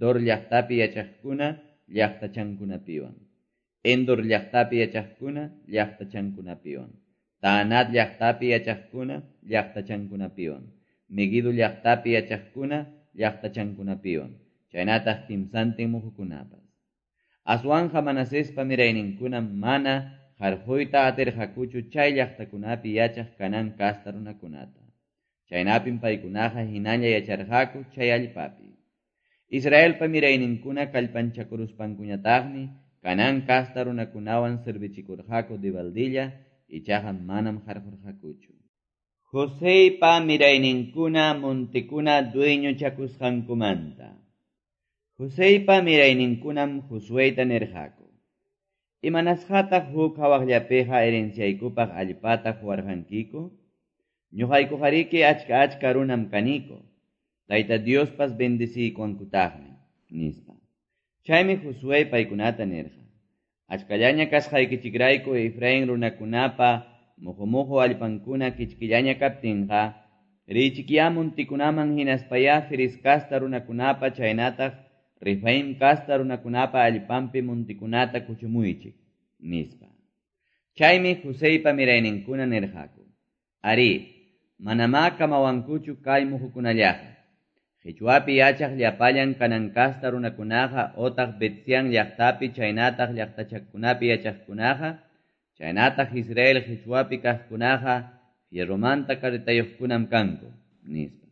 Dor llaqtapi yachaqkuna, llaqtachankunapiwan; Endor llaqtapi yachaqkuna, llaqtachankunapiwan; Taanat llaqtapi yachaqkuna, llaqtachankunapiwan; Meguido llaqtapi yachaqkuna, llaqtachankunapiwan, chaynataq kimsantin muhukunapas. Aswanja Manasespa mirayninkunam mana qarquyta atirqakuchu chay llaqtakunapi yachaq Canaán casta runakunata. Chaynapim paykunaqa hinalla yacharqaku chay allpapi. Israelpa mirayninkuna kallpanchakuruspankuñataqmi Canaán casta runakunawan servichikurqaku debaldilla, ichaqa manam qarqurqakuchu. Joseypa mirayninkuna montekuna dueñochakusqankumanta. Joseypa mirayninkunam Josueyta nirqaku: Imanasqataq huk hawaqllapiqa herenciaykupaq allpata quwarqankiku? Ñuqaykuqariki achka achka runam kaniku. Tayta Diospas bendeciykuwankutaqmi, nispa. Chaymi Josué paykunata nirqa: Achkallaña kasqaykichikrayku Efraín runakunapa muhu-muhu allpankuna kichkillaña kaptinqa, riychikyá montikunaman hinaspayá Ferez casta runakunapa chaynataq Refaim casta runakunapa allpanpi montikunata kuchumuychik, nispa. Chaymi Joseypa mirayninkuna nirqaku: Arí, manamá kamawankuchu kay muhukunallaqa. Qichwapi yachaq llapallan Canaán casta runakunaqa otaq Bet-seán llaqtapi chaynataq llaqtachakunapi yachaqkunaqa, chaynataq Israel qichwapi kaqkunaqa fierromanta carretayuqkunam kanku, nispa.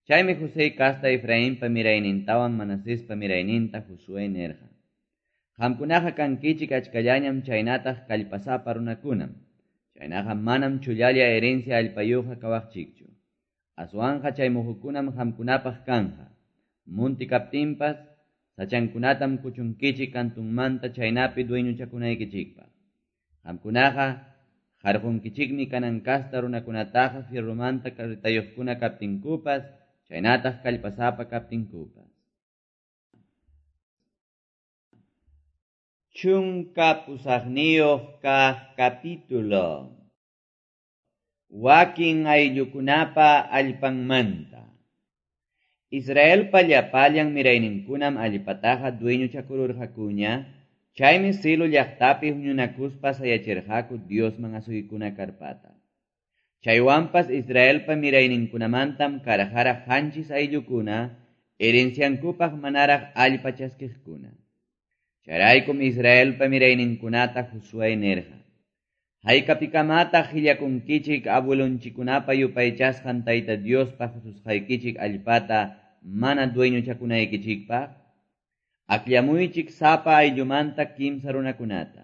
Chaymi José casta Efrainpa miraynintawan Manasespa mirayninta Josué nirqa: Qamkunaqa kankichik achkallañam chaynataq kallpasapa runakunam. Chaynaqa manam chullalla herencia allpayuqqa kawaqchikchu. Aswanqa chay muhukunam qamkunapaq kanja. Munti kaptinpas sachankunatam kuchunkichik kantunmanta chaynapi dueñochakunaykichikpaq. Qamkunaqa qarqunkichikmi Canaán casta runakunataqa fierromanta carretayuqkuna kaptinkupas, chaynataq kallpasapa kaptinkupas. Chunka pusaqniyuq kaq capítulo. Wakin ayllukunapa allpanmanta. Israelpa llapallan mirayninkunam allpataqa dueñochakururqakuña, chaymi Silo llaqtapi huñunakuspa sayachirqaku Diosman asuykuna karpata. Chaywanpas Israelpa mirayninkunamantam karqaraq qanchis ayllukuna, herenciankupaq manaraq allpa chaskiqkuna. Chayraykum Israelpa mirayninkunata Josué nirqa: Haykapikamataq qillakunkichik abuelonchikunapa yupaychasqan Tayta Diospa qususqaykichik allpata mana dueñochakunaykichikpaq? Akllamuychik sapa ayllumanta kimsa runakunata.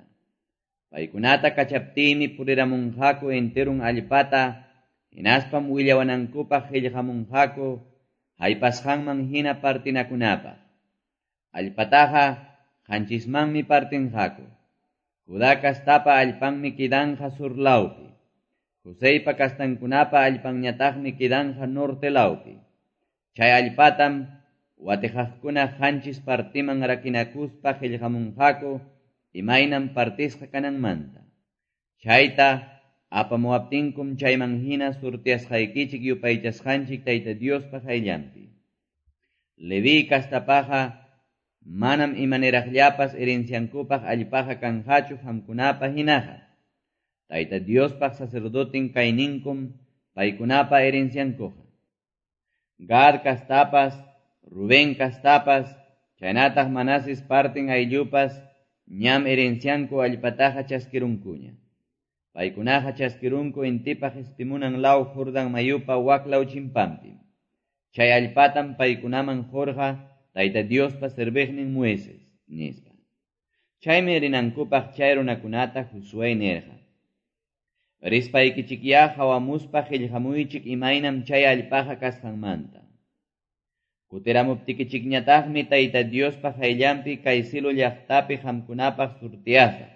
Paykunata kachaptiymi puriramunqaku enterun allpata, hinaspam willawanankupaq qillqamunqaku haypasqanman hina partinakunapaq. Allpataqa qanchismanmi partinqaku. Judá castapa allpanmi quedanja sur lawpi. Joseypa castankunapa allpanñataqmi quedanja norte lawpi. Chay allpatam watijaqkuna qanchis partiman rakinakuspa qillqamunqaku imaynam partisqa kananmanta. Chayta apamuwaptinkum chayman hina surtiasqaykichik yupaychasqanchik Tayta Diospa qayllanpi. Leví kastapaqa manam imaniraqllapas herenciankupaq allpaqa kanqachu qamkunapa hinaqa. Tayta Diospaq sacerdotin kayninkum paykunapa herenciankuqa. Gad kastapas, Rubén kastapas, chaynataq Manases partin ayllupas ñam herencianku allpataqa chaskirunkuña. Paykunaqa chaskirunku intipa qispimunan law Jordán mayupa waklaw chimpanpi. Chay allpatam paykunaman qurqa Tayta Diospa serviqnin Moisés, nispa. Chaymi rinankupaq chay runakunata Josué nirqa: Rispaykichikyá hawamuspa qillqamuychik imaynam chay allpaqa kasqanmanta. Kutiramuptikichikñataqmi Tayta Diospa qayllanpi kay Silo llaqtapi qamkunapaq surtiasaq,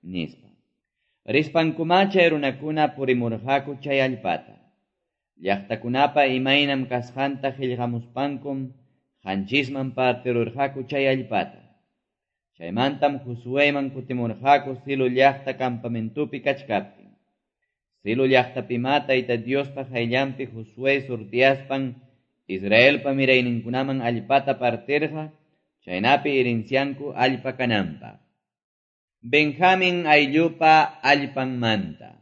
nispa. Rispankumá chay runakuna purimurqaku chay allpata. Llaqtakunapa imaynam kasqanta qillqamuspankum qanchisman partirurqaku chay allpata. Chaymantam Josueyman kutimurqaku Silo llaqta campamentopi kachkaptin. Silo llaqtapimá Tayta Diospa qayllanpi Josué surtiaspan Israelpa mirayninkunaman allpata partirqa, chaynapi herencianku allpa kananpaq. Benjamin ayllupa allpanmanta.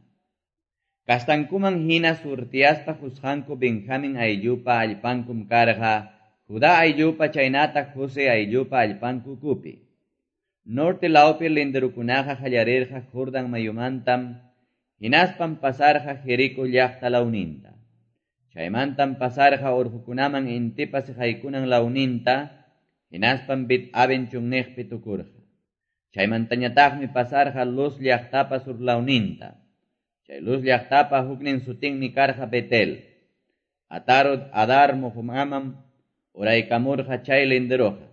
Kastankuman hina surtiaspa qusqanku Benjamin ayllupa allpankum karqa, Judá ayllupa chaynataq José ayllupa allpanku ukupi. Norte lawpi linderukunaqa qallarirqa Jordan mayumantam, hinaspam pasarqa Jerico llaqta lawninta. Chaymantam pasarqa urqukunaman intipa siqaykunan lawninta, hinaspam Bet Aven chunniqpi tukurqa. Chaymantañataqmi pasarqa Luz llaqtapa sur lawninta. Chay Luz llaqtapa huknin sutinmi karqa Betel. Atarot Adar muqumamam uraykamurqa chay linderuqa.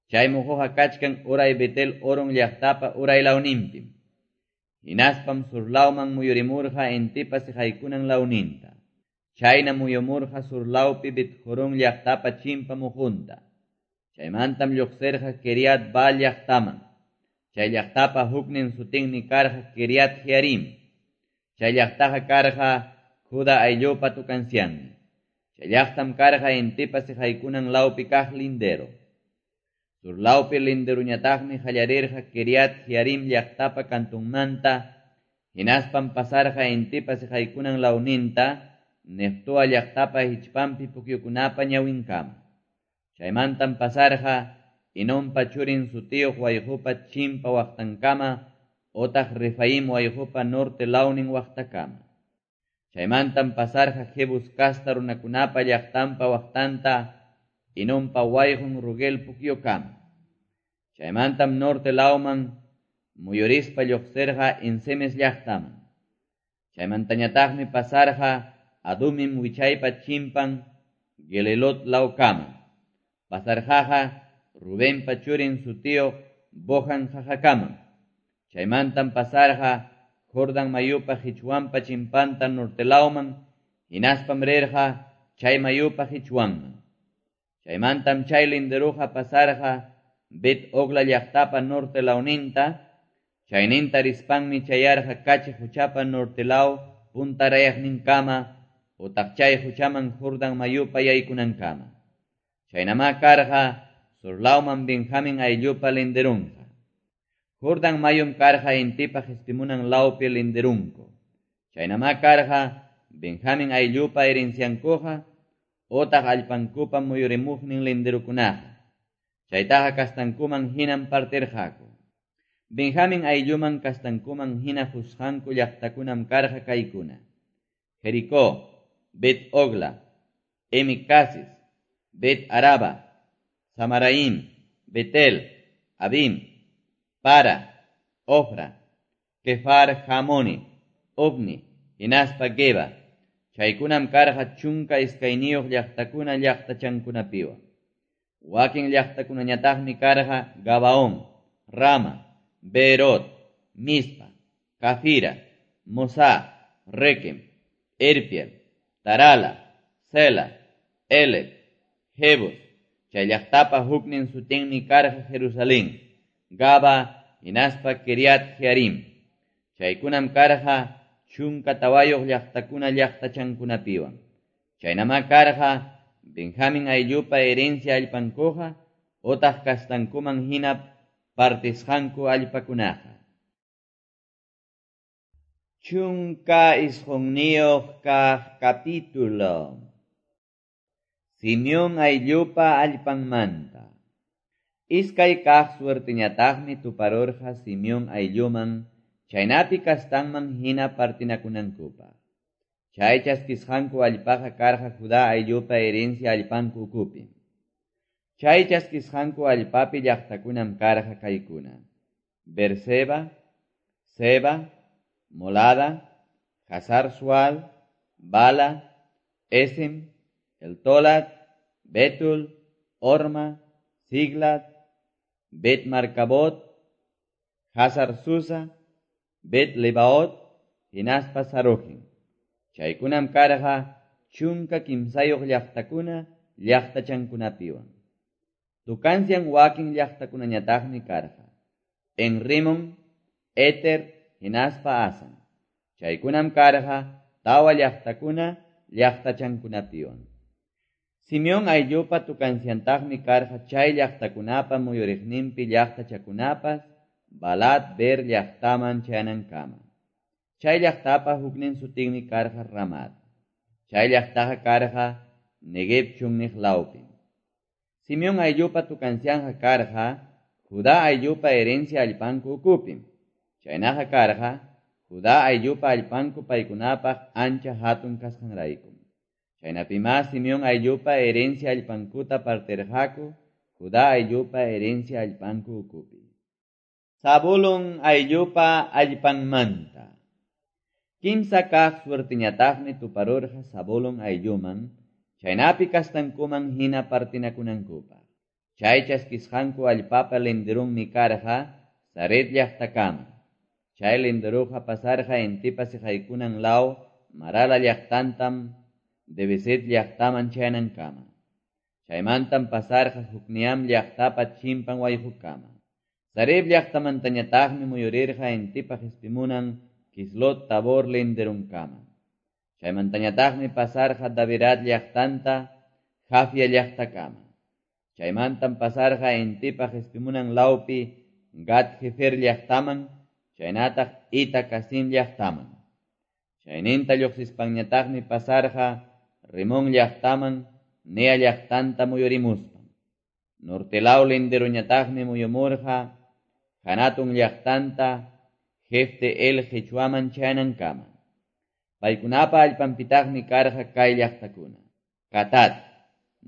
Chay muquqa kachkan uray Betel Oron llaqtapa uray lawninpim. Hinaspam sur lawman muyurimurqa intipa siqaykunan lawninta. Chayna muyumurqa sur lawpi Bet-Jorón llaqtapa chimpa muqunta. Chaymantam lluqsirqa Kiriat Baal llaqtaman. Chay llaqtapa huknin sutinmi karqa Kiriat Jearim. Chay llaqtaqa karqa Judá ayllupa tukancianmi. Chay llaqtam karqa intipa siqaykunan lawpi kaq lindero. Sur lawpi linderuñataqmi qallarirqa Kiriat Jearim llaqtapa kantunmanta, hinaspam pasarqa intipa siqaykunan lawninta, Neftoa llaqtapa hichpanpi pukyukunapa ñawinkama. Chaymantam pasarqa Hinonpa churin sutiyuq wayqupa chimpa waqtankama, otaq Refaim wayqupa norte lawnin waqtakama. Chaymantam pasarqa Jebus kasta runakunapa llaqtanpa waqtanta, Hinonpa wayqun Rugel pukyukama. Chaymantam norte lawman muyurispa lluqsirqa En-semes llaqtaman. Chaymantañataqmi pasarqa Adumim wichaypa chimpan Gelelot lawkama. Pasarqaqa Rubenpa churin sutiyuq Bohan qaqakama. Chaymantam pasarqa Jordan mayupa hichwanpa chimpanta norte lawman, hinaspam rirqa chay mayupa hichwanman. Chaymantam chay linderuqa pasarqa Bet Ogla llaqtapa norte lawninta, chayninta rispanmi chayarqa Kachi quchapa norte law puntarayaqninkama, utaq chay quchaman Jordan mayupa yaykunankama. Chaynamá karqa sur lawman Benjamin ayllupa linderunqa. Jordan mayum karqa intipa qispimunan lawpi linderunku. Chaynamá karqa Benjamin ayllupa herenciankuqa, otaq allpankupa muyurimuqnin linderukunaqa. Chaytaqa kastankuman hinam partirqaku. Benjamin aylluman kastankuman hina qusqanku llaqtakunam karqa kaykuna: Jericó, Bet Ogla, Emicasis, Bet Araba, Samaraim, Betel, Abim, Para, Ofra, Kefar Hamoni, Ovni, hinaspa Geba. Chaykunam karqa chunka iskayniyuq llaqtakuna llaqtachankunapiwan. Wakin llaqtakunañataqmi karqa Gabaón, Rama, Beerot, Mispa, Cafira, Mosá, Requem, Erpiel, Tarala, Sela, Eleb, Jebus. Chay llaqtapa huknin sutinmi karqa Jerusalén, Gaba, hinaspa Kiriat Jearim. Chaykunam karqa chunka tawayuq llaqtakuna llaqtachankunapiwan. Chaynamá karqa Benjamin ayllupa herencia allpankuqa, otaq kastankuman hina partisqanku allpakunaqa. Chunka isqunniyuq kaq capítulo. Simeón ayllupa allpanmanta. Iskay kaq suerteñataqmi tuparurqa Simeón aylluman, chaynapi kastanman hina partinakunankupaq. Chay chaskisqanku allpaqa karqa Judá ayllupa herencia allpanku ukupi. Chay chaskisqanku allpapi llaqtakunam karqa kaykuna: Berseba, Seba, Molada, Hazar Sual, Bala, Esim, Eltolat, Betul, Orma, Siglat, Bet Marcabot, Hazar Susa, Bet Lebaot, hinaspa Sarujin. Chaykunam karqa chunka kimsayuq llaqtakuna llaqtachankunapiwan. Tukancian wakin llaqtakunañataqmi karqa: Enrimon, Eter, hinaspa Asan. Chaykunam karqa tawa llaqtakuna llaqtachankunapiwan. Simeón ayllupa tukanciantaqmi karqa chay llaqtakunapa muyuriqninpi llaqtachakunapas Balat Ber llaqtaman chayanankama. Chay llaqtapa huknin sutinmi karqa Ramat. Chay llaqtaqa karqa Negev chunniq lawpim. Simeón ayllupa tukancianja karqa Judá ayllupa herencia allpanku ukupim. Chaynaqa karqa Judá ayllupa allpanku paykunapaq ancha hatun kasqanraykum. Chaynapima Simeón ayllupa herencia allpankuta partirqaku Judá ayllupa herencia allpanku ukupi. Zabulón ayllupa allpanmanta. Kimsa kaq suertiñataqmi tuparurqa Zabulón aylluman, chaynapi kastankuman hina partinakunankupaq. Chay chaskisqanku allpapa linderunmi karqa Sared llaqtakama. Chay linderuqa pasarqa intipa siqaykunan law Marala llaqtantam Debeset llaqtaman chayanankama. Chaymantam pasarqa Jukniam llaqtapa chimpan wayqukama. Sareb llaqtamantañataqmi muyurirqa intipa qispimunan Kislot Tabor linderunkama. Chaymantañataqmi pasarqa Davirat llaqtanta Jafia llaqtakama. Chaymantam pasarqa intipa qispimunan lawpi Gat Hefer llaqtaman, chaynataq Ita Kasim llaqtaman. Chayninta lluqsispanñataqmi pasarqa Rimón llaqtaman, Nea llaqtanta muyurimuspan. Norte law linderuñataqmi muyumurqa Hanatun llaqtanta Jefte el Qichwaman chayanankama. Paykunapa allpanpitaqmi karqa kay llaqtakuna: Katat,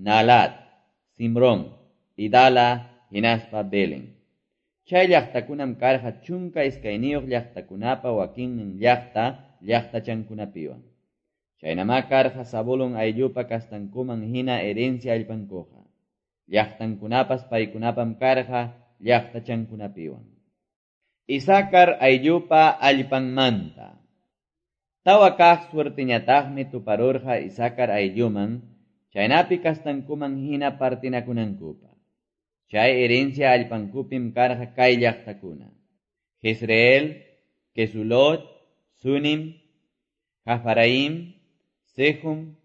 Nalat, Simrón, Idala, hinaspa Belén. Chay llaqtakunam karqa chunka iskayniyuq llaqtakunapa wakinnin llaqta llaqtachankunapiwan. Chaynamá karqa Zabulón ayllupa kastankuman hina herencia allpankuqa. Llaqtankunapas paykunapam karqa llaqtachankunapiwan. Isakar ayllupa allpanmanta. Tawa kaq suertiñataqmi tuparurqa Isakar aylluman, chaynapi kastankuman hina partinakunankupaq. Chay herencia allpankupim karqa kay llaqtakuna: Jezreel, Kesulot, Sunim, Jafaraim, Sejum,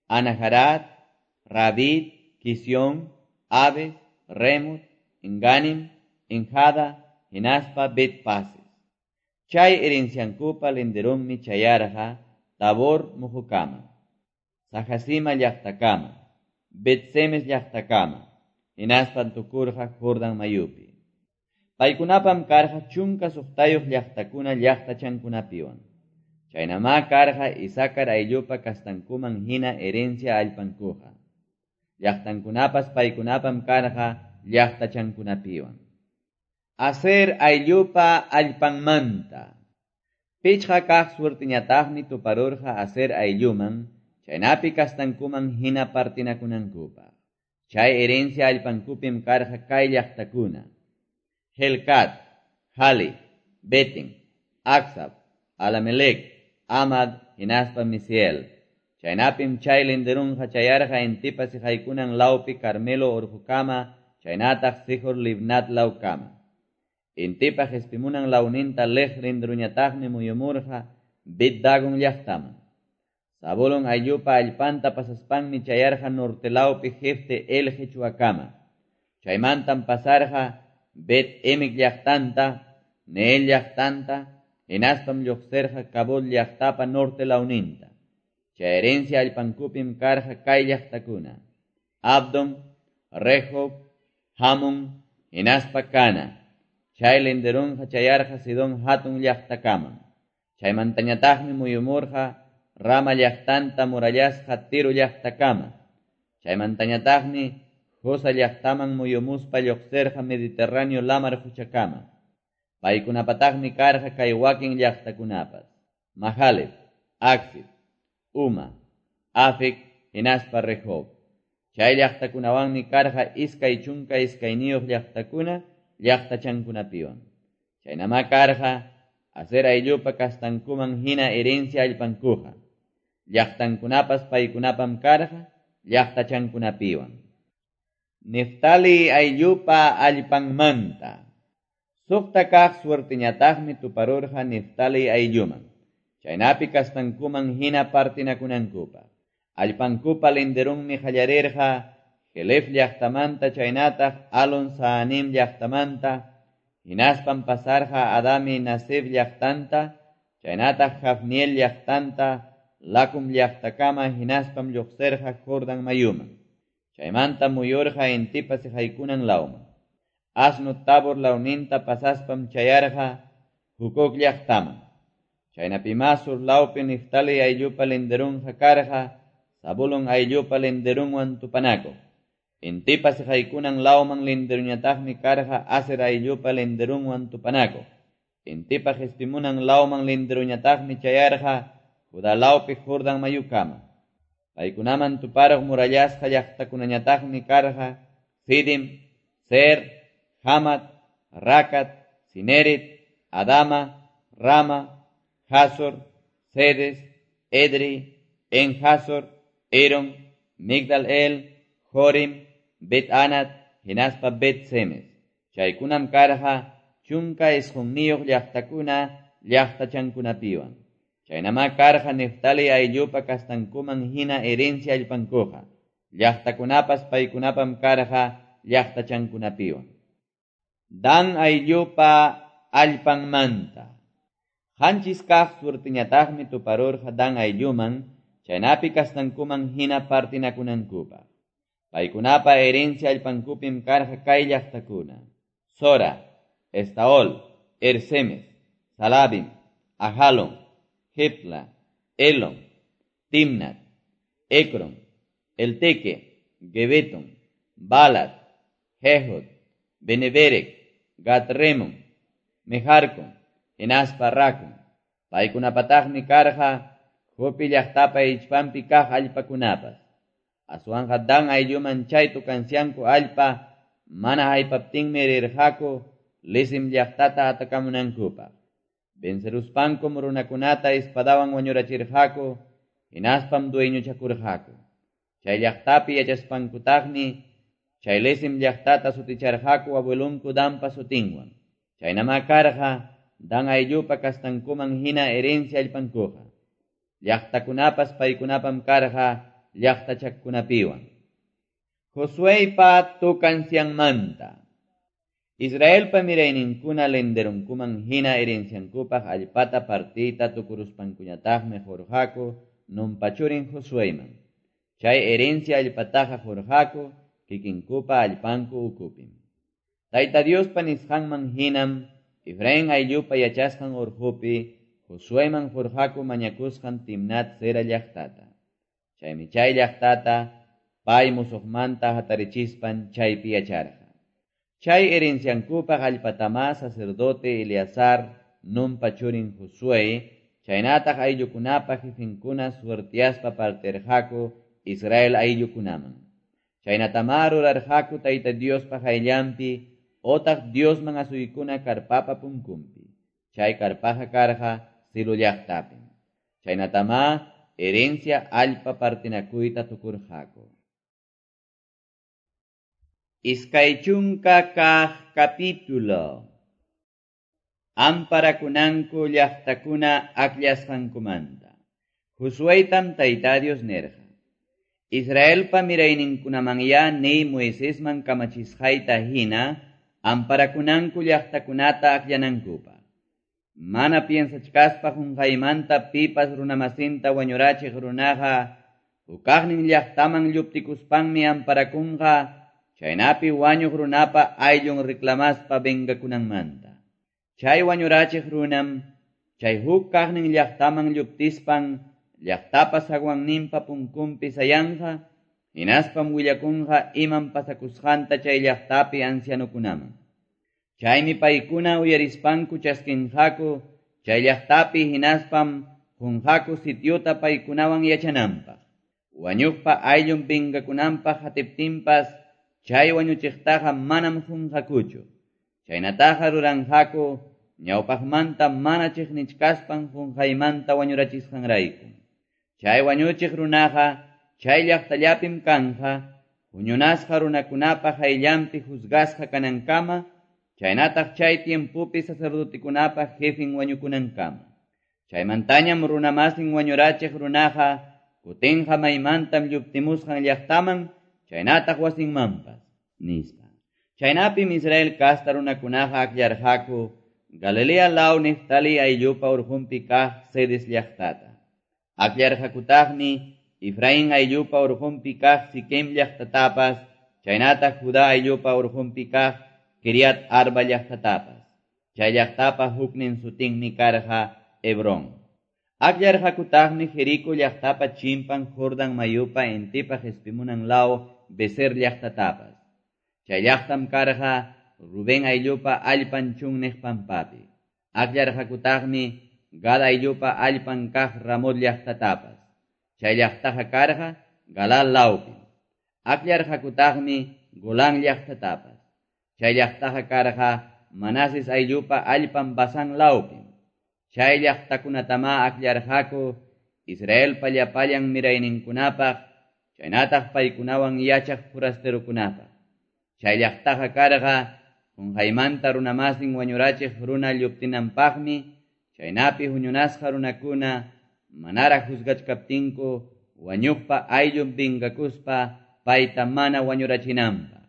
Anaharat, Rabit, Kisión, Abes, Remut, Enganim, Enjada, hinaspa Betpases. Chay herenciankupa linderunmi chayarqa Tabor muhukama, Sajasima llaqtakama, Betsemes llaqtakama, hinaspa tukurqa Jordan mayupi. Paykunapam karqa chunka suqtayuq llaqtakuna llaqtachankunapiwan. Chaynamá karqa Isakar ayllupa kastankuman hina herencia allpankuqa. Llaqtankunapas paykunapam karqa llaqtachankunapiwan. Aser ayllupa allpanmanta. Pichqa kaq suertiñataqmi tuparurqa Aser aylluman, chaynapi kastankuman hina partinakunankupaq. Chay herencia allpankupim karqa kay llaqtakuna: Helcat, Hali, Beten, Aksab, Alamelec, Amad, hinaspa Misiel. Chaynapim chay linderunqa chayarqa intipa siqaykunan lawpi Carmelo urqukama, chaynataq Sijor Libnat lawkama. Intipa qispimunan lawninta Lej linderuñataqmi muyumurqa Bet Dagon llaqtaman. Zabulón ayllupa allpanta pasaspanmi chayarqa norte lawpi Jefte el Qichwakama. Chaymantam pasarqa Bet Emek llaqtanta, Neel llaqtanta, hinaspam lluqsirqa Kabul llaqtapa norte lawninta. Chay herencia allpankupim karqa kay llaqtakuna: Abdon, Rehob, Hamon, hinaspa Cana. Chay linderunqa chayarqa Sidón hatun llaqtakaman. Chaymantañataqmi muyumurqa Rama llaqtanta murallasqa Tiro llaqtakama. Chaymantañataqmi Josa llaqtaman muyumuspa lluqsirqa Mediterráneo lamar quchakama. Paykunapataqmi karqa kay wakin llaqtakunapas: Mahaleb, Aksib, Uma, Afek, hinaspa Rehob. Chay llaqtakunawanmi karqa iskay chunka iskayniyuq llaqtakuna llaqtachankunapiwan. Chaynamá karqa Aser ayllupa kastankuman hina herencia allpankuqa. Llaqtankunapas paykunapam karqa llaqtachankunapiwan. Neftali ayllupa allpanmanta. Suqta kaq suerteñataqmi tuparurqa Neftali aylluman. Chaynapi kastankuman hina partinakunankupaq. Allpankupa linderunmi qallarirqa Jelef llaqtamanta chaynataq Alon Saanim llaqtamanta, hinaspam pasarqa Adami Nasib llaqtanta, chaynataq Jafniel llaqtanta, Lakum llaqtakama hinaspam lluqsirqa Jordan mayuman. Chaymanta muyurqa intipa siqaykunan lawman. Asno Tabor lawninta pasaspam chayarqa Hucoc llaqtaman. Chaynapima sur lawpi Neftali ayllupa linderunqa karqa Zabulon ayllupa linderunwan tupanakuq. Intipa siqaykunan lawman linderuñataqmi karqa Aser ayllupa linderunwan tupanakuq. Intipa qispimunan lawman linderuñataqmi chayarqa Judá lawpi Jordan mayukama. Paykunaman tuparuq murallasqa llaqtakunañataqmi karqa Sidim, Ser, Hamat, Rakat, Sinerit, Adama, Rama, Hazor, Cedes, Edri, En-Hazor, Eron, Migdal-El, Jorim, Bet-Anat, hinaspa Bet-Semes. Chaykunam karqa chunka isqunniyuq llaqtakuna llaqtachankunapiwan. Chaynama karqa Neftali ayllupa kastankuman hina herencia allpankuqa. Llaqtakunapas paykunapam karqa llaqtachankunapiwan. Dan ayllupa allpanmanta. Qanchis kaq suerteñataqmi tuparurqa Dan aylluman, chaynapi kastankuman hina partinakunankupaq. Paykunapa herencia allpankupim karqa kay llaqtakuna: Sora, Estaol, Ersemes, Salabim, Ajalon, Jepla, Elon, Timnat, Ekron, Elteque, Gebeton, Balat, Jehod, Beneberec, Gatremon, Mejarcon, hinaspa Racon. Paykunapataqmi karqa Jope llaqtapa hichpanpi kaq allpakunapas. Aswanqa Dan aylluman chay tukansyanku allpa mana haypaptinmi rirqaku Lisim llaqtata atakamunankupaq. Venceruspankum runakunata espadawan wañurachirqaku, hinaspam dueñochakurqaku. Chay llaqtapi yachaspankutaqmi chay Lisim llaqtata suticharqaku abuelunku Danpa sutinwan. Chaynama karqa Dan ayllupa kastankuman hina herencia allpankuqa. Llaqtakunapas paykunapam karqa llaqtachakunapiwan. Josueypa tukansyanmanta. Israelpa mirayninkuna linderunkuman hina herenciankupaq allpata partiyta tukuruspankuñataqmi qurqaku Nunpa churin Josueyman. Chay herencia allpataqa qurqaku kikinkupa allpanku ukupim. Tayta Diospa nisqanman hinam Efraín ayllupa yachasqan urqupi Josueyman qurqaku mañakusqan Timnat Sera llaqtata. Chaymi chay llaqtata pay musuqmanta hatarichispan chaypi yacharqa. Chay herenciankupaq allpatama sacerdote Eleazar, Nunpa churin Josué, chaynataq ayllukunapa jefinkuna suertiaspa partirqaku Israel ayllukunaman. Chaynatama rurarqaku Tayta Diospa qayllanpi otaq Diosman asuykuna karpapa punkunpi. Chay karpaqa karqa Silo llaqtapim. Chaynatama herencia allpa partinakuyta tukurqaku. Iskay chunka kaq capítulo. Amparakunanku llaqtakuna akllasqankumanta. Josueytam Tayta Dios nirqa: Israelpa mirayninkunamanya niy Moisesman kamachisqayta hina amparakunanku llaqtakunata akllanankupaq. Mana piensachkaspa qunqaymanta pipas runamasinta wañurachiq runaqa hukaqnin llaqtaman lluptikuspanmi amparakunqa chaynapi wañuq runapa ayllun reclamaspa vengakunanmanta. Chay wañurachiq runam chay huk kaqnin llaqtaman lluptispan llaqtapa zaguanninpa punkunpi sayanqa, hinaspam willakunqa imam pasakusqanta chay llaqtapi ancianukunaman. Chaymi paykuna uyarispanku chaskinqaku chay llaqtapi hinaspam qunqaku sitiota paykunawan yachananpaq. Wañuqpa ayllun vengakunanpaq hatiptinpas chay wañuchiqtaqa manam qunqakuchu. Chaynataqa ruranqaku ñawpaqmanta mana chiqnichkaspan qunqaymanta wañurachisqanrayku. Chay wañuchiq runaqa chay llaqtallapim kanja, huñunasqa runakunapa qayllanpi juzgasqa kanankama, chaynataq chay tiempopi sacerdotekunapa jefen wañukunankama. Chaymantañam runamasin wañurachiq runaqa kutinqa maymantam lluptimusqan llaqtaman, chaynataq wasinmanpas, nispa. Chaynapim Israel kasta runakunaqa akllarqaku Galilea law Neftali ayllupa urqunpi kaq Cedes llaqtata. Akllarqakutaqmi Efraín ayllupa urqunpi kaq Siquem llaqtatapas, chaynataq Judá ayllupa urqunpi kaq Kiriat Arba llaqtatapas. Chay llaqtapa huknin sutinmi karqa Hebrón. Akllarqakutaqmi Jerico llaqtapa chimpan Jordan mayupa intipa qespimunan law Beser llaqtatapas. Chay llaqtam karqa Rubén ayllupa allpan chunniq pampapi. Akllarqakutaqmi Gad ayllupa allpan kaq Ramot llaqtatapas. Chay llaqtaqa karqa Galaad lawpi. Akllarqakutaqmi Golán llaqtatapas. Chay llaqtaqa karqa Manases ayllupa allpan Basán lawpi. Chay llaqtakunatama akllarqaku Israelpa llapallan mirayninkunapaq, chaynataq paykunawan yachaq forasterokunapaq. Chay llaqtaqa karqa qunqaymanta runamasin wañurachiq runa lluptinanpaqmi, chaynapi huñunasqa runakuna manaraq juzgachkaptinku wañuqpa ayllun vingakuspa payta mana wañurachinanpaq.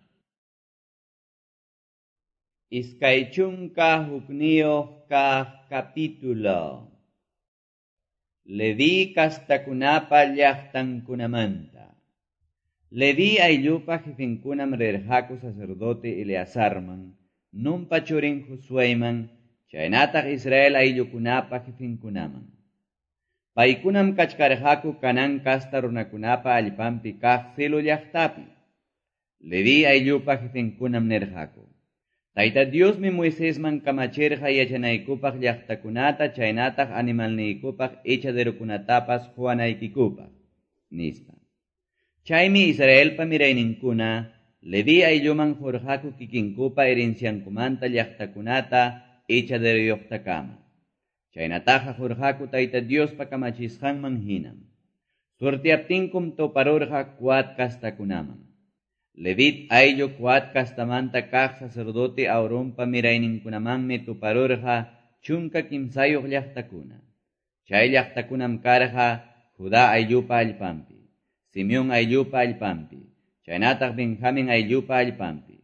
Iskay chunka hukniyuq kaq capítulo. Leví kastakunapa llaqtankunamanta. Leví ayllupa jefenkunam rirqaku sacerdote Eleazarman, Nunpa churin Josuéman, chaynataq Israel ayllukunapa jefenkunaman. Paykunam kachkarqaku Canaán kasta runakunapa allpanpi kaq Silo llaqtapi. Leví ayllupa jefenkunam nirqaku: Tayta Diosmi Moisesman kamachirqa yachanaykupaq llaqtakunata chaynataq animalniykupaq echaderokunatapas quwanaykikupaq, nispa. Chaymi Israelpa mirayninkuna Leví aylluman qurqaku kikinkupa herenciankumanta llaqtakunata echaderoyuqtakama. Chaynataqa qurqaku Tayta Diospa kamachisqanman hinam. Suerteaptinkum tuparurqa Coat kastakunaman. Levit ayllu Coat kastamanta kaq sacerdote Aaronpa mirayninkunamanmi tuparurqa chunka kimsayuq llaqtakuna. Chay llaqtakunam karqa Judá ayllupa allpanpi, Simeón ayllupa allpanpi, chaynataq Benjamín ayllupa allpanpi.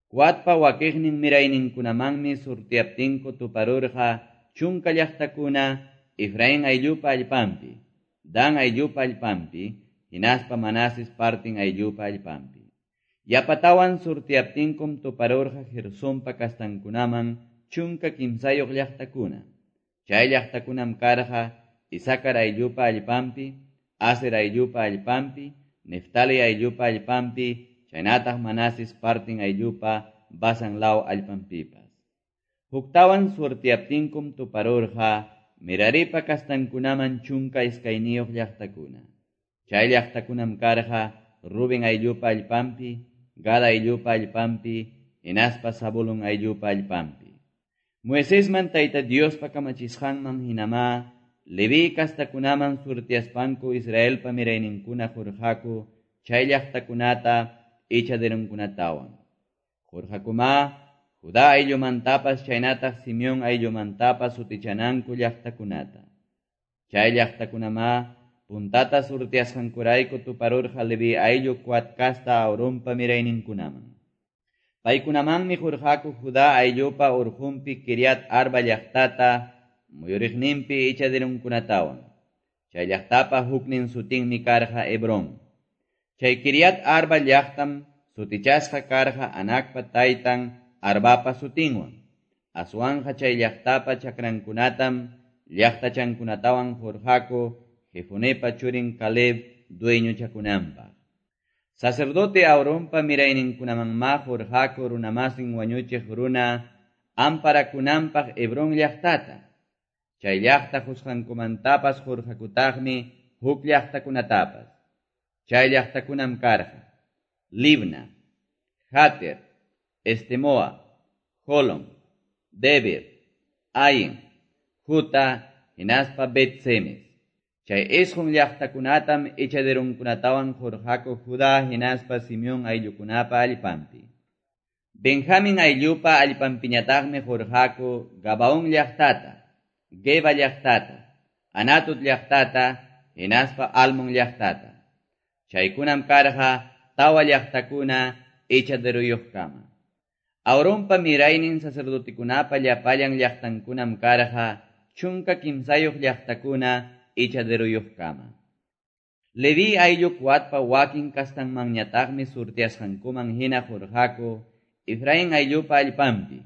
Coatpa wakiqnin mirayninkunamanmi surtiaptinku tuparurqa chunka llaqtakuna Efraín ayllupa allpanpi, Dan ayllupa allpanpi, hinaspa Manases partin ayllupa allpanpi. Yapatawan surtiaptinkum tuparurqa Gersonpa kastankunaman chunka kimsayuq llaqtakuna. Chay llaqtakunam karqa Isacar ayllupa allpanpi, Aser ayllupa allpanpi, Neftali ayllupa allpanpi, chaynataq Manases partin ayllupa Basan law allpanpipas. Huktawan surtiaptinkum tuparurqa Meraripa kastankunaman chunka iskayniyuq llaqtakuna. Chay llaqtakunam karqa Rubén ayllupa allpanpi, Gad ayllupa allpanpi, hinaspa Zabulón ayllupa allpanpi. Moisesman Tayta Diospa kamachisqanman hinamá Leví kastakunaman surtiaspanku Israelpa mirayninkuna qurqaku chay llaqtakunata echaderonkunatawan. Qurqakumá Judá ayllumantapas chaynataq Simeón ayllumantapas sutichananku llaqtakunata. Chay llaqtakunamá puntata surtiasqankurayku tuparurqa Leví ayllu Coat kasta Aaronpa mirayninkunaman. Paykunamanmi qurqaku Judá ayllupa urqunpi Kiriat Arba llaqtata muyuriqninpi echaderunkunatawan. Chay llaqtapa huknin sutinmi karqa Hebrón. Chay Kiriat Arba llaqtam sutichasqa karqa Anakpa taytan Arbapa sutinwan. Aswanja chay llaqtapa chakrankunatam llaqtachankunatawan qurqaku Jefonepa churin Caleb dueñochakunanpaq. Sacerdote Aaronpa mirayninkunamanmá qurqaku runamasin wañuchiq runa amparakunanpaq Hebrón llaqtata. Chay llaqta qusqankumantapas qurqakutaqmi huk llaqtakunatapas. Chay llaqtakunam karqa Libna, Jater, Estemoa, Jolón, Debir, Ain, Juta, hinaspa Bet-semes. Chay isqun llaqtakunatam echaderunkunatawan qurqaku Judá hinaspa Simeón ayllukunapa allpanpi. Benjamín ayllupa allpanpiñataqmi qurqaku Gabaón llaqtata, Geba llaqtata, Anatut llaqtata, hinaspa Almon llaqtata. Chaykunam karqa tawa llaqtakuna echaderuyuqkama. Aaronpa miraynin sacerdotekunapa llapallan llaqtankunam karqa chunka kimsayuq llaqtakuna echaderuyuqkama. Leví ayllu Coatpa wakin kastanmanñataqmi surtiasqankuman hina qurqaku Efraín ayllupa allpanpi.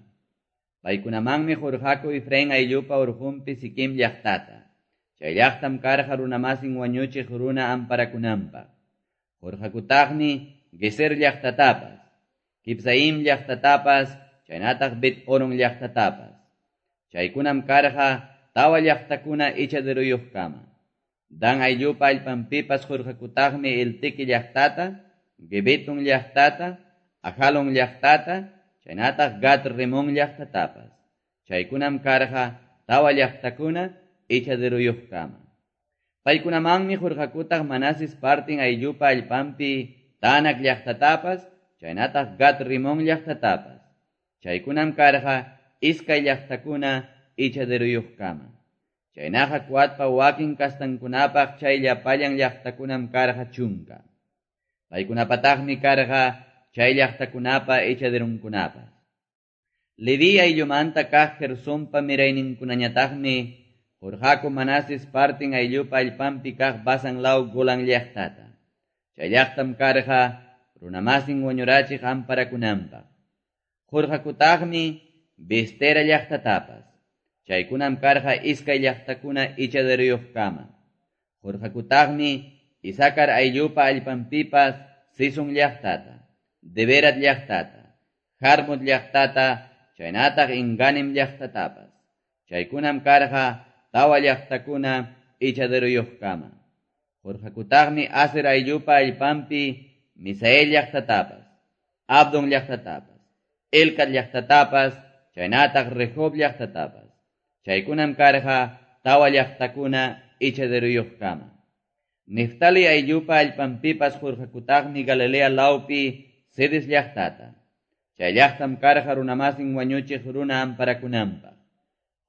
Paykunamanmi qurqaku Efraín ayllupa urqunpi Siquem llaqtata. Chay llaqtam karqa runamasin wañuchiq runa amparakunanpaq. Qurqakutaqmi Geser llaqtatapas, Kibsaim llaqtatapas, chaynataq Bet Horon llaqtatapas. Chaykunam karqa tawa llaqtakuna echaderuyuqkama. Dan ayllupa allpanpipas qurqakutaqmi Elteque llaqtata, Gebetón llaqtata, Ajalón llaqtata, chaynataq Gat Remón llaqtatapas. Chaykunam karqa tawa llaqtakuna echaderuyuqkama. Paykunamanmi qurqakutaq Manases partin ayllupa allpanpi Taanac llaqtatapas, chaynataq Gat Rimón llaqtatapas. Chaykunam karqa iskay llaqtakuna echaderuyuqkama. Chaynaqa Coatpa wakin kastankunapaq chay llapallan llaqtakunam karqa chunka. Paykunapataqmi karqa chay llaqtakunapa echaderunkunapas. Leví ayllumanta kaq Gersonpa mirayninkunañataqmi qurqaku Manases partin ayllupa allpanpi kaq Basan law Golan llaqtata. Chay llaqtam karqa runamasin wañurachiq amparakunanpaq. Qurqakutaqmi Bestera llaqtatapas. Chaykunam karqa iskay llaqtakuna echaderuyuqkama. Qurqakutaqmi Isakar ayllupa allpanpipas Sison llaqtata, Deberat llaqtata, Jarmut llaqtata, chaynataq Inganim llaqtatapas. Chaykunam karqa tawa llaqtakuna echaderuyuqkama. Qurqakutaqmi Aser ayllupa allpanpi Misael llaqtatapas, Abdon llaqtatapas, Elcat llaqtatapas, chaynataq Rehob llaqtatapas. Chaykunam karqa tawa llaqtakuna echaderuyuqkama. Neftali ayllupa allpanpipas qurqakutaqmi Galilea lawpi Cedes llaqtata. Chay llaqtam karqa runamasin wañuchiq runa amparakunanpaq.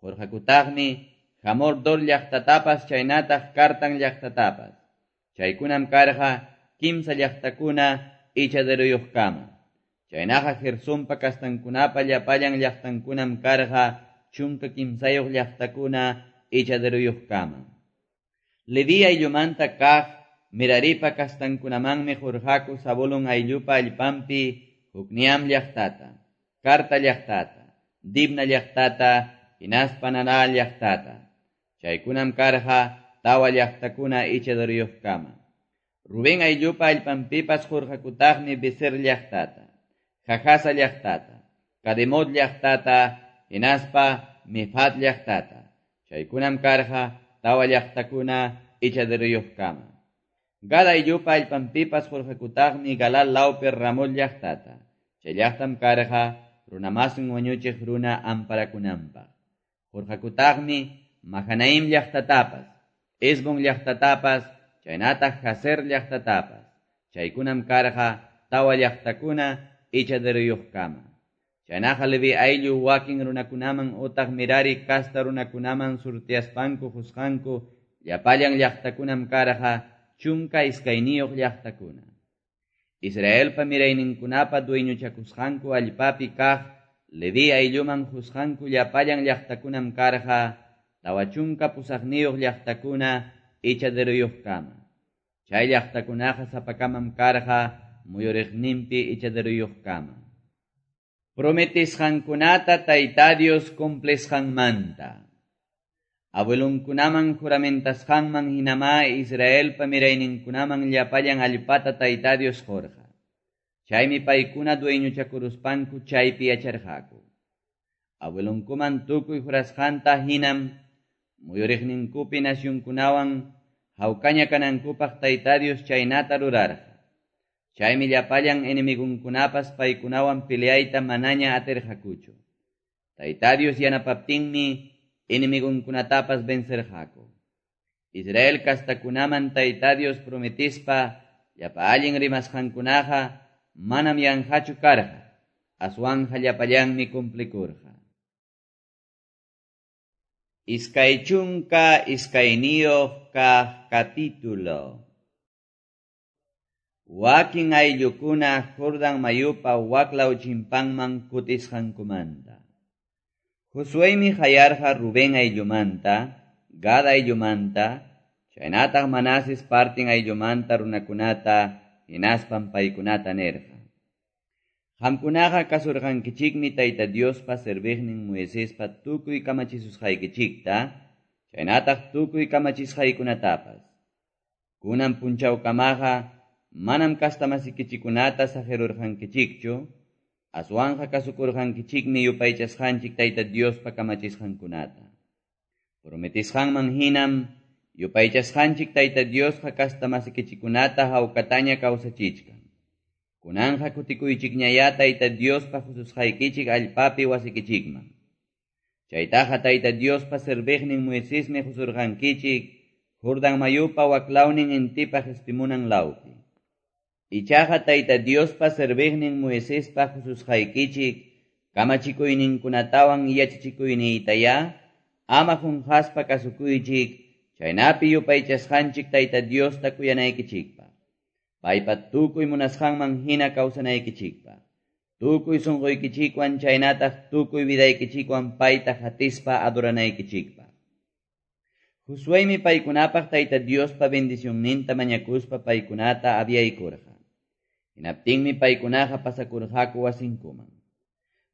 Qurqakutaqmi Hamor Dor llaqtatapas chaynataq Kartan llaqtatapas. Chaykunam karqa kimsa llaqtakuna echaderuyuqkama. Chaynaqa Gersonpa kastankunapa llapallan llaqtankunam karqa chunka kimsayuq llaqtakuna echaderuyuqkama. Leví ayllumanta kaq Meraripa kastankunamanmi qurqaku Zabulón ayllupa allpanpi Jukniam llaqtata, Karta llaqtata, Dibna llaqtata, hinaspa Nanal llaqtata. Chaykunam karqa tawa llaqtakuna echaderuyuqkama. Rubén ayllupa allpanpipas qurqakutaqmi Beser llaqtata, Jajasa llaqtata, Kademot llaqtata, hinaspa Mefat llaqtata. Chaykunam karqa tawa llaqtakuna echaderuyuqkama. Gad ayllupa allpanpipas qurqakutaqmi Galal lawpi Ramot llaqtata. Chay llaqtam karqa runamasin wañuchiq runa amparakunanpaq. Qurqakutaqmi Mahanaim llaqtatapas, Hesbón llaqtatapas, chaynataq Jazer llaqtatapas. Chaykunam karqa tawa llaqtakuna echaderuyuqkama. Chaynaqa Leví ayllu wakin runakunaman utaq Merari kasta runakunaman surtiaspanku qusqanku llapallan llaqtakunam karqa chunka iskayniyuq llaqtakuna. Israelpa mirayninkunapa dueñochakusqanku allpapi kaq Leví aylluman qusqanku llapallan llaqtakunam karqa tawa chunka pusaqniyuq llaqtakuna echaderuyuqkama. Chay llaqtakunaqa sapakamam karqa muyuriqninpi echaderuyuqkama. Prometisqankunata Tayta Dios cumplisqanmanta. Abuelunkunaman juramentasqanman hinama Israelpa mirayninkunaman llapallan allpata Tayta Dios qurqa. Chaymi paykuna dueñochakuruspanku chaypi yacharqaku. Abuelunkuman tukuy jurasqanta hinam muyuriqninkupi nacionkunawan hawkaña kanankupaq Tayta Dios chaynata rurarqa. Chaymi llapallan enemigunkunapas paykunawan peleayta manaña atirqakuchu. Tayta Dios yanapaptinmi enemigunkunatapas vencerqaku. Israel kastakunaman Tayta Dios prometispa llapa allin rimasqankunaqa manam yanqachu karqa, aswanqa llapallanmi cumplikurqa. Iskay chunka iskayniyuq kaq capítulo. Wakin ayllukuna Jordan mayupa waklaw chimpanman kutisqankumanta. Josuemi qayarqa Rubén ayllumanta, Gad ayllumanta, chaynataq Manases partin ayllumanta runakunata, hinaspan paykunata nirqa. Qamkunaqa kasurqankichikmi Tayta Diospa serviqnin Moisespa tukuy kamachisusqaykichikta, chaynataq tukuy kamachisqaykunatapas. Kunan punchawkamaqa manam kastamasikichikunata saqirurqankichikchu, aswanqa kasukurqankichikmi yupaychasqanchik Tayta Diospa kamachisqankunata. Prometisqanman hinam yupaychasqanchik Tayta Diosqa kastamasikichikunata hawkataña kawsachichkan. Kunanqa kutikuychikñaya Tayta Diospa hususqaykichik allpapi wasikichikman. Chaytaqa Tayta Diospa serviqnin Moisesmi husurqankichik Jordan mayupa waklawnin intipa qispimunan lawpi. Ichaqa Tayta Diospa serviqnin Moisespa hususqaykichik kamachikuyninkunatawan yachachikuyniytaya ama qunqaspa kasukuychik chaynapi yupaychasqanchik Tayta Diosta kuyanaykichikpaq. Paypa tukuy munasqanman hina kawsanaykichikpaq. Tukuy sunquykichikwan chaynataq tukuy vidaykichikwan payta hatispa adoranaykichikpaq. Josuemi paykunapaq Tayta Diospa bendicionninta mañakuspa paykunata aviaykurqa. Hinaptinmi paykunaqa pasakurqaku wasinkuman.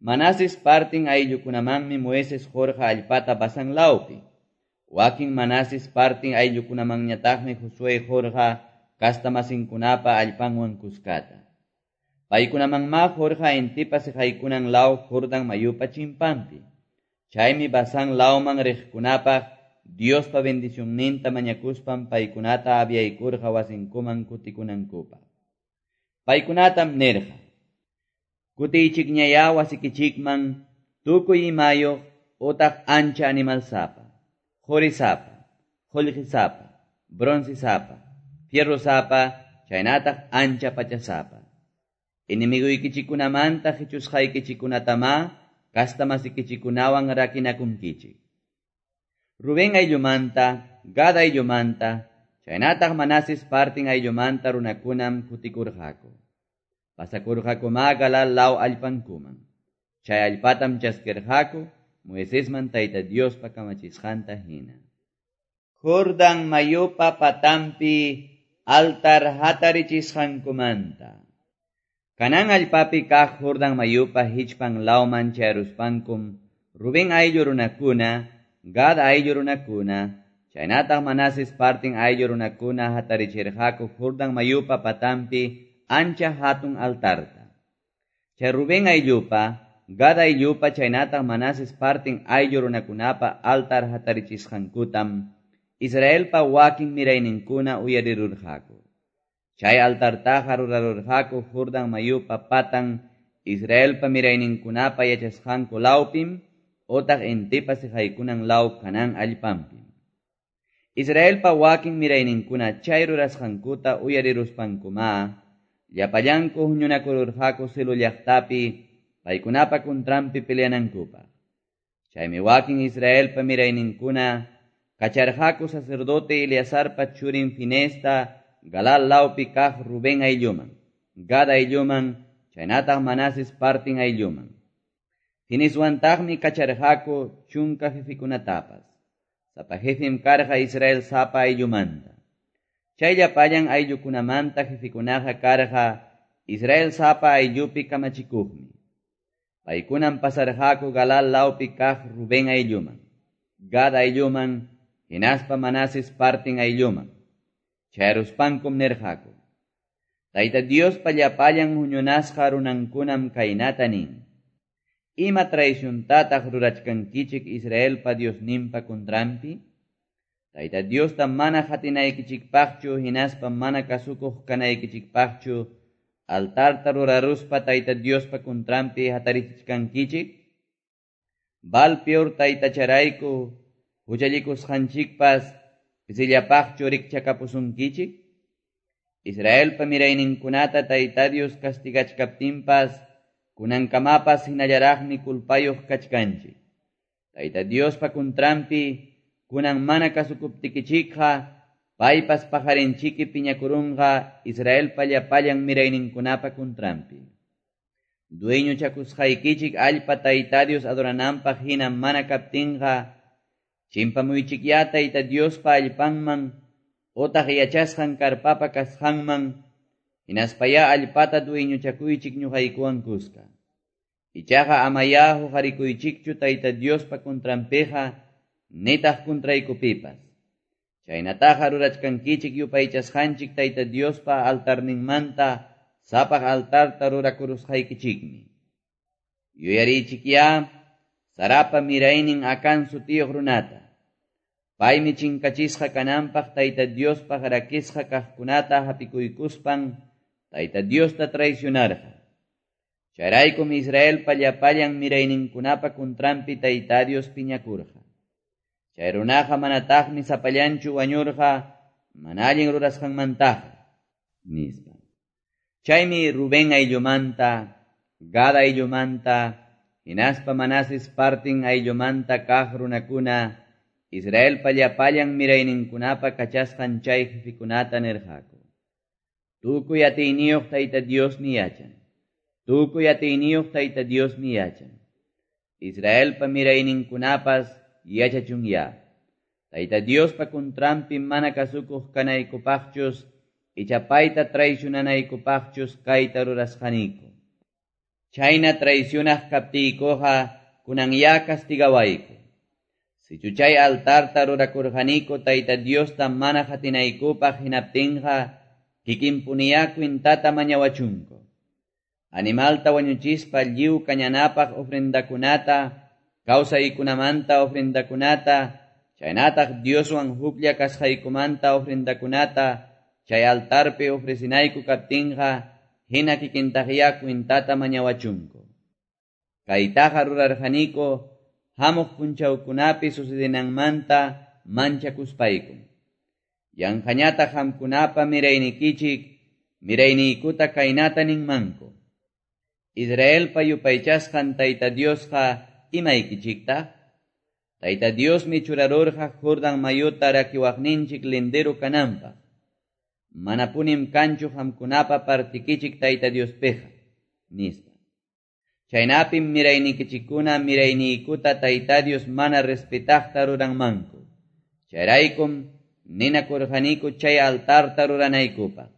Manases partin ayllukunamanmi Moisés qurqa allpata Basán lawpi. Wakin Manases partin ayllukunamanñataqmi Josué qurqa kastamasinkunapa allpanwan kuskata. Paykunamanma qurqa intipa siqaykunan law Jordan mayupa chimpanpi. Chaymi Basán lawman riqkunapaq Diospa bendicionninta mañakuspan paykunata aviaykurqa wasinkuman kutikunankupaq. Paykunatam nirqa: Kutiychikñaya wasikichikman tukuy imayuq utaq ancha animalsapa, qurisapa, qullqisapa, broncisapa, fierrosapa, chaynataq ancha pachasapa. Enemiguykichikunamanta qichusqaykichikunatama kastamasikichikunawan rakinakunkichik. Rubén ayllumanta, Gad ayllumanta, chaynataq Manases partin ayllumanta runakunam kutikurqaku. Pasakurqakuma Galal law allpankuman. Chay allpatam chaskirqaku Moisesman Tayta Diospa kamachisqanta hina. Jordan mayupa patampi altar hatarichisqankumanta. Kanan allpapi kaq Jordan mayupa hichpan lawman chayaruspankum Rubén ayllu runakuna, Gad ayllu runakuna, chaynataq Manases partin ayllu runakuna hatarichirqaku Jordan mayupa patampi ancha hatun altarta. Chay Rubén ayllupa, Gad ayllupa chaynataq Manases partin ayllu runakunapa altar hatarichisqankutam Israelpa wakin mirayninkuna uyarirurqaku. Chay altartaqa rurarurqaku Jordan mayupa patan Israelpa mirayninkunapa yachasqanku lawpim otaq intipa siqaykunan law Kanan allpanpim. Israelpa wakin mirayninkuna chay rurasqankuta uyariruspankuma llapallanku huñunakururqaku Silo llaqtapi paykunapa kuntranpi peleanankupaq. Chaymi wakin Israelpa mirayninkuna kacharqaku sacerdote Eleazarpa churin Finesta Galal lawpi kaq Rubén aylluman, Gad aylluman, chaynataq Manases partin aylluman. Fineswantaqmi kacharqaku chunka jefikunatapas. Sapa jefim karqa Israel sapa ayllumanta. Chay llapallan ayllukunamanta jefikunaqa karqa Israel sapa ayllupi kamachikuqmi. Paykunam pasarqaku Galal lawpi kaq Rubén aylluman, Gad aylluman, hinaspa Manases partin aylluman. Chayruspankum nirqaku: Tayta Diospa llapallan huñunasqa runankunam kaynata nin: Ima traiciontataq rurachkankichik Israelpa Diosninpa kuntranpi? Tayta Diosta mana hatinaykichikpaqchu hinaspa mana kasukuq kanaykichikpaqchu altarta ruraruspa Tayta Diospa kuntranpi hatarichichkankichik? Baal Peor taytacharayku huchallikusqanchikpas Pisillapaqchu rikchakapusunkichik? Israelpa mirayninkunata Tayta Dios castigachkaptinpas, kunankamapas hinallaraqmi culpayuq kachkanchik. Tayta Diospa kuntranpi, kunan mana kasukuptikichikqa, paypas pajarinchiki piñakurunqa Israelpa llapallan mirayninkunapa kuntranpi. Dueñochakusqaykichik allpa Tayta Dios adorananpaq hina mana kaptinqa, chimpamuychikya Tayta Diospa allpanman, otaq yachasqan karpapa kasqanman, hinaspaya allpata dueñochakuychik ñuqaykuwan kuska. Ichaqa amaya huqarikuychikchu Tayta Diospa kuntranpiqa, nitaq kuntraykupipas. Chaynataqa rurachkankichik yupaychasqanchik Tayta Diospa altarninmanta sapaq altarta rurakurusqaykichikmi. Yuyarichikya Sarapa miraynin Acán sutiyuq runata. Paymi chinkachisqa kananpaq Tayta Diospaq rakisqa kaqkunata hapikuykuspan Tayta Diosta traicionarqa. Chayraykum Israelpa llapallan mirayninkunapa kuntranpi Tayta Dios piñakurqa. Chay runaqa manataqmi sapallanchu wañurqa mana allin rurasqanmantaqa, nispa. Chaymi Rubén ayllumanta, Gad ayllumanta, hinaspa Manases partin ayllumanta kaq runakuna, Israelpa llapallan mirayninkunapa kachasqan chay jefikunata nirqaku. Tukuy atiyniyuq Tayta Diosmi yachan. Tukuy atiyniyuq Tayta Diosmi yachan. Israelpa mirayninkunapas yachachunya. Tayta Diospa kuntranpi mana kasukuq kanaykupaqchus, icha payta traicionanaykupaqchus kayta rurasqaniku. Chayna traicionaq kaptiykuqa kunanya castigawayku. Sichu chay altarta rurakurqaniku Tayta Diosta mana qatinaykupaq hinaptinqa, kikinpuniya kwintata mañawachunku. Animalta wañuchispa lliw kañanapaq ofrendakunata, kawsaykunamanta ofrendakunata, chaynataq Dioswan huklla kasqaykumanta ofrendakunata, chay altarpi ofrecinayku kaptinqa, hina kikintaqya kwintata mañawachunku. Kaytaqa rurarqaniku, hamuq punchawkunapi sucedinanmanta manchakuspayku. Yanqañataq qamkunapa miraynikichik, mirayniykuta kaynata ninmanku. Israelpa yupaychasqan Tayta Diosqa imaykichiktaq? Tayta Diosmi churarurqa Jordan mayuta rakiwaqninchik lindero kananpaq. Manapunim kanchu qamkunapa partikichik Tayta Diospiqa, nispa. Chaynapim miraynikichikkuna mirayniykuta Tayta Dios mana respetaqta ruranmanku. Chayraykum ninakurqaniku chay altarta ruranaykupaq.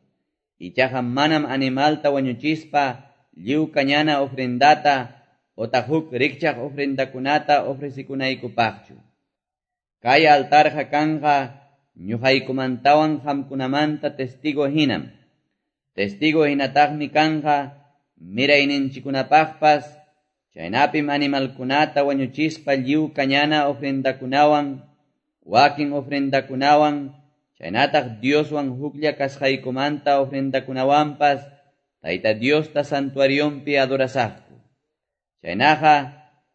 Ichaqa manam animalta wañuchispa lliw kañana ofrendata otaq huk rikchaq ofrendakunata ofrecikunaykupaqchu. Kay altarqa kanqa ñuqaykumantawan qamkunamanta testigo hinam. Testigo hinataqmi kanqa mirayninchikunapaqpas, chaynapim animalkunata wañuchispa lliw kañana ofrendakunawan, wakin ofrendakunawan, chaynataq Dioswan huklla kasqaykumanta ofrendakunawanpas, Tayta Diosta santuarionpi adorasaqku. Chaynaqa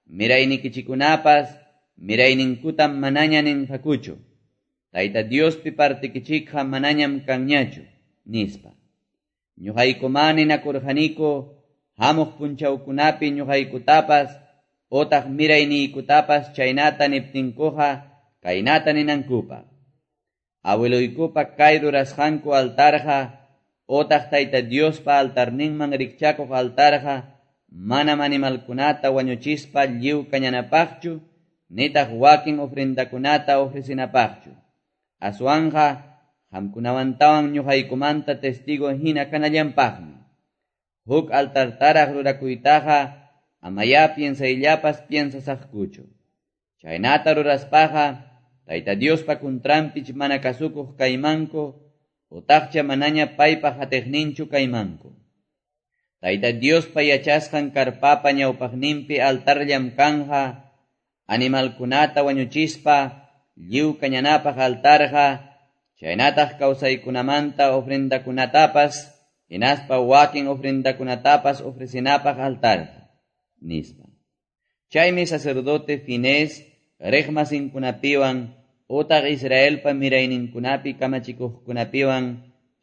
miraynikichikunapas mirayninkutam manaña ninqakuchu. Tayta Diospi partikichikqa manañam kanñachu, nispa. Ñuqaykumá ninakurqaniku hamuq punchawkunapi ñuqaykutapas otaq mirayniykutapas chaynata niptinkuqa kaynata ninankupaq. Abueloykupa kay rurasqanku altarqa otaq Tayta Diospa altarninman rikchakuq altarqa manam animalkunata wañuchispa lliw kañanapaqchu, nitaq wakin ofrendakunata ofrecinapaqchu. Aswanqa qamkunawantawan ñuqaykumanta testigo hina kanallanpaqmi. Huk altartaraq rurakuytaqa amaya piensayllapas piensasaqkuchu. Chaynata ruraspaqa Tayta Diospa kuntranpich mana kasukuq kaymanku, utaqcha manaña paypa hatiqninchu kaymanku. Tayta Diospa yachasqan karpapa ñawpaqninpi altarllam kanja, animalkunata wañuchispa lliw kañanapaq altarqa, chaynataq kawsaykunamanta ofrendakunatapas, hinaspa wakin ofrendakunatapas ofrecinapaq altarqa, nispa. Chaymi sacerdote Finés riqmasinkunapiwan utaq Israelpa mirayninkunapi kamachikuqkunapiwan,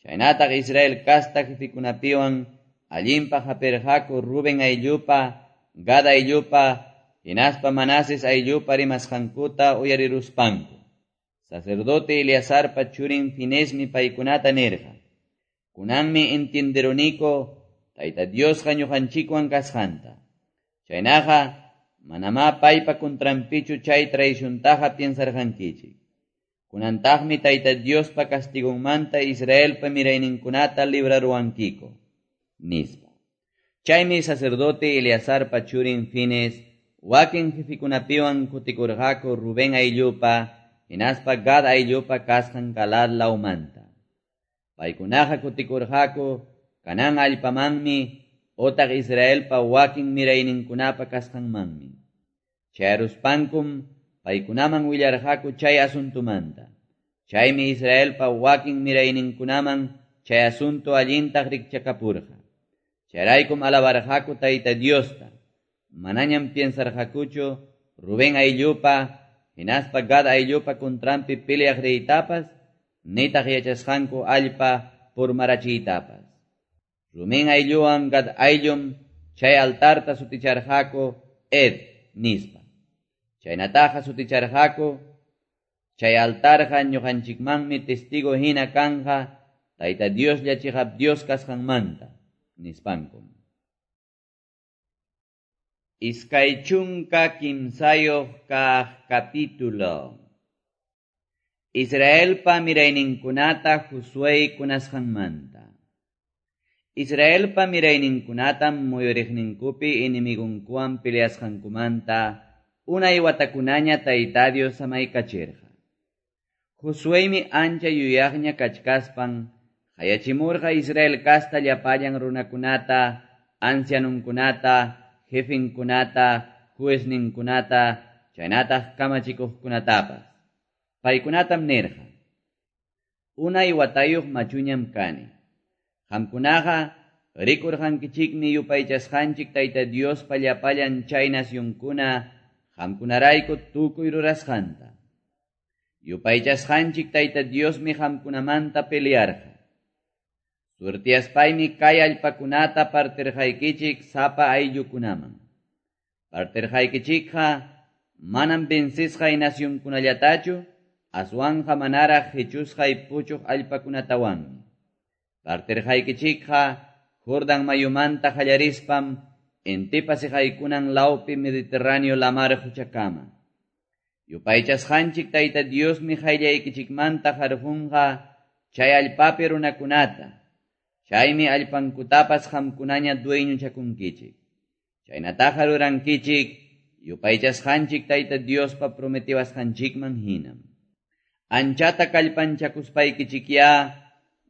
chaynataq Israel casta jefikunapiwan, allinpaq hapirqaku Rubén ayllupa, Gad ayllupa, hinaspa Manases ayllupa rimasqankuta uyariruspanku. Sacerdote Eleazarpa churin Finesmi paykunata nirqa: Kunanmi entienderuniku Tayta Diosqa ñuqanchikwan kasqanta. Chaynaqa manamá paypa contranpichu chay traiciontaqa piensarqankichik. Kunantaqmi Tayta Diospa castigonmanta Israelpa mirayninkunata libraruwankiku, nispa. Chaymi sacerdote Eleazarpa churin Fines wakin jefikunapiwan kutikurqaku Rubén ayllupa, hinaspa Gad ayllupa kasqan Galaad lawmanta. Paykunaqa kutikurqaku Canaán allpamanmi otaq Israelpa wakin mirayninkunapa kasqanmanmi. Chayruspankum paykunaman willarqaku chay asuntumanta. Chaymi Israelpa wakin mirayninkunaman chay asunto allintaq rikchakapurqa. Chayraykum alabarqaku Tayta Diosta. Manañam piensarqakuchu Rubén ayllupa, hinaspa Gad ayllupa contranpi peleaq riytapas, nitaq yachasqanku allpa purmarachiytapas. Rubén aylluwan Gad ayllum chay altarta suticharqaku Ed nispa. Chaynataqa suticharqaku chay altarqa ñuqanchikmanmi testigo hina kanja Tayta Dioslla chiqap Dios kasqanmanta, nispankum. Iskay chunka kimsayuq kaq capítulo. Israelpa mirayninkunata Josué kunasqanmanta. Israelpa mirayninkunatam muyuriqninkupi enemigunkuwan peleasqankumanta unay watakunaña Tayta Dios samaykachirqa. Josuémi ancha yuyaqña kachkaspan qayachimurqa Israel casta llapallan runakunata, ancianunkunata, jefinkunata, juezninkunata, chaynataq kamachikuqkunatapas. Paykunatam nirqa: Unay watayuq machuñam kani. Qamkunaqa rikurqankichikmi yupaychasqanchik Tayta Diospa llapallan chay nacionkuna qamkunarayku tukuy rurasqanta. Yupaychasqanchik Tayta Diosmi qamkunamanta pelearqa. Suertiaspaymi kay allpakunata partirqaykichik sapa ayllukunaman. Partirqaykichikqa manam vencisqay nacionkunallatachu, aswanqa manaraq hichusqay puchuq allpakunatawanmi. Partirqaykichikqa Jordan mayumanta qallarispam intipa siqaykunan lawpi Mediterráneo lamar quchakama. Yupaychasqanchik Tayta Diosmi qayllaykichikmanta harqunqa chay allpapi runakunata. Chaymi allpankutapas qamkunaña dueñochakunkichik. Chaynataqa rurankichik yupaychasqanchik Tayta Diospa prometiwasqanchikman hinam. Anchata kallpanchakuspaykichikyá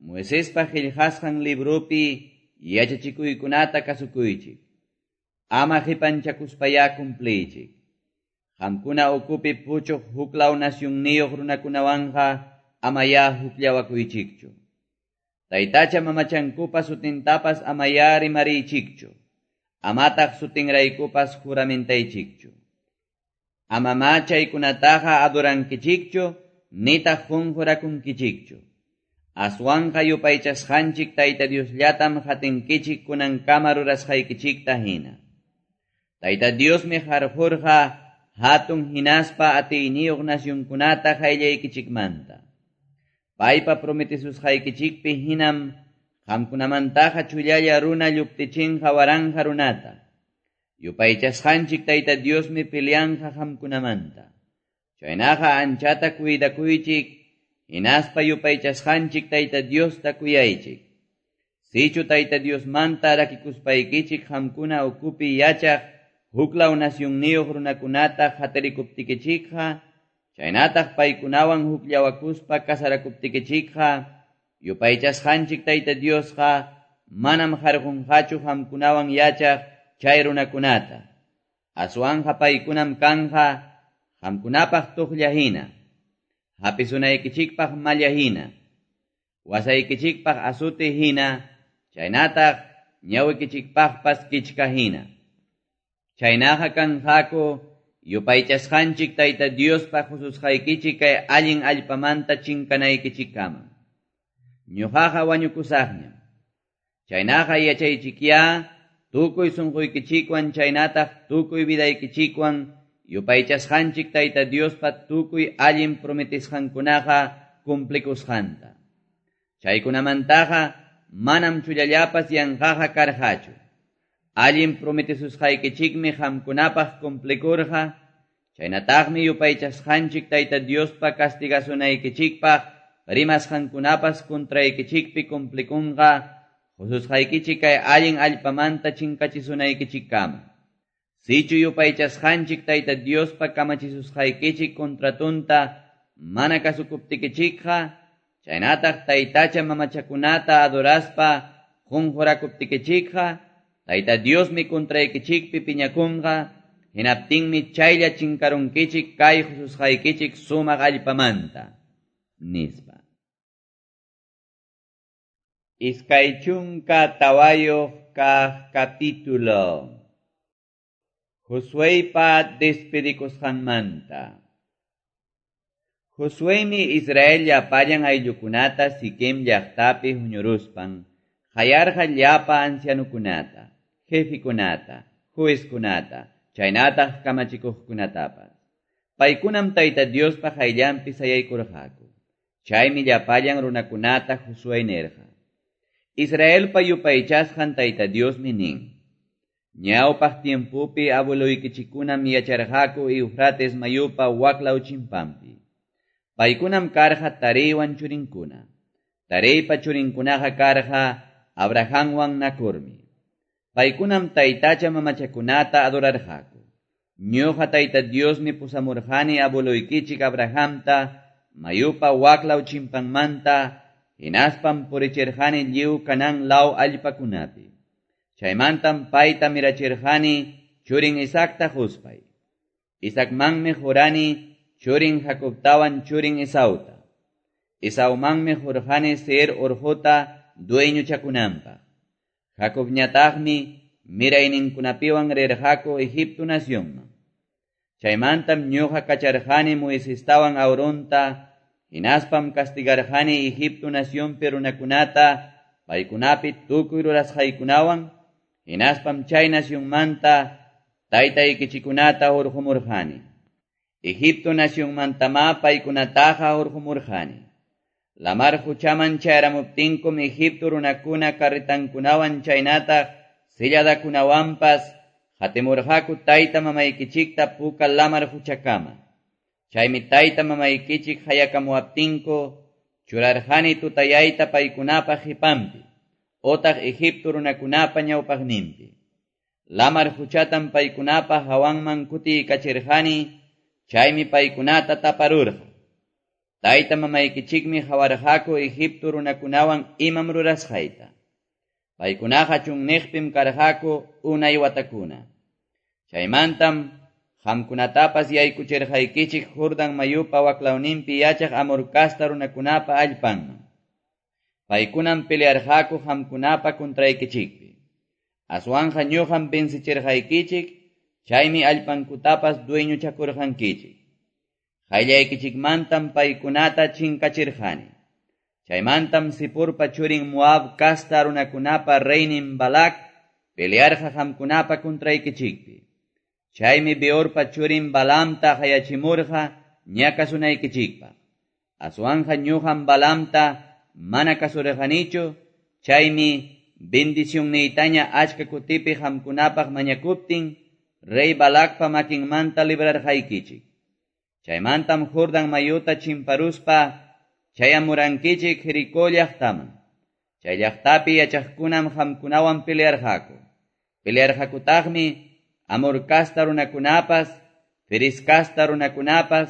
Moisespa qillqasqan libropi yachachikuykunata kasukuychik. Ama qipanchakuspayá cumpliychik. Qamkuna ukupi puchuq huklaw nacionniyuq runakunawanqa amayá hukllawakuychikchu. Taytacha mamachankupa sutintapas amayá rimariychikchu. Amataq sutinraykupas juramentaychikchu. Amamá chaykunataqa adorankichikchu, nitaq qunqurakunkichikchu. Aswanqa yupaychasqanchik Tayta Diosllatam hatinkichik kunankama rurasqaykichikta hina. Tayta Diosmi harqurqa hatun hinaspa atiyniyuq nacionkunata qayllaykichikmanta. Paypa prometisusqaykichikpi hinam qamkunamantaqa chullalla runa lluptichinqa waranja runata. Yupaychasqanchik Tayta Diosmi peleanqa qamkunamanta. Chaynaqa anchata cuidakuychik, hinaspa yupaychasqanchik Tayta Diosta kuyaychik. Sichu Tayta Diosmanta rakikuspaykichik qamkuna ukupi yachaq huklaw nacionniyuq runakunata hatarikuptikichikqa, chaynataq paykunawan hukllawakuspa kasarakuptikichikqa, yupaychasqanchik Tayta Diosqa manam harqunqachu qamkunawan yachaq chay runakunata. Aswanqa paykunam kanja qamkunapaq tuqlla hina, hapisunaykichikpaq malla hina, wasaykichikpaq azote hina, chaynataq ñawikichikpaqpas kichka hina. Chaynaqa kanqaku Yupaychasqanchik Tayta Diospa qususqaykichik kay allin allpamanta chinkanaykichikkama. Ñuqaqa wañukusaqñam. Chaynaqa yachaychikyá tukuy sunquykichikwan chaynataq tukuy vidaykichikwan yupaychasqanchik Tayta Diospa tukuy allin prometisqankunaqa cumplikusqanta. Chaykunamantaqa manam chullallapas yanqaqa karqachu. Allin prometesusqaykichikmi qamkunapaq cumplikurqa, chaynataqmi yupaychasqanchik Tayta Diospa castigasunaykichikpaq rimasqankunapas contraykichikpi cumplikunqa, qususqaykichik kay allin allpamanta chinkachisunaykichikkama. Sichu yupaychasqanchik Tayta Diospa kamachisusqaykichik contratunta mana kasukuptikichikqa, chaynataq taytacha mamachakunata adoraspa qunqurakuptikichikqa, Tayta Diosmi contraykichikpi piñakunqa, hinaptinmi chaylla chinkarunkichik kay qususqaykichik sumaq allpamanta, nispa. Iskay chunka tawayuq kaq capítulo. Josueypa despedikusqanmanta. Josueymi Israel llapallan ayllukunata Siquem llaqtapi huñuruspan, qayarqa llapa ancianukunata, jefikunata, juezkunata, chaynataq kamachikuqkunatapas. Paykunam Tayta Diospa qayllanpi sayaykurqaku. Chaymi llapallan runakunata Josué nirqa: Israelpa yupaychasqan Tayta Diosmi nin: Ñawpaq tiempupi abueloykichikunam yacharqaku Eufrates mayupa waklaw chimpanpi. Paykunam karqa Tareywan churinkuna. Tareypa churinkunaqa karqa Abrahamwan Nacormi. Paykunam taytacha mamachakunata adorarqaku. Ñuqa Tayta Diosmi pusamurqani abueloykichik Abrahamta mayupa waklaw chimpanmanta, hinaspam purichirqani lliw Canaán law allpakunapi. Chaymantam payta mirachirqani churin Isaacta quspay. Isaacmanmi qurani churin Jacobtawan churin Esauta. Esaumanmi qurqani Seir urquta dueñochakunanpaq. Jacobñataqmi mirayninkunapiwan rirqaku Egipto nacionman. Chaymantam ñuqa kacharqani Moisestawan Aaronta, hinaspam castigarqani Egipto nacionpi runakunata paykunapi tukuy rurasqaykunawan, hinaspam chay nacionmanta taytaykichikunata hurqumurqani. Egipto nacionmantamá paykunataqa hurqumurqani. Lamar quchaman chayramuptinkum Egipto runakuna carretankunawan chaynataq silladakunawanpas qatimurqaku tayta mamaykichikta puka lamar quchakama. Chaymi tayta mamaykichik hayakamuwaptinku churarqani tutayayta paykunapa qipanpi, otaq Egipto runakunapa ñawpaqninpi. Lamar quchatam paykunapa hawanman kutiykachirqani, chaymi paykunata taparurqa. Tayta mamaykichikmi qawarqaku Egipto runakunawan imam rurasqayta. Paykunaqa chunniqpim karqaku unay watakuna. Chaymantam qamkunatapas yaykuchirqaykichik Jordán mayupa waklawninpi yachaq Amor casta runakunapa allpanman. Paykunam pelearqaku qamkunapa contraykichikpi. Aswanqa ñuqam vencichirqaykichik, chaymi allpankutapas dueñochakurqankichik. Qayllaykichikmantam paykunata chinkachirqani. Chaymantam Sipurpa churin Moab casta runakunapa reynin Balak pelearqa qamkunapa contraykichikpi. Chaymi Beorpa churin Balaamta qayachimurqa ñakasunaykichikpaq. Aswanqa ñuqam Balaamta mana kasurqanichu, chaymi bendicionniytaña achka kutipi qamkunapaq mañakuptin rey Balakpa makinmanta librarqaykichik. Chaymantam Jordán mayuta chimparuspa chayamurankichik Jericó llaqtaman. Chay llaqtapi yachaqkunam qamkunawan pelearqaku. Pelearqakutaqmi Amor casta runakunapas, Feris casta runakunapas,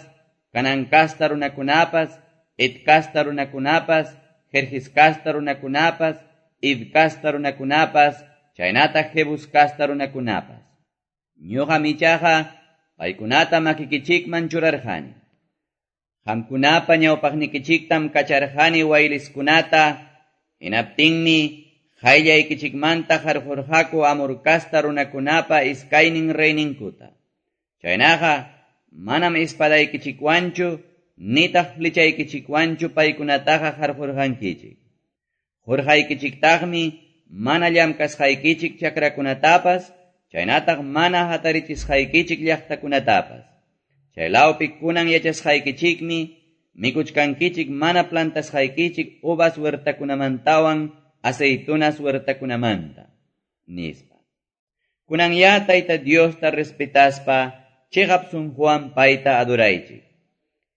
Canaán casta runakunapas, Et casta runakunapas, Jerjis casta runakunapas, Id casta runakunapas, chaynataq Jebus casta runakunapas. Ñuqam ichaqa paykunata makikichikman churarqani. Qamkunapa ñawpaqnikichiktam kacharqani wayliskunata, hinaptinmi qayllaykichikmanta qarqurqaku Amor casta runakunapa iskaynin reyninkuta. Chaynaqa manam espadaykichikwanchu nitaq flechaykichikwanchu paykunataqa qarqurqankichik. Qurqaykichiktaqmi mana llamkasqaykichik chakrakunatapas, chaynataq mana hatarichisqaykichik llaqtakunatapas. Chaylawpi kunan yachasqaykichikmi mikuchkankichik mana plantasqaykichik uvas huertakunamantawan aceitunas huertakunamanta, nispa. Kunan ya Tayta Diosta respetaspa chiqap sunquwan payta adoraychik.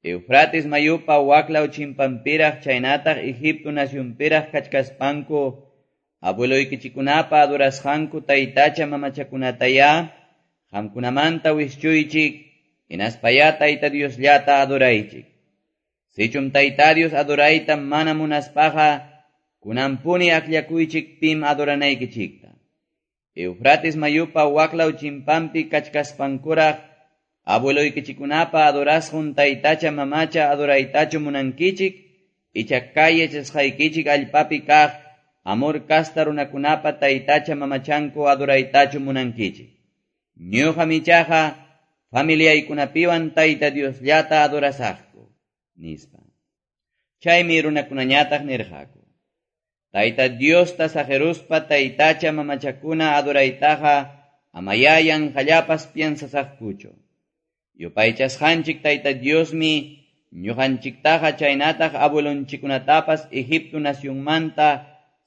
Eufrates mayupa waklaw chimpanpiraq chaynataq Egipto nacionpiraq kachkaspanku abueloykichikunapa adorasqanku taytacha mamachakunataya qamkunamanta wischuychik, hinaspaya Tayta Diosllata adoraychik. Sichum Tayta Dios adorayta mana munaspaqa kunanpuni akllakuychik pim adoranaykichikta. Eufrates mayupa waklaw chimpanpi kachkaspankuraq abueloykichikunapa adorasqun taytacha mamacha adoraytachu munankichik, icha kay yachasqaykichik allpapi kaq Amor kasta runakunapa taytacha mamachanku adoraytachu munankichik. Ñuqam ichaqa familiaykunapiwan Tayta Diosllata adorasaqku, nispa. Chaymi runakunañataq nirqaku: Tayta Diosta saqiruspa taytacha mamachakuna adoraytaqa amayá yanqallapas piensasaqkuchu. Yupaychasqanchik Tayta Diosmi ñuqanchiktaqa chaynataq abuelonchikkunatapas Egipto nacionmanta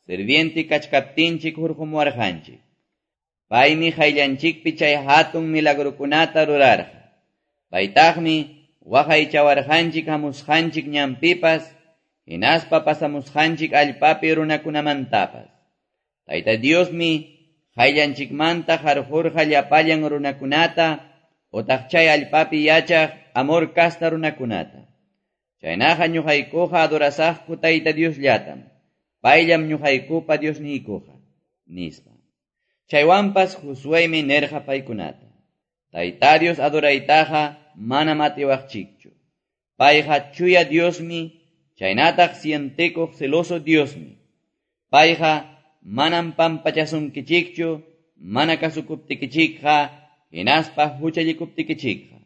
sirviente kachkaptinchik hurqumuwarqanchik. Paymi qayllanchikpi chay hatun milagrukunata rurarqa. Paytaqmi waqaychawarqanchik hamusqanchik ñanpipas, hinaspa pasamusqanchik allpapi runakunamantapas. Tayta Diosmi qayllanchikmanta qarqurqa llapallan runakunata, otaq chay allpapi yachaq Amor kasta runakunata. Chaynaqa ñuqaykuqa adorasaqku Tayta Diosllatam. Payllam ñuqaykupa Diosniykuqa, nispa. Chaywanpas Josuémi nirqa paykunata: Tayta Dios adoraytaqa manam atiwaqchikchu. Payqa chuya Diosmi, chaynataq sientikuq celoso Diosmi. Payqa manam pampachasunkichikchu, mana kasukuptikichikqa, hinaspa huchallikuptikichikqa.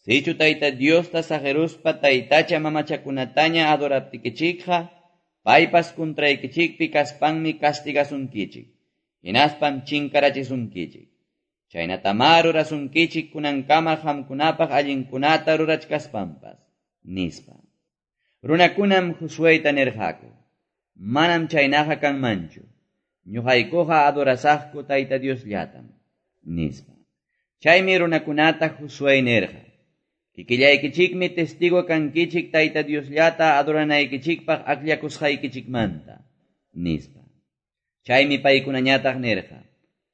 Sichu Tayta Diosta saqiruspa taytacha mamachakunataña adoraptikichikqa, paypas kuntraykichikpi kaspanmi castigasunkichik, hinaspam chinkarachisunkichik. Chaynatamá rurasunkichik kunankama qamkunapaq allinkunata rurachkaspanpas, nispa. Runakunam Josuéta nirqaku: Manam chaynaqa kanmanchu. Ñuqaykuqa adorasaqku Tayta Diosllatam, nispa. Chaymi runakunata Josué nirqa: Kikillaykichikmi testigo kankichik Tayta Diosllata adoranaykichikpaq akllakusqaykichikmanta, nispa. Chaymi paykunañataq nirqa: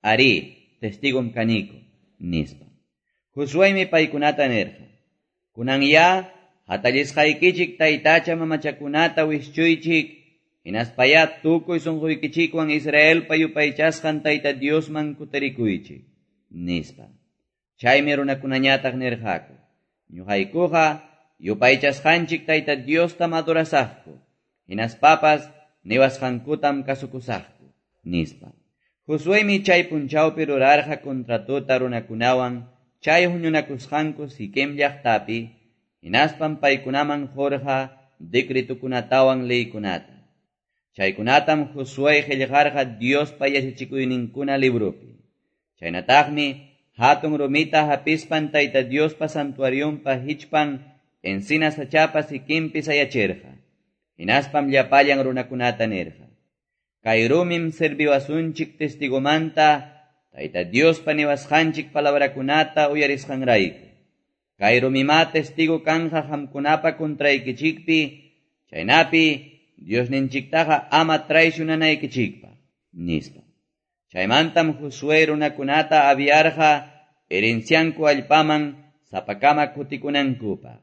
Arí, testigom kaniku, nispa. Josuémi paykunata nirqa: Kunan ya hatallisqaykichik taytacha mamachakunata wischuychik, hinaspaya tukuy sunquykichikwan Israelpa yupaychasqan Tayta Diosman kutirikuychik, nispa. Chaymi runakunañataq nirqaku: Ñuqaykuqa yupaychasqanchik Tayta Diostam adorasaqku, hinaspapas niwasqankutam kasukusaqku, nispa. Josuémi chay punchawpi rurarqa contratota runakunawan chay huñunakusqanku Siquem llaqtapi, hinaspam paykunaman qurqa decretukunatawan leykunata. Chaykunatam Josué qillqarqa Diospa yachachikuyninkuna libropi. Chaynataqmi hatun rumita hapispan Tayta Diospa santuarionpa hichpan encina sachapa sikinpi sayachirqa. Hinaspam llapallan runakunata nirqa: Kay rumim serviwasunchik testigomanta Tayta Diospa niwasqanchik palabrakunata uyarisqanrayku. Kay rumimá testigo kanja qamkunapa contraykichikpi, chaynapi Diosninchiktaqa ama traicionanaykichikpaq, nispa. Chaymantam Josué runakunata aviarqa herencianku allpaman sapakama kutikunankupaq.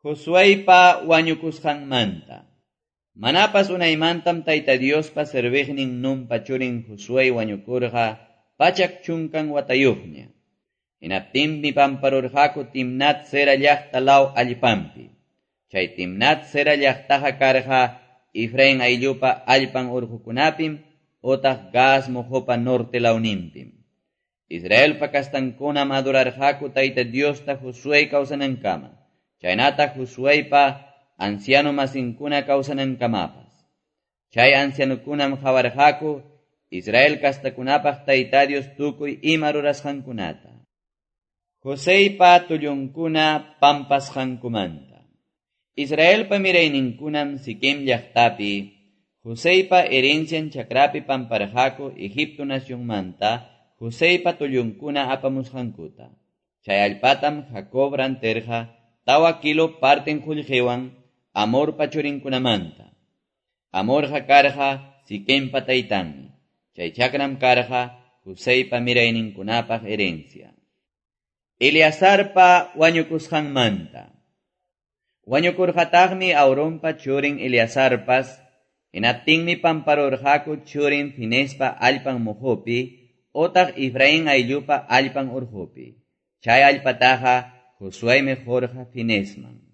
Josuépa wañukusqanmanta. Manapas unaymantam Tayta Diospa serviqnin Nunpa churin Josué wañukurqa pachak chunkan watayuqña. Hinaptinmi pamparurqaku Timnat Sera llaqta law allpanpi. Chay Timnat Sera llaqtaqa karqa Efraín ayllupa allpan urqukunapim otaq Gaas moqopa norte lawninpim. Israelpa kastankunam adorarqaku Tayta Diosta Josué kawsanankama, chaynataq Josueypa anciano masinkuna kawsanankamapas. Chay ancianokunam qawarqaku Israel kastakunapaq Tayta Dios tukuy ima rurasqankunata. Joseypa tullunkuna pampasqankumanta. Israelpa mirayninkunam Siquem llaqtapi Joseypa herencian chakrapi pamparqaku Egipto nacionmanta Joseypa tullunkuna apamusqankuta. Chay allpatam Jacob rantirqa tawa kilo parten qullqiwan Hamorpa churinkunamanta. Hamorqa karqa Siquempa taytanmi. Chay chakram karqa Joseypa mirayninkunapaq herencia. Eleazarpa wañukusqanmanta. Wañukurqataqmi Aaronpa churin Eleazarpas, hinaptinmi pamparurqaku churin Finespa allpan muhupi, otaq Efraín ayllupa allpan urqupi. Chay allpataqa Josuémi qurqa Finesman.